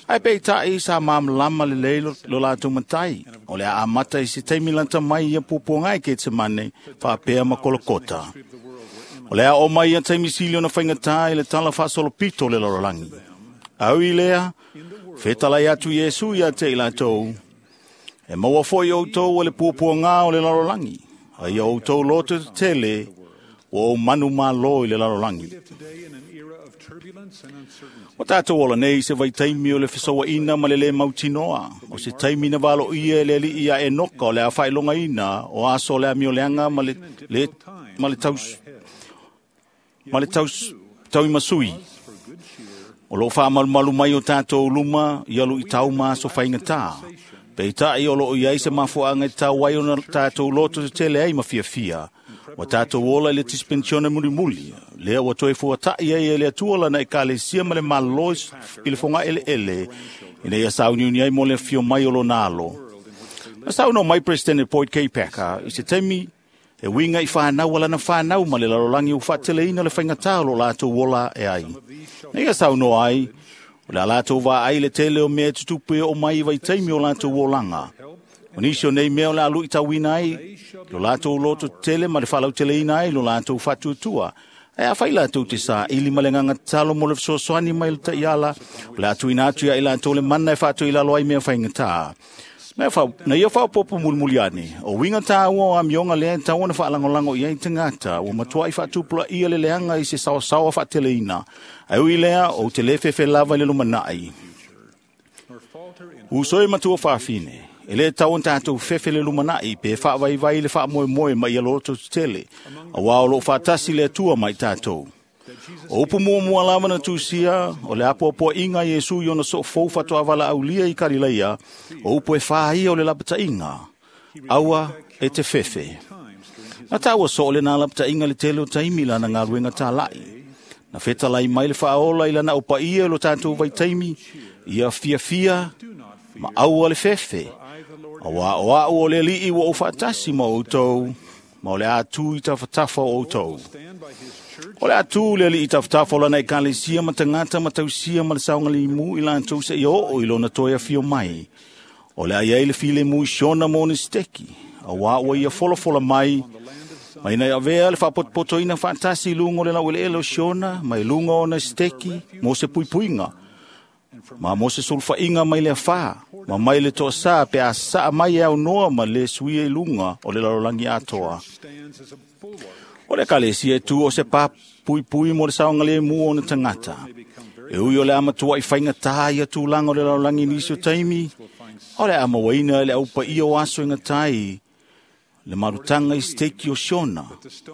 Ae peitai sa malamalama lelei lo, lo latou matai, o le a amata i se taimi lata mai ia puapuaga e Ketsemane faapea ma Kolokota. O le a oo mai ia taimi sili ona faigatā i le tala faasolopito o le lalolagi. Au i lea, fetalai atu Iesu ia te i latou, e maua foi outou o le puapuaga o le lalolagi, a ia outou loto tetele, ua ou manu malo i le lalolagi. O tātou ola nei se vaitaimi o le fesauaina ma le lē mautinoa, o se taimi na valoia e le alii ia Enoka o le a faailogaina o aso o le amioleaga ma le, le, ma le taus, ma le taus, tauimasui. O loo faamalumalu mai o tātou luma ia luitau ma aso faigata. Peitai o loo iai se mafuaaga e tatau ai ona tātou loto tetele ai ma fiafia. Ua tātou ola i le dispensione mulimuli, lea ua toe fuataʻi ai e le Atua lana ekalesia ma le malō i le fogaʻeleʻele, ina ia sauniuni ai mo le afio mai o lona alo. Na saunoa mai Presidente Boyd K. Packer i se taimi e uiga i fanau a lana fanau ma le lalolagi ua faateleina le faigatā o lo latou ola e ai. Na ia saunoa ai, o le a latou vaai le tele o mea e tutupu e oo mai i vaitaimi o latou olaga. O nisi o nei mea o le a luitauina ai lo latou loto tetele ma le faalauteleina ai lo latou faatuatua. Ae afai latou te saili ma le agaga tatalo mo le fesoasoani mai le taiala, o le a tuuina atu ia i latou le mana e faatoilalo ai mea faigatā. Na, fa, na ia faaopoopo mulimuli ane, o uiga tāua o amioga lea e tatau ona faalagolago i ai tagata, ua matuai faatupulaia le leaga i se saosaoa faateleina. Ae ui lea, ou te lē fefe lava i le lumanai. Uso e matua faafine, e lē tatau ona tatou fefe le lumanai pe faavaivai le faamoemoe ma ia loto tetele, auā o loo faatasi le Atua ma i tatou. O upu muamua lava na tusia, o le apoapoaiga a Iesu i ona soofou faatoa aulia i Kalilaia, o upu e fā ia o le lapataiga, aua e te fefe. Na taua soo lena lapataiga le tele o taimi lana galuega tālaʻi. Na fetalai mai le faaola i lana aupaia i lo tatou vaitaimi, ia fiafia ma aua le fefe. Auā o a'u o le Alii ua ou faatasi ma outou, ma o le a tu i tafatafa o outou. O le a tu le Alii i tafatafa o lana ekalesia ma tagata ma tausia ma le saogalimu i latou seia oo i lona toe afio mai. O le a i ai le filemu i Siona ma ona siteki, auā ua ia folafola mai, ma ina ia avea le faapotopotoina faatasi i luga o le laueleele o Siona, ma i luga o ona siteki mo se puipuiga, ma mo se sulufaiga mai le afā, ma mai le toasā pe a saa mai e aunoa ma le suia i luga o le lalolagi atoa. O le ekalesia e tu o se papuipui mo le saogalemu o ona tagata. E ui o le a matuai faigata ia tulaga o le lalolagi i nisi o taimi, o le a mauaina e le aupaia o aso e gata ai le malutaga i siteki o Siona.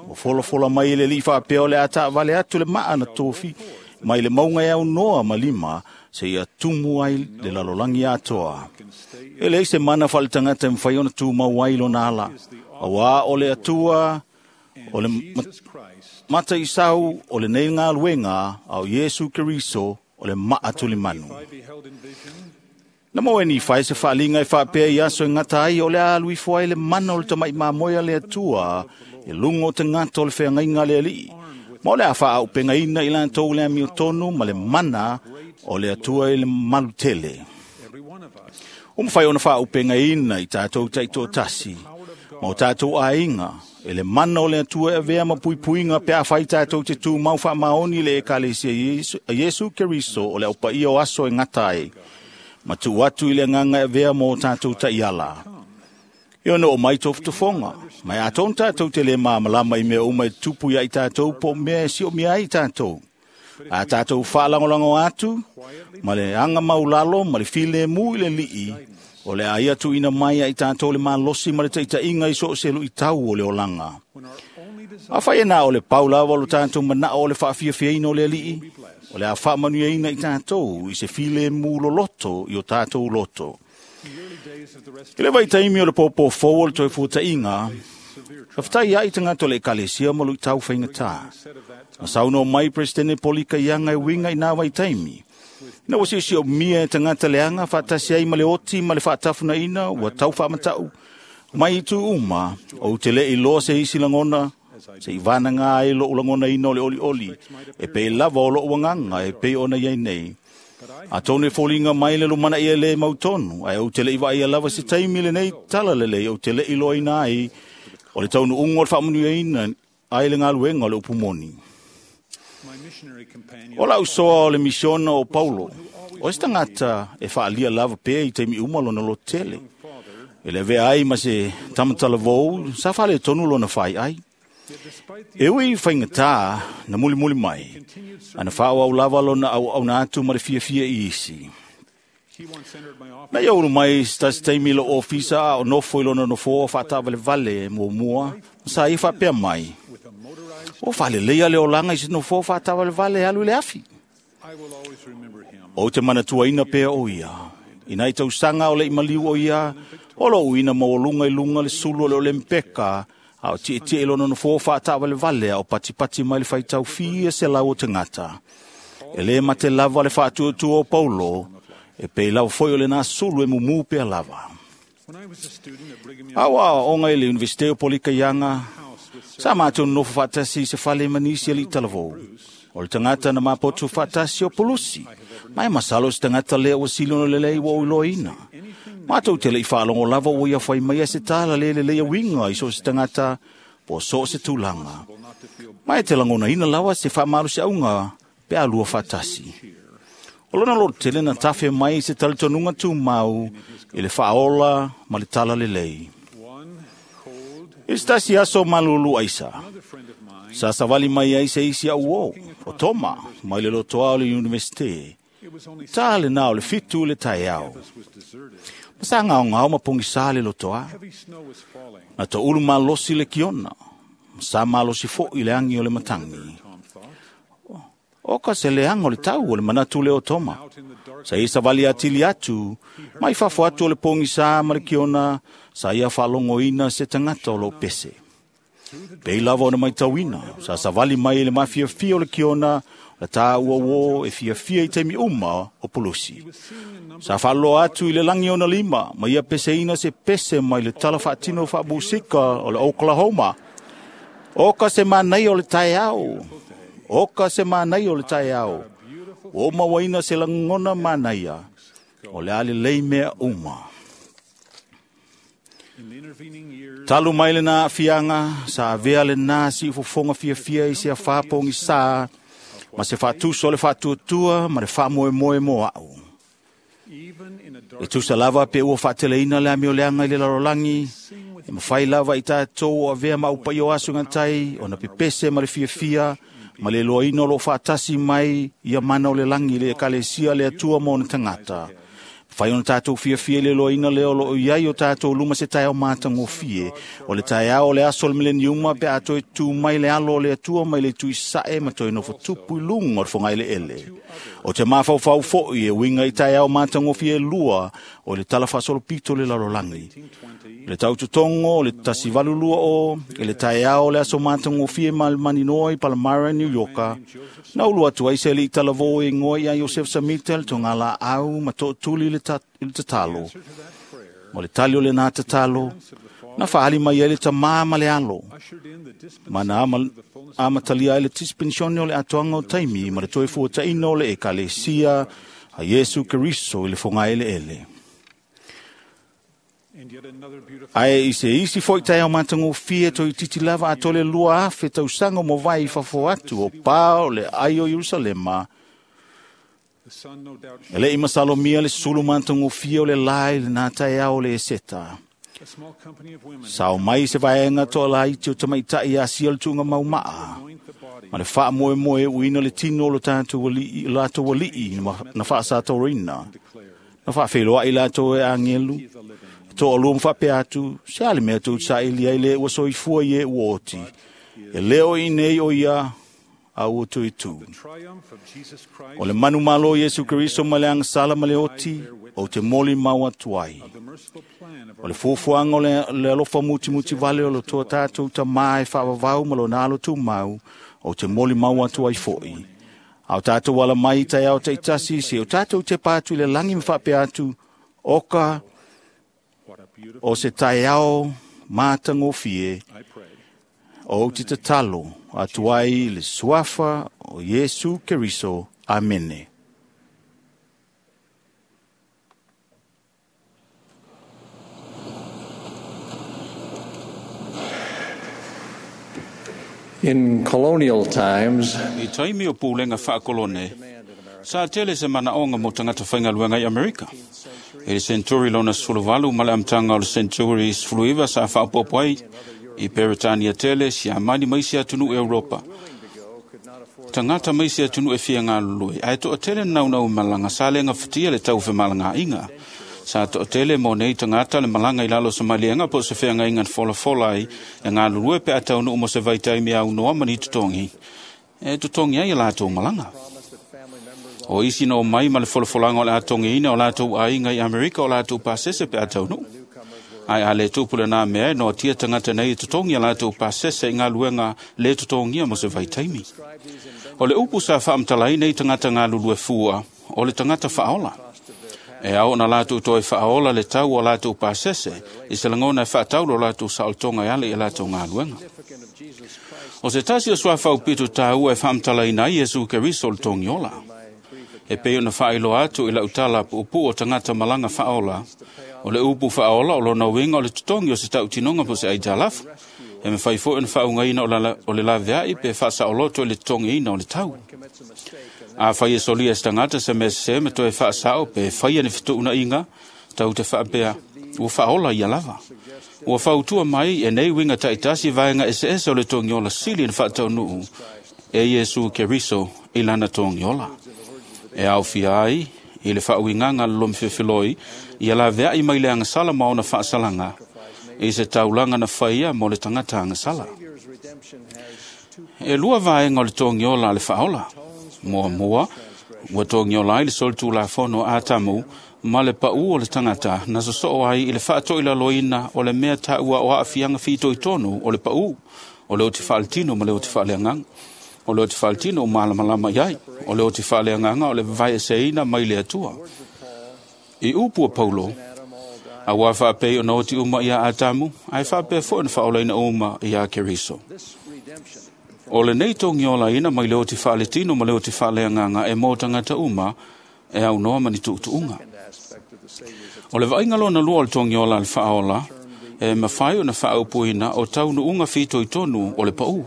Ua folafola mai e le Alii faapea o le a taavale atu le maa na tofi mai le mauga e aunoa ma lima seia tumu ai le lalolagi atoa. E leai se mana faaletagata e mafai ona tumau ai lona ala, auā o le Atua o le mata isau o lenei galuega a o Iesu Keriso o le maa tulimanu. Na maua e Nifae se faaliga e faapea i aso e gata ai o le a alu ifo ai le mana o le tama'i mamoe a le Atua i luga o tagata o le feagaiga a le Alii, ma o le a faaaupegaina i latou le amiotonu ma le mana o le Atua i le malutele. Ua mafai ona faaaupegaina i tatou taitoatasi ma o tatou aiga e le mana o le Atua e avea ma puipuiga pe afai tatou te tumau faamaoni i le ekalesia a Iesu Keriso o le aupaia o aso e gata ai, ma tuu atu i le agaga e avea mo o tatou taiala. E ono oo mai tofotofoga, ma e atonu tatou te lē malamalama i mea uma e tupu ia i tatou po o mea e siomia ai i tatou. A tatou faalagolago atu ma le aga maulalo ma le filemu i le Alii, o le a ia tuuina mai ia i tatou le malosi ma le taitaiga i so o se luitau o le olaga. Afai e na o le pau lava o lo tatou manao o le faafiafiaina o le Alii, o le a faamanuiaina i tatou i se filemu loloto i o tatou loto. I le vaitaimi o le pōpō fou o le toe fuataʻiga, faafetai ai tagata o le ekalesia ma luʻitau faigatā. Na saunoa mai Peresetene Polika Iaga e uiga i nā vaitaimi. Ina ua siosiomia e tagata leaga faatasi ai ma le oti ma le faatafunaina ua tau faamatau mai itu uma, ou te le iloa se isi lagona, se i vanaga ai loʻu lagonaina o le olioli, e pei lava o loʻu agaga e pei ona iai nei. Atonu e foliga mai le lumanaia lē mautonu, ae ou te le i vaaia lava se taimi lenei tala lelei ou te le iloaina ai o le taunuuga o le faamanuiaina ai le galuega o le upu moni. O lau soa o le misiona o Paulo, o se tagata e faaalia lava pea i taimi uma lona lototele. E le avea ai ma se tamatalavou sa faaletonu lona faiai. E ui faigatā na mulimuli mai, ana faaauau lava lona auauna atu ma le fiafia i isi. Na ia ulu mai se tasi taimi i lou ofisa a o nofo i lona nofoa faataavalevale muamua, sa ia faapea mai, o faaleleia le olaga i se nofoa faataavalevale e alu i le afi. Ou te manatuaina pea o ia. Ina i tausaga o le i maliu o ia, o lou ina maualuga i luga le sulu o le Olempeka, a o tietie i lona nofoa faataavalevale a o patipati mai le faitau fia selau o tagata. E lē mate lava le faatuatua o Paulo, e pei lava foi o lenā sulu e mumū pea lava. A o aoaoga i le Universite o Polikaiaga, sa matou nonofo faatasi i se fale ma nisi alii talavou. O le tagata na mapotu faatasi o Pulusi, ma e masalo se tagata lea ua sili ona lelei ua ou iloaina. Matou te le i faalogo lava ua ia fai maia se tala le lelei uiga i so o se tagata po o so o se tulaga. Ma e te lagonaina lava se faamalosiauga pe a lua faatasi. O lona lototele na tafe mai i se talitonuga tumau i le faaola ma le tala lelei. I se tasi aso malulu aisa, sa savali mai ai se isi au o, o Toma, mai le lotoa o le Universite. Tā le nā o le fitu le taeao. Ma sa ngaongao ma pogisā le lotoa. Na toulu malosi le kiona, ma sa malosi foʻi le agi o le matagi. O ka se leaga o le tau o le manatu lea o Toma. Sa ia savali atili atu, mai fafo atu o le pogisā ma le kiona, sa ia faalogoina se tagata o loo pese. Pei lava ona maitauina, sa savali mai i le mafiafia o le kiona, La tā ua uo e fiafia i taimi uma o pulusi. Sa whaaloa atu i le langi ona lima, ma ia peseina se pese mai le tala whaatino whaabusika o le Oklahoma. Oka se manai o le taeao. Oka se manai o le taeao. O mawaina se langona manaia. O le ale lei mea uma. Talu mai le nā fianga, sa avea le nā si ufofonga fiafia i se awhapongi sa, ma se whaatuso le whaatuatua ma le whaamoemoe mo au. E tusa lava pe ua whaateleina le amio leanga i le lalolagi, e mawhai lava i tātou o avea ma upai o aso ngantai, o na pepese ma le fiafia, ma le loaina o lo whaatasi mai ia mana o le langi le ekalesia le atua mo na tangata. Whai ona tātou fiafia le loaina leo lo iai o tātou luma se taeao mātangofie. O le taeao o le aso o le mileniuma pe a toe tū mai le alo o le atua mai le tui sae ma toe nofo tupu i lunga o le whangai le ele. O te māwhauwhau foi e winga i taeao mātangofie lua o le tala whasolopito le lalolagi. Le taututongo o le tasivalu lua o, e le taeao o le aso mātangofie ma le maninoa i Palmyra, New Yorka. Na ulu atu ai se li talavo e ngoa ia Joseph Samita le tonga la au ma to'otuli le tatalo. O le tali o le nā tatalo, na whaali mai ai le tamā ma le alo. Mana ama, amatalia ai le tispensione o le atoanga o taimi ma le toe fuataina o le ekalesia a Iesu Keriso i le whangaele ele. Ae i se isi foi tae o mātangofie toi titi lava a tole lua afe tausango mo vai fafo atu o pā o le ai o Yerusalema. E le ima salomia le sulu mātangofie o le lai le nā taeao le eseta. Sao mai se vaenga toa lai te o tamaitai a sia le tuunga maumaa. Ma le wha moe moe uina le tino o le tātou ali'i, lātou ali'i na whaasātaurina. Na whaawheloa i lātou e angelu. Tō alua mwhapea atu, se ale mea tau sa ili ai le ua soifua i e uoti. E leo i nei o ia a ua tui tū. O le manu malo Yesu Keriso ma le angasala ma le oti, o te moli mau atu ai. O le fuafuaga o le, le alofa mutimuti vale o le toa tātou tamā e whaavavau ma lo nalo tū mau, o te moli mau atu ai foi. Au tātou ala mai tai au teitasi, se o tātou te pātu i le langi mwhapea atu, oka, o se taeao mātangofie o te tatalo atu ai le suafa o Iesu Keriso. Amene. In colonial times, I taimi o pūlenga whaakolone, sa tele se manaonga mo tangata whaingaluenga i Amerika. E le century lona suluvalu ma le amtanga o le century suluiva sa whaopopo ai i Peretania tele si amani mai si atunu Europa. Tangata mai si atunu e fia ngā lului. Ae toa tele naunau malanga sa le ngā fatia le tau malanga inga. Sa toa tele mo nei tangata le malanga i lalo sa malianga po se fea ngā inga fola fola ai e ngā lului pe atau mo se vaitai mea au noa mani tutongi. E tutongi ai e lātou malanga. O isi no mai ma le folafolanga o le atongi ina o lātou ainga i Amerika o lātou pasese pe ataunu. Ai a le tupule nā mea no tia tangata nei tutongi a lātou pasese i ngā luenga le tutongia mo se vaitaimi. O le upu sa whaamtalai nei tangata ngā lulue fua o le tangata whaola. E au na lātou toi whaola le tau o lātou pasese i se langona e whaataulo lātou saoltonga i ale i lātou ngā luenga. O se tasi o sua whaupito tāua e whaamtalai nei Yesu Keriso le tongiola. E pei ona whailo atu i lautala puupu o tangata malanga whaola. O le upu whaola o lona winga o le tutongi o se tautinonga po se aitalafu. E me whaifo ina whaungaina o le laveai pe whasaoloto i le tutongi ina o le tau. A whai e solia se tangata se me se me toe whaasao pe whaia ni whituuna inga, tau te whaapea ua whaola ia lava. Ua whautua mai e nei winga taitasi vaenga ese ese o le tongiola sili na whaataunuu e Yesu Keriso i lana tongiola. E au fia ai, i le whaauinganga le lomfewhiloi, i a laveai mai le angasala maona whaasalanga, i se taulanga na whaia mo le tangata angasala. E lua vaenga o le tongiola a le whaola. Mua mua, ua tongiola ai le sol tūlafono a tamu, ma le pau o le tangata na sosoo ai i le whaatoi laloina o le mea taua o aafianga whitoi tonu o le pau, o le o te whaaletino ma le o te whaaleanganga. O le oti faaletino o malamalama i ai. O le oti faaleagaga o le vavaeseina mai le Atua. I upu a Paulo, auā faapei ona oti uma ia Atamu, ae faapea foi ona faaolaina uma ia Keriso. O lenei togiolaina mai le oti faaletino ma le oti faaleagaga e mo tagata uma e aunoa ma ni tuutuuga. O le vaaiga lona lua o le togiola a le faaola, e mafai ona faaupuina o taunuuga fitoitonu o le paū.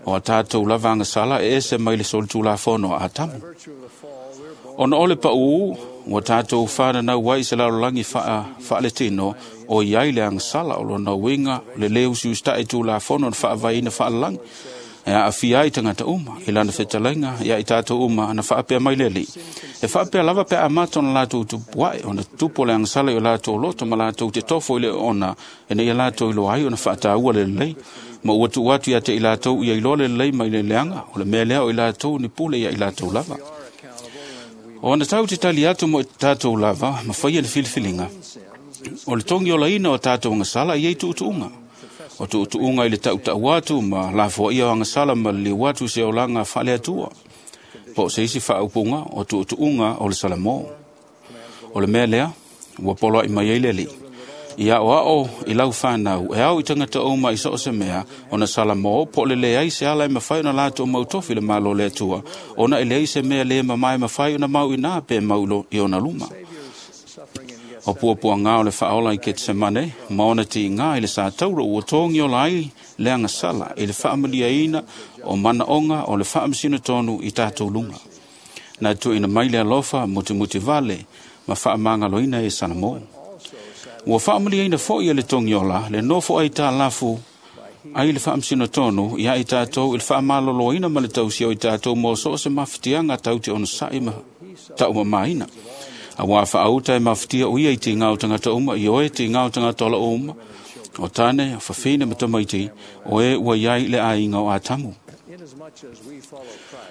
O a tātou lava agasala e ese mai le solitulafono a Atamu. Ona o le paū, ua tātou whananau ai se lalolagi faaletino o iai le agasala o lona uiga le lē usiusitai tulafono na faavaeina faalalagi. E aafia ai tagata uma i lana fetalaiga ia i tātou uma na faapea mai le Alii. E faapea lava pe a amata ona latou tupuae ona tupu o le agasala i o latou loto ma latou te tofo i le oona ina ia latou iloa ai ona faataua le lelei. Ma ua tuu atu ia te i latou ia iloa le lelei mai le leaga, o le mea lea o i latou ni pule ia i latou lava. O ona tau te tali atu mo i tātou lava, ma faia le filifiliga. O le togiolaina o tātou agasala i ei tuutuuga. O tuutuuga i le tautau atu ma lafoaia o agasala ma le liu atu se olaga faaleatua. Po o se isi faaupuga o tuutuuga o le Salamo. O le mea lea, ua poloai mai ai le Alii. Ia aoao i lau whanau, e au i tangata uma i so o se mea, ona Salamo po o le leai se ala e mawhai ona latou mautofi le malo le Atua, ona e leai se mea le mamae mawhai ona mau ina pe mau i ona luma. O puapuaga o le faaola i Ketsemane, ma ona tiiga i le satauro ua togiola ai le agasala i le faamaliaina o manaoga o le faamasino tonu i tātou luga. Na tuuina mai le alofa mutimuti vale ma faamagaloina e Salamo. Ua faamaliaina foi e le togiola le nofo ai tālafu ai le faamasino tonu ia i tātou i le faamaloloina ma le tausia o i tātou mo so o se mafatiaga tau te onosai ma taumamaina. Auā faauta e mafatia o ia i tīgā o tagata uma, i oe tīgā o tagata o loo uma, o tāne, o fafine ma tamaiti, o e ua iai le aiga o Atamu.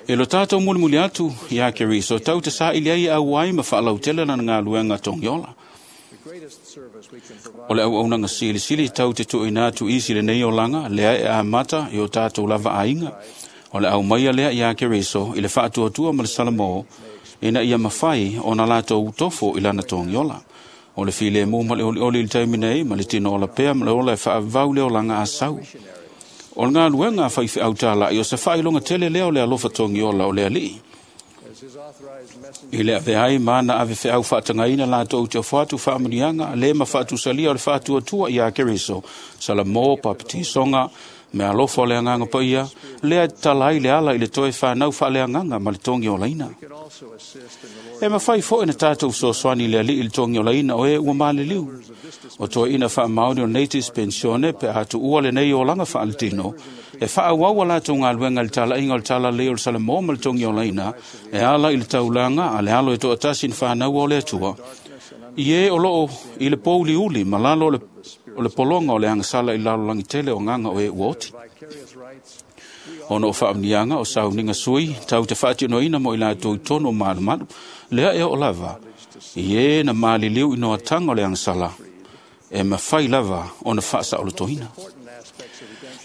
E lo tātou mulimuli atu ia Keriso, tau te saili ai au ai ma faalautele lana galuega togiola. O le auaunaga silisili tau te tuuina atu isi lenei olaga, lea e amata i o tātou lava aiga. O le aumaia lea ia Keriso i le faatuatua ma le Salamo, ina ia mawhai o na latou tofo i lana togiola. O le filemu ma le olioli i le taimi nei, ma le tino ola pea ma le ola e faavau le olaga a sau. O le galuega a faifeau tāla'i o se faailoga tele lea o le alofa togiola o le Alii. I le aveai ma na ave feau faatagaina latou te ofo atu faamuniaga le ma faatusalia o le faatuatua ia Keriso, Salamo, papatisoga, me alofa o le agaga paia, lea e tatala ai le ala i le toe whanau faaleagaga ma le togiolaina. E mawhai foi na tātou fesoasoani le Alii i le togiolaina o e ua maliliu. O toeaina faamaoni o nei dispensione pe a tuua lenei olaga faaletino, e faaauau a latou galuega i le talaiga o le talalelei o le Salamo ma le togiolaina, e ala i le taulaga a le alo e toatasi na whanau o le Atua. I e o loo i le pouliuli ma lalo o le o le pologa o le agasala i lalolagi tele o agaga o e ua oti. Ona o faamniaga o sauniga sui tau te faatinoina mo i latou i tonu o malumalu, lea e oo lava, i e na maliliu i noataga o le agasala, e mafai lava ona faasaolotoina.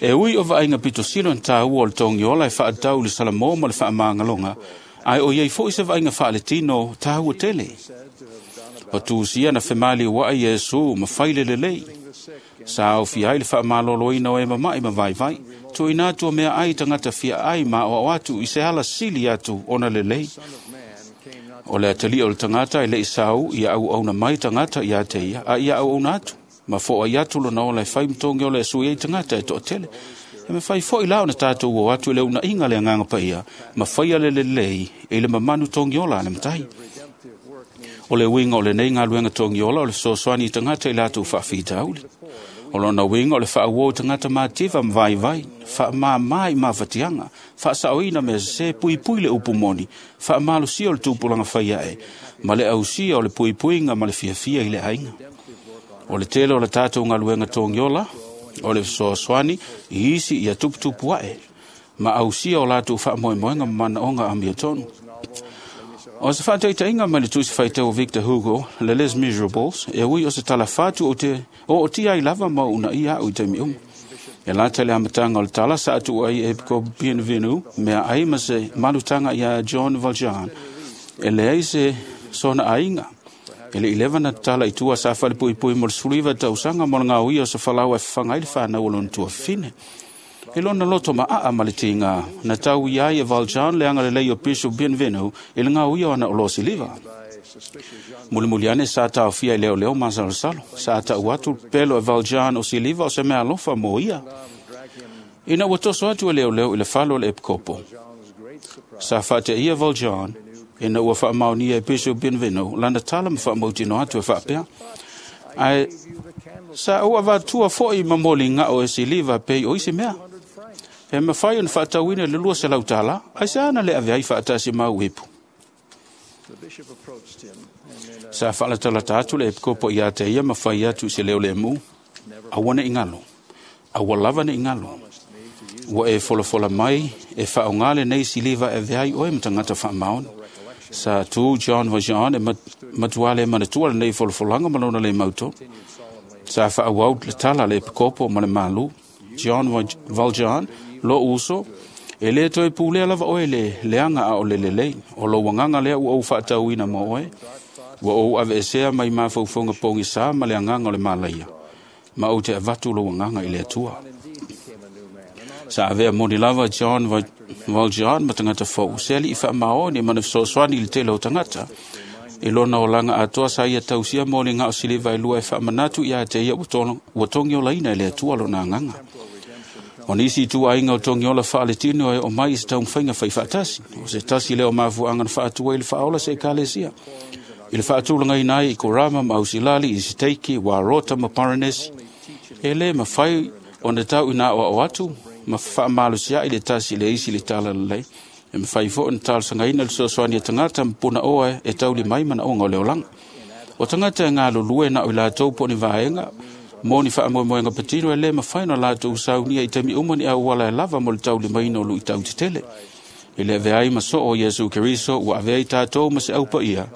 E ui o vaaiga pitosilo na tāua o le togiola e faatatau i le Salamo ma le faamagaloga, ae o iai foi se vaaiga faaletino tāua tele. O tusia na femaliu ai Iesu ma fai le lelei. Sa aofia ai le faamaloloina o e mama'i ma vaivai, tuuina atu o mea ai tagata fia ai ma aoao atu i se ala sili atu ona lelei. O le atalia o le tagata e le'i sau ia auauna mai tagata ia te ia, a ia auauna atu. Ma fo'ai atu lona ola e fai ma togiola e sui ai tagata e to'atele. E mafai foi la ona tātou o atu i le unaiga le agaga paia, ma faia le lelei i le mamanu togiola a le matai. O le uiga o lenei galuega togiola o le fesoasoani i tagata i latou faafitauli. O lona uiga o le faauo i tagata mativa ma vaivai, faamāmā i mafatiaga, faasaoina mea sesē, puipui le upu moni, faamalosia o le tupulaga fai ae, ma le ausia o le puipuiga ma le fiafia i le aiga. O le tele o le tātou galuega togiola, o le fesoasoani i isi ia tuputupu ae, ma ausia o latou faamoemoega ma manaoga amiotonu. O se faataitaiga mai le tusi faitau o Victor Hugo, le Les Miserables, e ui o se talafatu o te o o tia ai lava ma una ia au i taimi uma. E lata le amataga o le tala sa atu ai e Epikopo Bienvenu, mea ai ma se malutaga iā John Valjean, e leai se sona aiga. E le i leva na tatala i tua sa falepuipui mo le sefuluiva tausaga mo le gaoia o se falau e fafaga ai le fanau o lona tuafafine. E lona loto maaa ma le tiga na tau i ai e Valjean le agalelei o Bishop Bienvenu i le gaoia o ana oloa siliva. Mulimuli ane sa taofia i leoleo masalosalo. Sa tau atu pelo e Valjean o siliva o se mea alofa mo ia. Ina ua toso atu e leoleo i le falo o le epikopo. Sa faateia Valjean ina ua faamaonia e Bishop Bienvenu lana tala ma faamautino atu e faapea. Ae sa ou avatua foi ma moligao e siliva pei o isi mea. E mafai ona faatauina le lua selau tala, ai se ana le ave ai faatasi ma au ipu. Sa faalatalata atu le epikopo ia te ia ma fai atu i se leo lemu, aua ne i galo, aua lava ne i galo. Ua e folafola mai e faaaoga lenei siliva e ave ai oe ma tagata faamaoni. Sa tu John Valjean e matua le manatua lenei folafolaga ma lona le mauto. Sa faaauau le tala le epikopo ma le malu. John Valjean, lo uso, e le toe pulea lava oe le leaga a o le lelei. O lou agaga lea ua ou faatauina mo oe. Ua ou aveesea mai mafaufauga pogisa ma le agaga o le malaia. Ma ou te avatu lou agaga i le Atua. Sa avea moni lava John Valjean ma tagata fou. Se alii faamaoni ma na fesoasoani i le tele o tagata. I lona olaga atoa sa ia tausia moligao siliva e lua e faamanatu ia te ia ua togiolaina e le Atua lona agaga. O nisi ituaiga o togiola faaletino e o mai i se taumafaiga faifaatasi. O se tasi lea o mafuaaga na faatua i le faaola se ekalesia. I le faatulagaina ai i Korama ma Ausilali, i Siteiki, Warota ma Paranesi. E lē mafai ona tau ina aoao atu ma faamalosiai le tasi le isi le tala lelei. E mafai foi ona talosagaina le fesoasoani a tagata ma punaoa e tauli mai manaoga o le olaga. O tagata e galulue na o i latou po o ni vaega mo ni faamoemoega patino e lē mafai ona latou saunia i taimi uma ni auala e lava mo le taulimaina o luitau tetele. E le avea ai ma soo o Iesu Keriso ua avea ai tatou ma se aupaia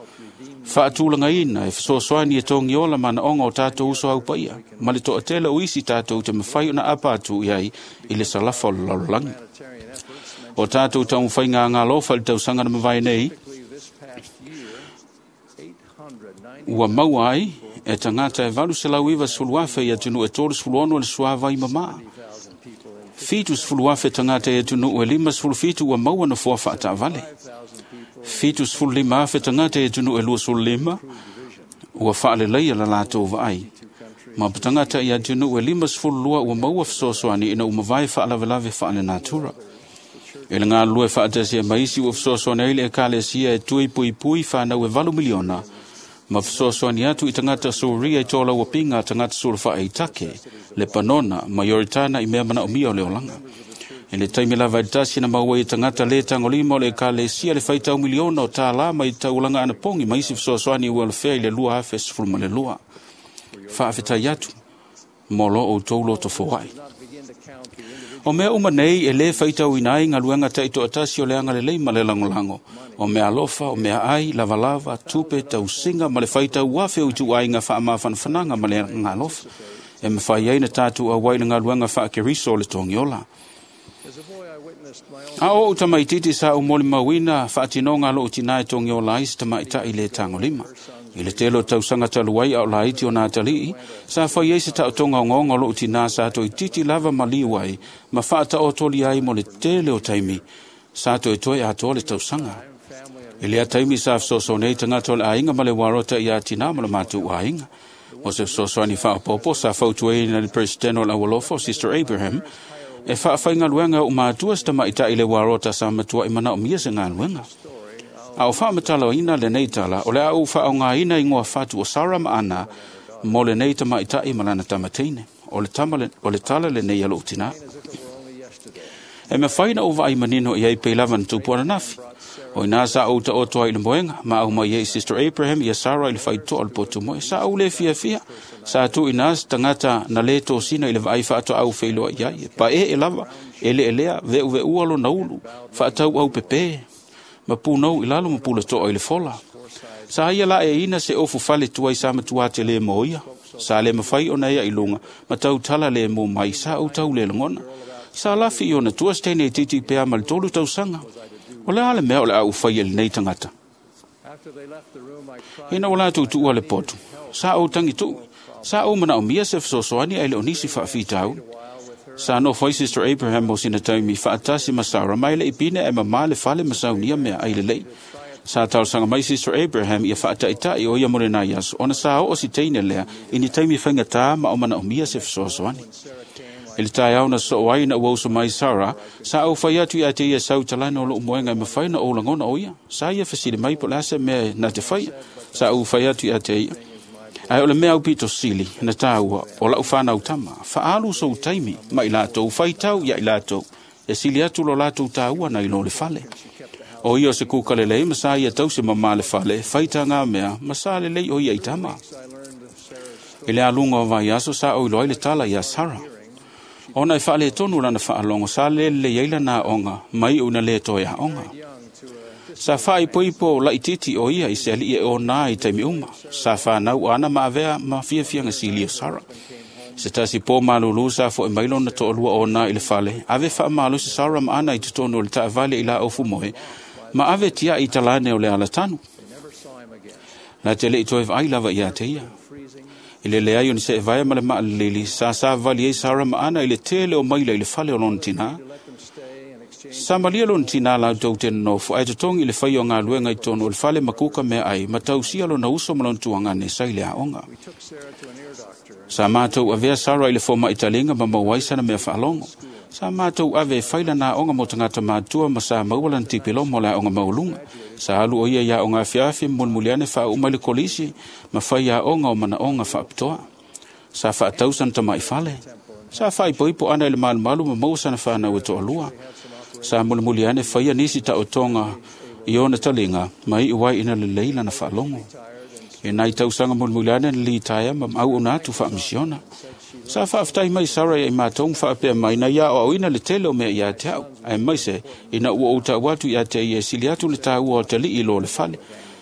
faatulagaina e fesoasoani e togiola manaoga o tatou uso aupaia ma le toatele o isi tatou te mafai ona apa atu i ai i le salafa o le lalolagi. O tatou taumafaiga agalofa i le tausaga na mavae nei ua maua ai e tagata e valu selau iva sefulu afe i atunuu e tolu sefulu ono le suavai mamā. Fitu sefulu afe tagata i atunuu e lima sefulu fitu ua maua nofoa faataavale. Fitu sefulu lima afe tagata i atunuu e lua sefulu lima ua faaleleia la latou vaai. Ma tagata i atunuu e lima sefulu lua ua maua fesoasoani ina ua mavae faalavelave faalenatura. E le galulue faatasia ma isi ua fesoasoani ai le ekalesia e tui puipui fanau e valu miliona ma fesoasoani atu i tagata Suria i tolauapiga tagata sulufai i Take, Lepanona ma Ioritana i mea manaomia o le olaga. E le taimi lava i le tasi na maua ai tagata lē tagolima o le ekalesia le faitau miliona o tālā mai taulaga anapogi ma isi fesoasoani ua alofea i le lua afe sefulu ma le lua. Faafetai atu mo lo outou loto foai. O mea uma nei e lē faitauina ai galuega taitoatasi o le agalelei ma le lagolago. O mea alofa, o mea ai, lavalava, tupe, tausiga ma le faitau afe o ituaiga faamafanafanaga ma le agalofa. E mafai ai na tatou auai le galuega faakeriso o le togiola. A o ou tamaititi sa ou molimauina faatinoga a lou tinā e togiola ai se tamaitai le tagolima. I le tele o tausaga talu ai a o laiti o nā atalii, sa fai ai se taotoga ogaoga o lou tinā sa toeititi lava maliu ai ma faataotoli ai mo le tele o taimi sa toetoe atoa le tausaga. E lea taimi sa fesoasoani ai tagata o le aiga ma le uarota iā tinā ma le matou aiga. O se fesoasoani faaopoopo sa fautuaina le Peresetene o le Aualofa o Sister Abraham e faafaigaluega e ou matua se tamaitai le uarota sa matuai manaomia se galuega. A o faamatalaina lenei tala, o le a ou faaaogaina igoa fatu o Sara ma Ana mo lenei tamaitai ma lana tamateine. O le, tama le, o le tala lenei a lou tinā. E mafai na ou vaai manino i ai pei lava na tupu ananafi. O ina sa ou taoto ai i le moega, ma au mai ai Sister Abraham ia Sara i le faitoa o le potu moe. Sa ou le fiafia, sa tu ina se tagata na le tosina i le vaai faatoau feiloa i ai. Pa e e lava, e le elea, veu veua lona ulu, faatau au pepe, ma punau i lalo ma pulatoa i le fola. Sa ia la e ina se ofu fale tuai sa matua te le mo ia. Sa le mawhai o na ia i lunga, ma tau tala le mo mai sa o tau le longona. Sa lafi i ona tua stene titi pea ma le tolu tausanga. O le ale mea o le au whai e lenei tangata. Ina o lātou tuua le potu. Sa o tangi tu. Sa o mana o mia se whasosoani ai le onisi whaafitau. Sa no whai Sister Abraham mo sina taimi whaatasi masara mai le ipine e mama le fale masaunia mea ai le lei. Sa tausanga mai Sister Abraham ia whaataitai o ia more nai aso. Ona sa o o si teine lea ini taimi whaingatā ma o mana o mia se whasosoani. I le tai au na so ai na uauso mai Sarah, sa au whai atu i a te ia sau talano o loo moenga e mawhai na o langona o ia. Sa ia whasile mai po lasa mea na te whai. Sa au whai atu i a te ia. Ai o le mea au pito sili na tāua o lau whanau tama. Whaalu sou taimi mai lātou whaitau ia i lātou. E sili atu lo lātou tāua na ilo le fale. O ia o se kūkale lei, ma sa ia tau se mama le fale, whaita ngā mea, ma sa le lei o ia i tama. I le alunga o vai aso sa o iloa i le tala ia Sarah. Ona e whaale tonu lana whaalongo, sa le le iaila nā onga, mai una le toe a onga. Sa whaai poipo lai titi o ia i se ali e o nā i taimi uma. Sa whanau ana maavea ma fiafianga sili o Sarah. Se tasi pō malulu sa fo e mailo na to'olua o nā i le fale, ave wha malu se Sarah ma ana i totonu o le taavale i la ofu moe, ma ave tia i talane o le alatanu. La te le i toe vai lava ia te ia. I le leai o ni se e vaia ma le maalili, sa sa vali e Sarah ma ana i le tele o maila i le fale o lona tina. Sa malia lona tina lau tau te nofo, ai totongi i le whai o ngā luenga i tonu o le fale makuka mea ai, ma tausia lona uso ma lona tuangane sa i le aonga. Sa mātou avea Sarah i le foma i talinga ma mauai sana mea whaalongo. Sa mātou ave whaila nā onga mo tangata mātua ma sa mauala na tipilo mo la onga maulunga. Sa alu o ia ia onga afiafi mulmuliane wha umai le kolisi ma whai ia onga o mana onga whaapitoa. Sa whaatau sana tamai fale. Sa whaipoipo ana i le malumalu ma mau sana whanau e toalua. Sa mulmuliane whaia nisi ta o tonga i ona talinga ma i uai ina le leila na whaalongo. E nai tausanga mulmuliane na li taia ma au ona atu whaamisiona. Sa whaaftai mai Sarah i mātou whaapea mai na ia o ina le tele o mea ia te au. Ai mai se, ina ua o tau atu ia te ia sili atu le tāua o te lii lo le fale.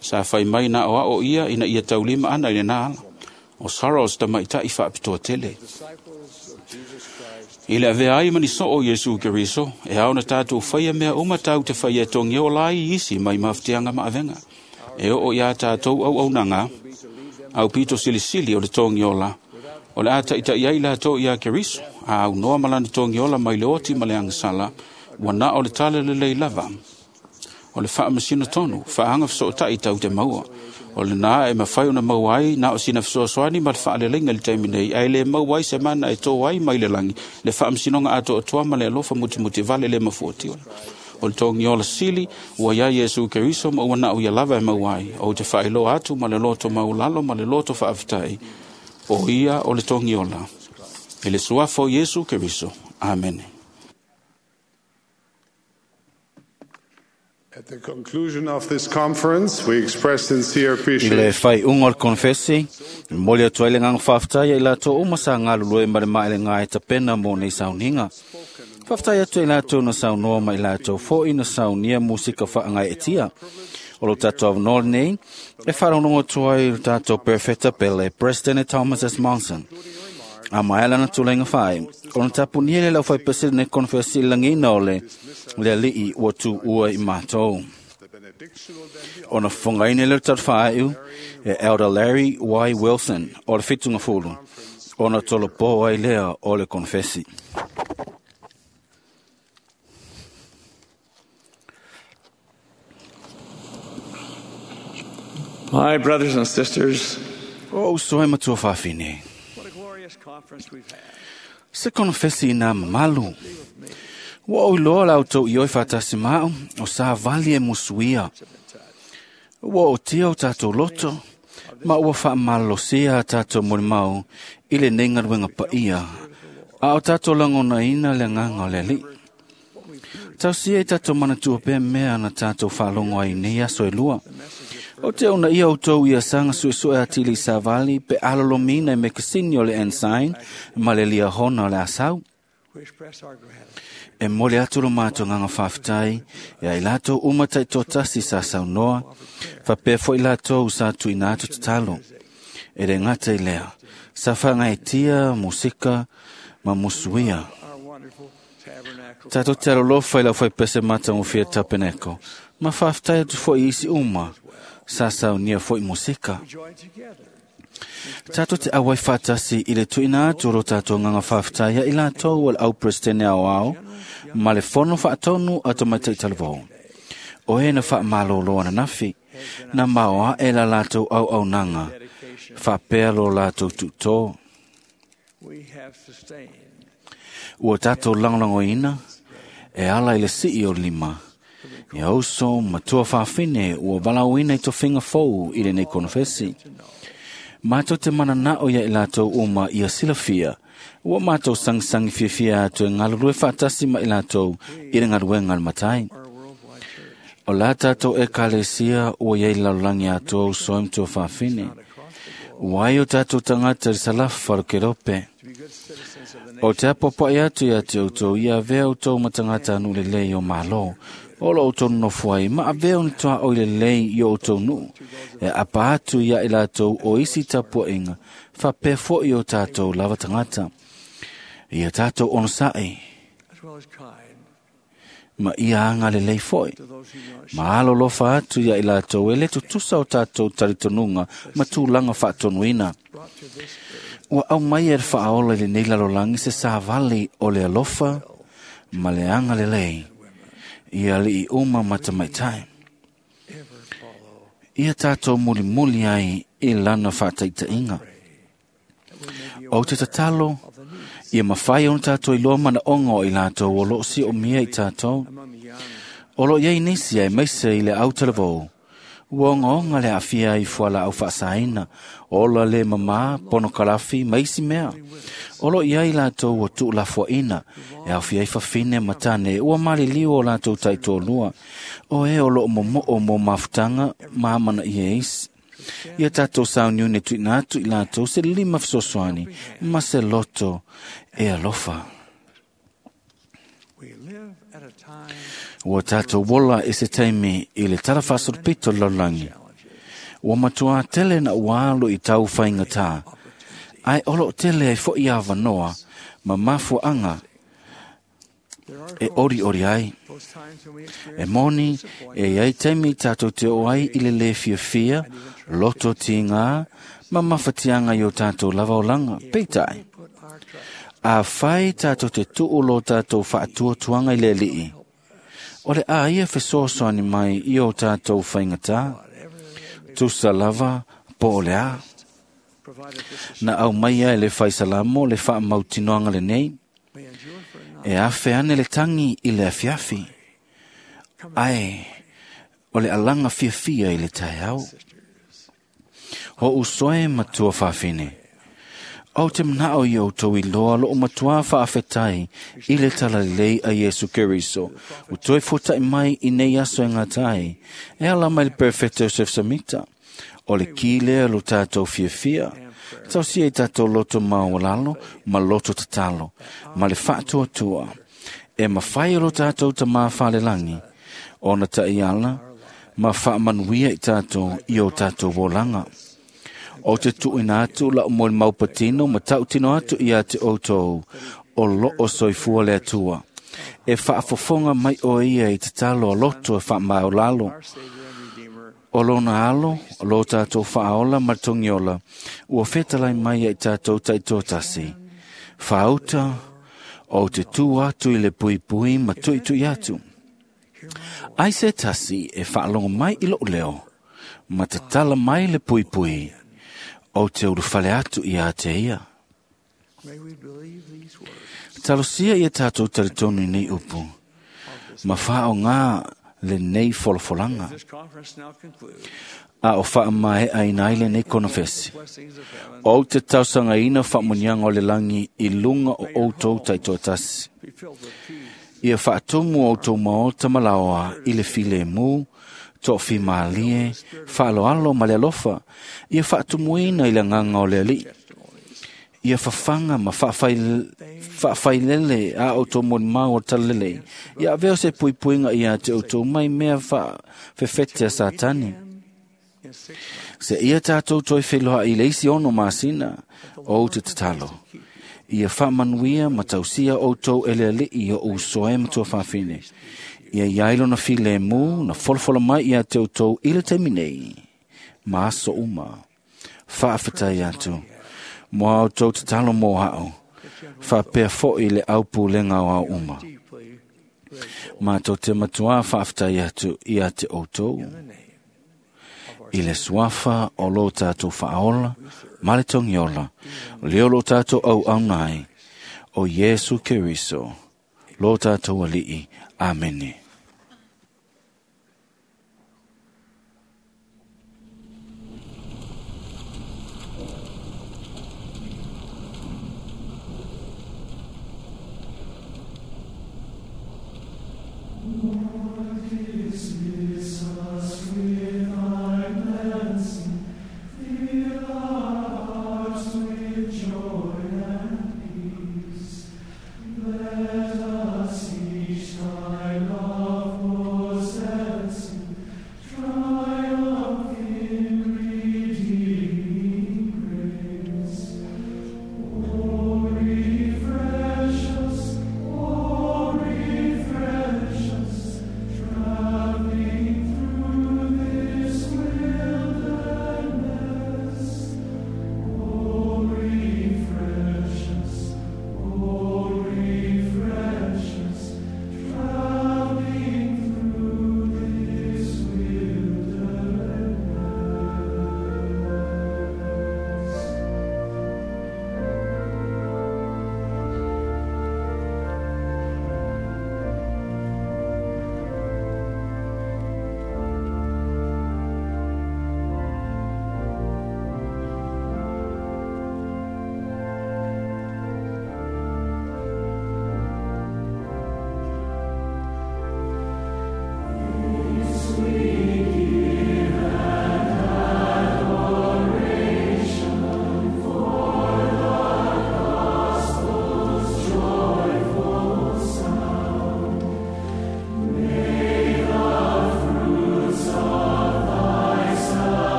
Sa whai mai na o ao ia ina ia taulima ana i le nā ala. O Sarah o sta mai tai whaapitoa tele. I le avea ai mani so o Yesu Keriso, e au na tātou whaia mea uma tau te whaia tongi o lai isi mai mawhitianga maavenga. E o o ia tātou au au nanga, au pito silisili o le tongi o la. O le ata ita iai la tō ia Keriso, a au noa malana tongi ola mai le oti ma le angasala, ua na o le tala le lei lava. O le whaamasina tonu, whaanga whasotai tau te maua. O le nā e mawhai ona maua ai, nā o sina whasoasoani ma le whaalelenga le taimi nei, ai le maua ai se mana e tō ai mai le langi, le whaamasinoga ato atoa ma le alofa mutimuti vale le mafuatiola. O le tongi ola sili, ua ia Yesu Keriso ma ua na o ia lava e maua ai, o te whaeloa atu ma le loto maulalo ma le loto whaaftai, o ia o le tongi ola. E le suafo Yesu Keriso. Amen. At the conclusion of this conference, we express sincere I le appreciation whai ungo le konfesi, moli atu ai le nganga whaftai ai lātou uma sa ngalu lue ma le maele ngā e tapena mō nei sauninga. Whaftai atu ai lātou na saunoa mai lātou fōi na saunia musika whaangai e tia. O lo tātou avanoa nei, e wharongo atu ai lo tātou Perfecta Pele, President Thomas S. Monson. A mai ala na tūlenga whai, o na tapu ni ele lau whai pese ne konfesi langina o le, le alii ua tū ua i mātou. O na whangaine le tatu whaaiu, e Elder Larry Y. Wilson, o le whitunga fulu, o na tolo pō ai lea o le konfesi. My brothers and sisters, O usoe matua whawhine. what a glorious conference we've had. Se konfesi nā mamalu. Ua o iloa lau tau ioi whatasi mao, o sa vali e musuia. Ua o tia o tātou loto, ma ua whaamalosia tātou morimau i le nei ngaruenga paia, a o tātou langona ina le nganga o le ali. Tausia i tātou manatua pē mea na tātou whaalongo ai nei aso e lua. O te ona ia o tau ia sanga suesue atili sa vali pe alolomina e mekasini o le ensign ma le lia hona o le asau. E mole atu lo mātou nganga whawhitai, e ai lātou uma taitōtasi sa saunoa, whapea foi lātou sa tuina atu tatalo. E re ngata i lea, sa whangaitia, musika, ma musuia. Tātou te alolofa i lau whai pese mata ngofia tapeneko, ma whawhitai atu foi isi uma, sa saunia foi musika. Tātou te awai whātasi i le tuina atu ro tātou nganga whawhitaia i lātou al au presidente au au, ma le fono whaatonu ato mai taitalvou. O he na whaamalolo ana nafi, na maoa e la lātou au au nanga, whapea lo lātou tutō. Ua tātou langolangoina, e ala i le sii o lima, e auso matua whawhine ua walauina i to finga fou i le nei konfesi. Mātou te mananao ia i lātou uma ia silafia, ua mātou sangisangi fiafia atu e ngalurue whaatasi ma i lātou i le ngaruenga al matai. O la tātou e kalesia ua iei lalulangi atu au soe mtua whawhine. Ua ai o tātou tangata i salafa ro kerope. O te apopai atu ia te outou ia avea outou matangata anu le lei o malo. O lo outou nofoai, ma avea ni toa o le lei i o outou nuu. E apa atu ia i lātou o isi tapuainga, whapea foi o tātou lava tangata. Ia tātou onosai, ma ia anga le lei foi. Ma alo lofa atu ia i lātou e le tutusa o tātou taritonunga ma tūlanga whaatonuina. Ua au mai e whaaola i le nei lalolangi se sāvali o le alofa ma le anga le lei. Ia li i uma matamaitai. Ia tātou muli muli ai i lana whaataitainga. O te tatalo, ia mawhai ona tātou i loa mana ongo i lātou o loo si o mia i tātou. O loo iei nisi ai meise i le autalavou. Ua onga onga le afia i fuala au whaasaina, ola le mama, pono kalafi, maisi mea. O loo iei lātou o tuu lafuaina, e awhia i whawhine matane, ua mali liu o lātou taitōlua. O e o loo momoo mō mafutanga, mahamana i e isi. Ia tātou sauniune tuina atu i lātou se lima fesoasoani, ma se loto e alofa. Ua tātou wola e se taimi i le tarawhasoro pito lallangi. Ua matua tele na ualo i tau whainga tā. Ai olo tele ai fo i awanoa, ma mafuanga e ori ori ai. E moni, e ai taimi tātou te o ai i le le fia fia, loto ti ngā, ma mawhatianga i o tātou lava olanga, peitai. A whai tātou te tuulo tātou whaatuatuanga i le lii. O le a ia fesoasoani mai i o tātou whaingata, tusa lava po o le a. Na au mai e le whaisalamo le whaamautinoanga le nei, e awhe ane le tangi i le afiafi. Ai, o le alanga fiafia i le tai au. Ho usoe matua whawhine. Au te mnao i outou i loa lo o matua whaafetai i le talalei a Yesu Keriso. O toi futai mai i nei aso e ngā tai. E ala mai le perfecto Joseph Samita. O le ki lea lo tātou fiafia. Tau si e tātou loto maolalo, ma loto tatalo, ma le whaatuatua. E mawhai o lo tātou ta mawhalelangi. Ona ta iala, ma whaamanuia i tātou i o tātou wolanga. O te tuina atu la o moe maupatino ma tautino atu ia te outou o lo o soifua le atua. E whaafofonga mai o ia i te talo a loto e whaamaolalo. O lona alo, o lo tātou whaaola ma tongiola, ua whetalai mai i tātou taitōtasi. Whaauta, o te tū atu i le pui pui ma tui tui atu. Ai se tasi e whaalongo mai i lo leo, ma tatala mai le pui pui, o te uruwhale atu i a te ia. Talosia ia tātou taritonu nei upu, ma whao ngā le nei folofolanga. A o whaamae a ina le nei konofesi. O te tausanga ina whaamunianga o le langi i lunga o outou taitoatasi. Ia whaatumu o tō maota malaoa i le file mū, tō fi maalie, whaaloalo ma le alofa, ia whaatumuina i le nganga o le ali. Ia fafaga ma faafailele a outou molimau o le talalelei. Ia avea o se puipuiga ia te outou mai mea faafefete a Satani. Se ia tātou toe feloa i le isi ono masina, o te tatalo. Ia faamanuia ma tausia outou e le alii o uso e matua fafine. Ia iai lona filemu na folafola mai ia te outou i le taimi nei. Ma aso uma. Faafetai atu. Mo outou tatalo mo ao. Faapea foi le aupulega o au uma. Mātou te matua faafetai atu ia te outou. I le suafa o lo tātou whaola, ma le tongiola, leo lo tātou au au nai, o Iesu Keriso, lo tātou alii. Amene.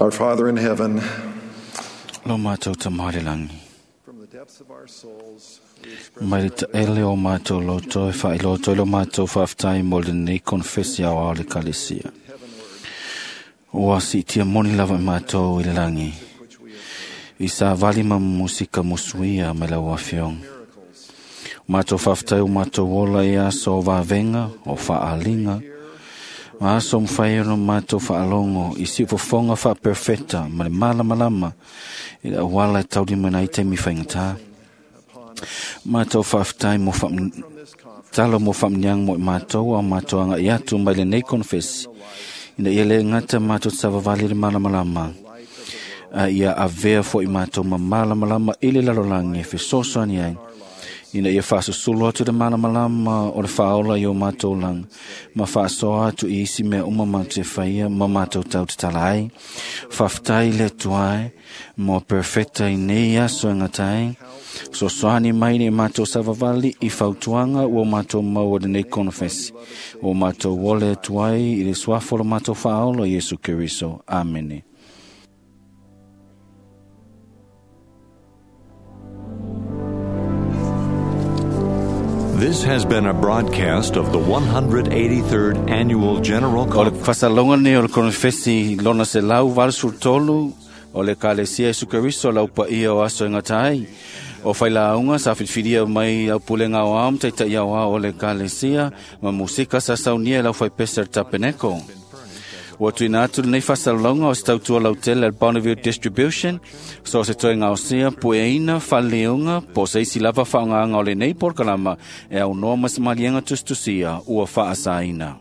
Our Father in heaven, Lo mātou tamari langi. from the depths of our souls, we express Mai le taele o mātou loto e whailoto i lo mātou whaaftai mo le nei konfesi au ao le kalesia. Ua si tia moni lava i mātou i le langi. I sa vali ma musika musuia mai lau afioga. Mātou whaaftai o mātou ola i aso o vavenga, o whaalinga, Ma aso mawhai ono mātou whaalongo i si ufofonga wha perfecta ma le malamalama i le awala e tauri mana i te mi whaingata. Mātou whaaftai mo wha talo mo whamniang mo i mātou au mātou anga i atu mai le nei konfesi. Ina ia le ngata mātou tsavavali le malamalama. A ia avea fo i mātou ma malamalama i le lalolangi e fesoasoani ai. Ina ia faasusulu atu le malamalama o le faaola i o mātou langa, ma faasoa atu i isi mea uma mātou e whaia ma mātou tau tatala ai. Faafetai le Atua e, mo perfecta i nei aso e ngatai. Sosoani mai nei mātou savavali i fautuanga ua mātou maua lenei konofesi. O mātou ole atu ai i le suafa o le mātou faaola Iesu Keriso. Amene. This has been a broadcast of the one hundred eighty-third Annual General O le Conference. fasalonga nei o le konofesi lona se lau valu sefulu tolu o le Kalesia Iesu Keriso lau paia o aso e gata ai. O whailaunga sa whiwhiria mai au pulenga o ao taitai au ao o le Kalesia ma musika sa saunia e lau whaipesa tapeneko. Ua tuina atu lenei fasalonga o se tautua lautele al Bonneville Distribution, so se toe ngaosia pueina whaleunga po se isi lava whaongaanga o lenei porokalama e au noa mas malianga tustusia ua whaasaina.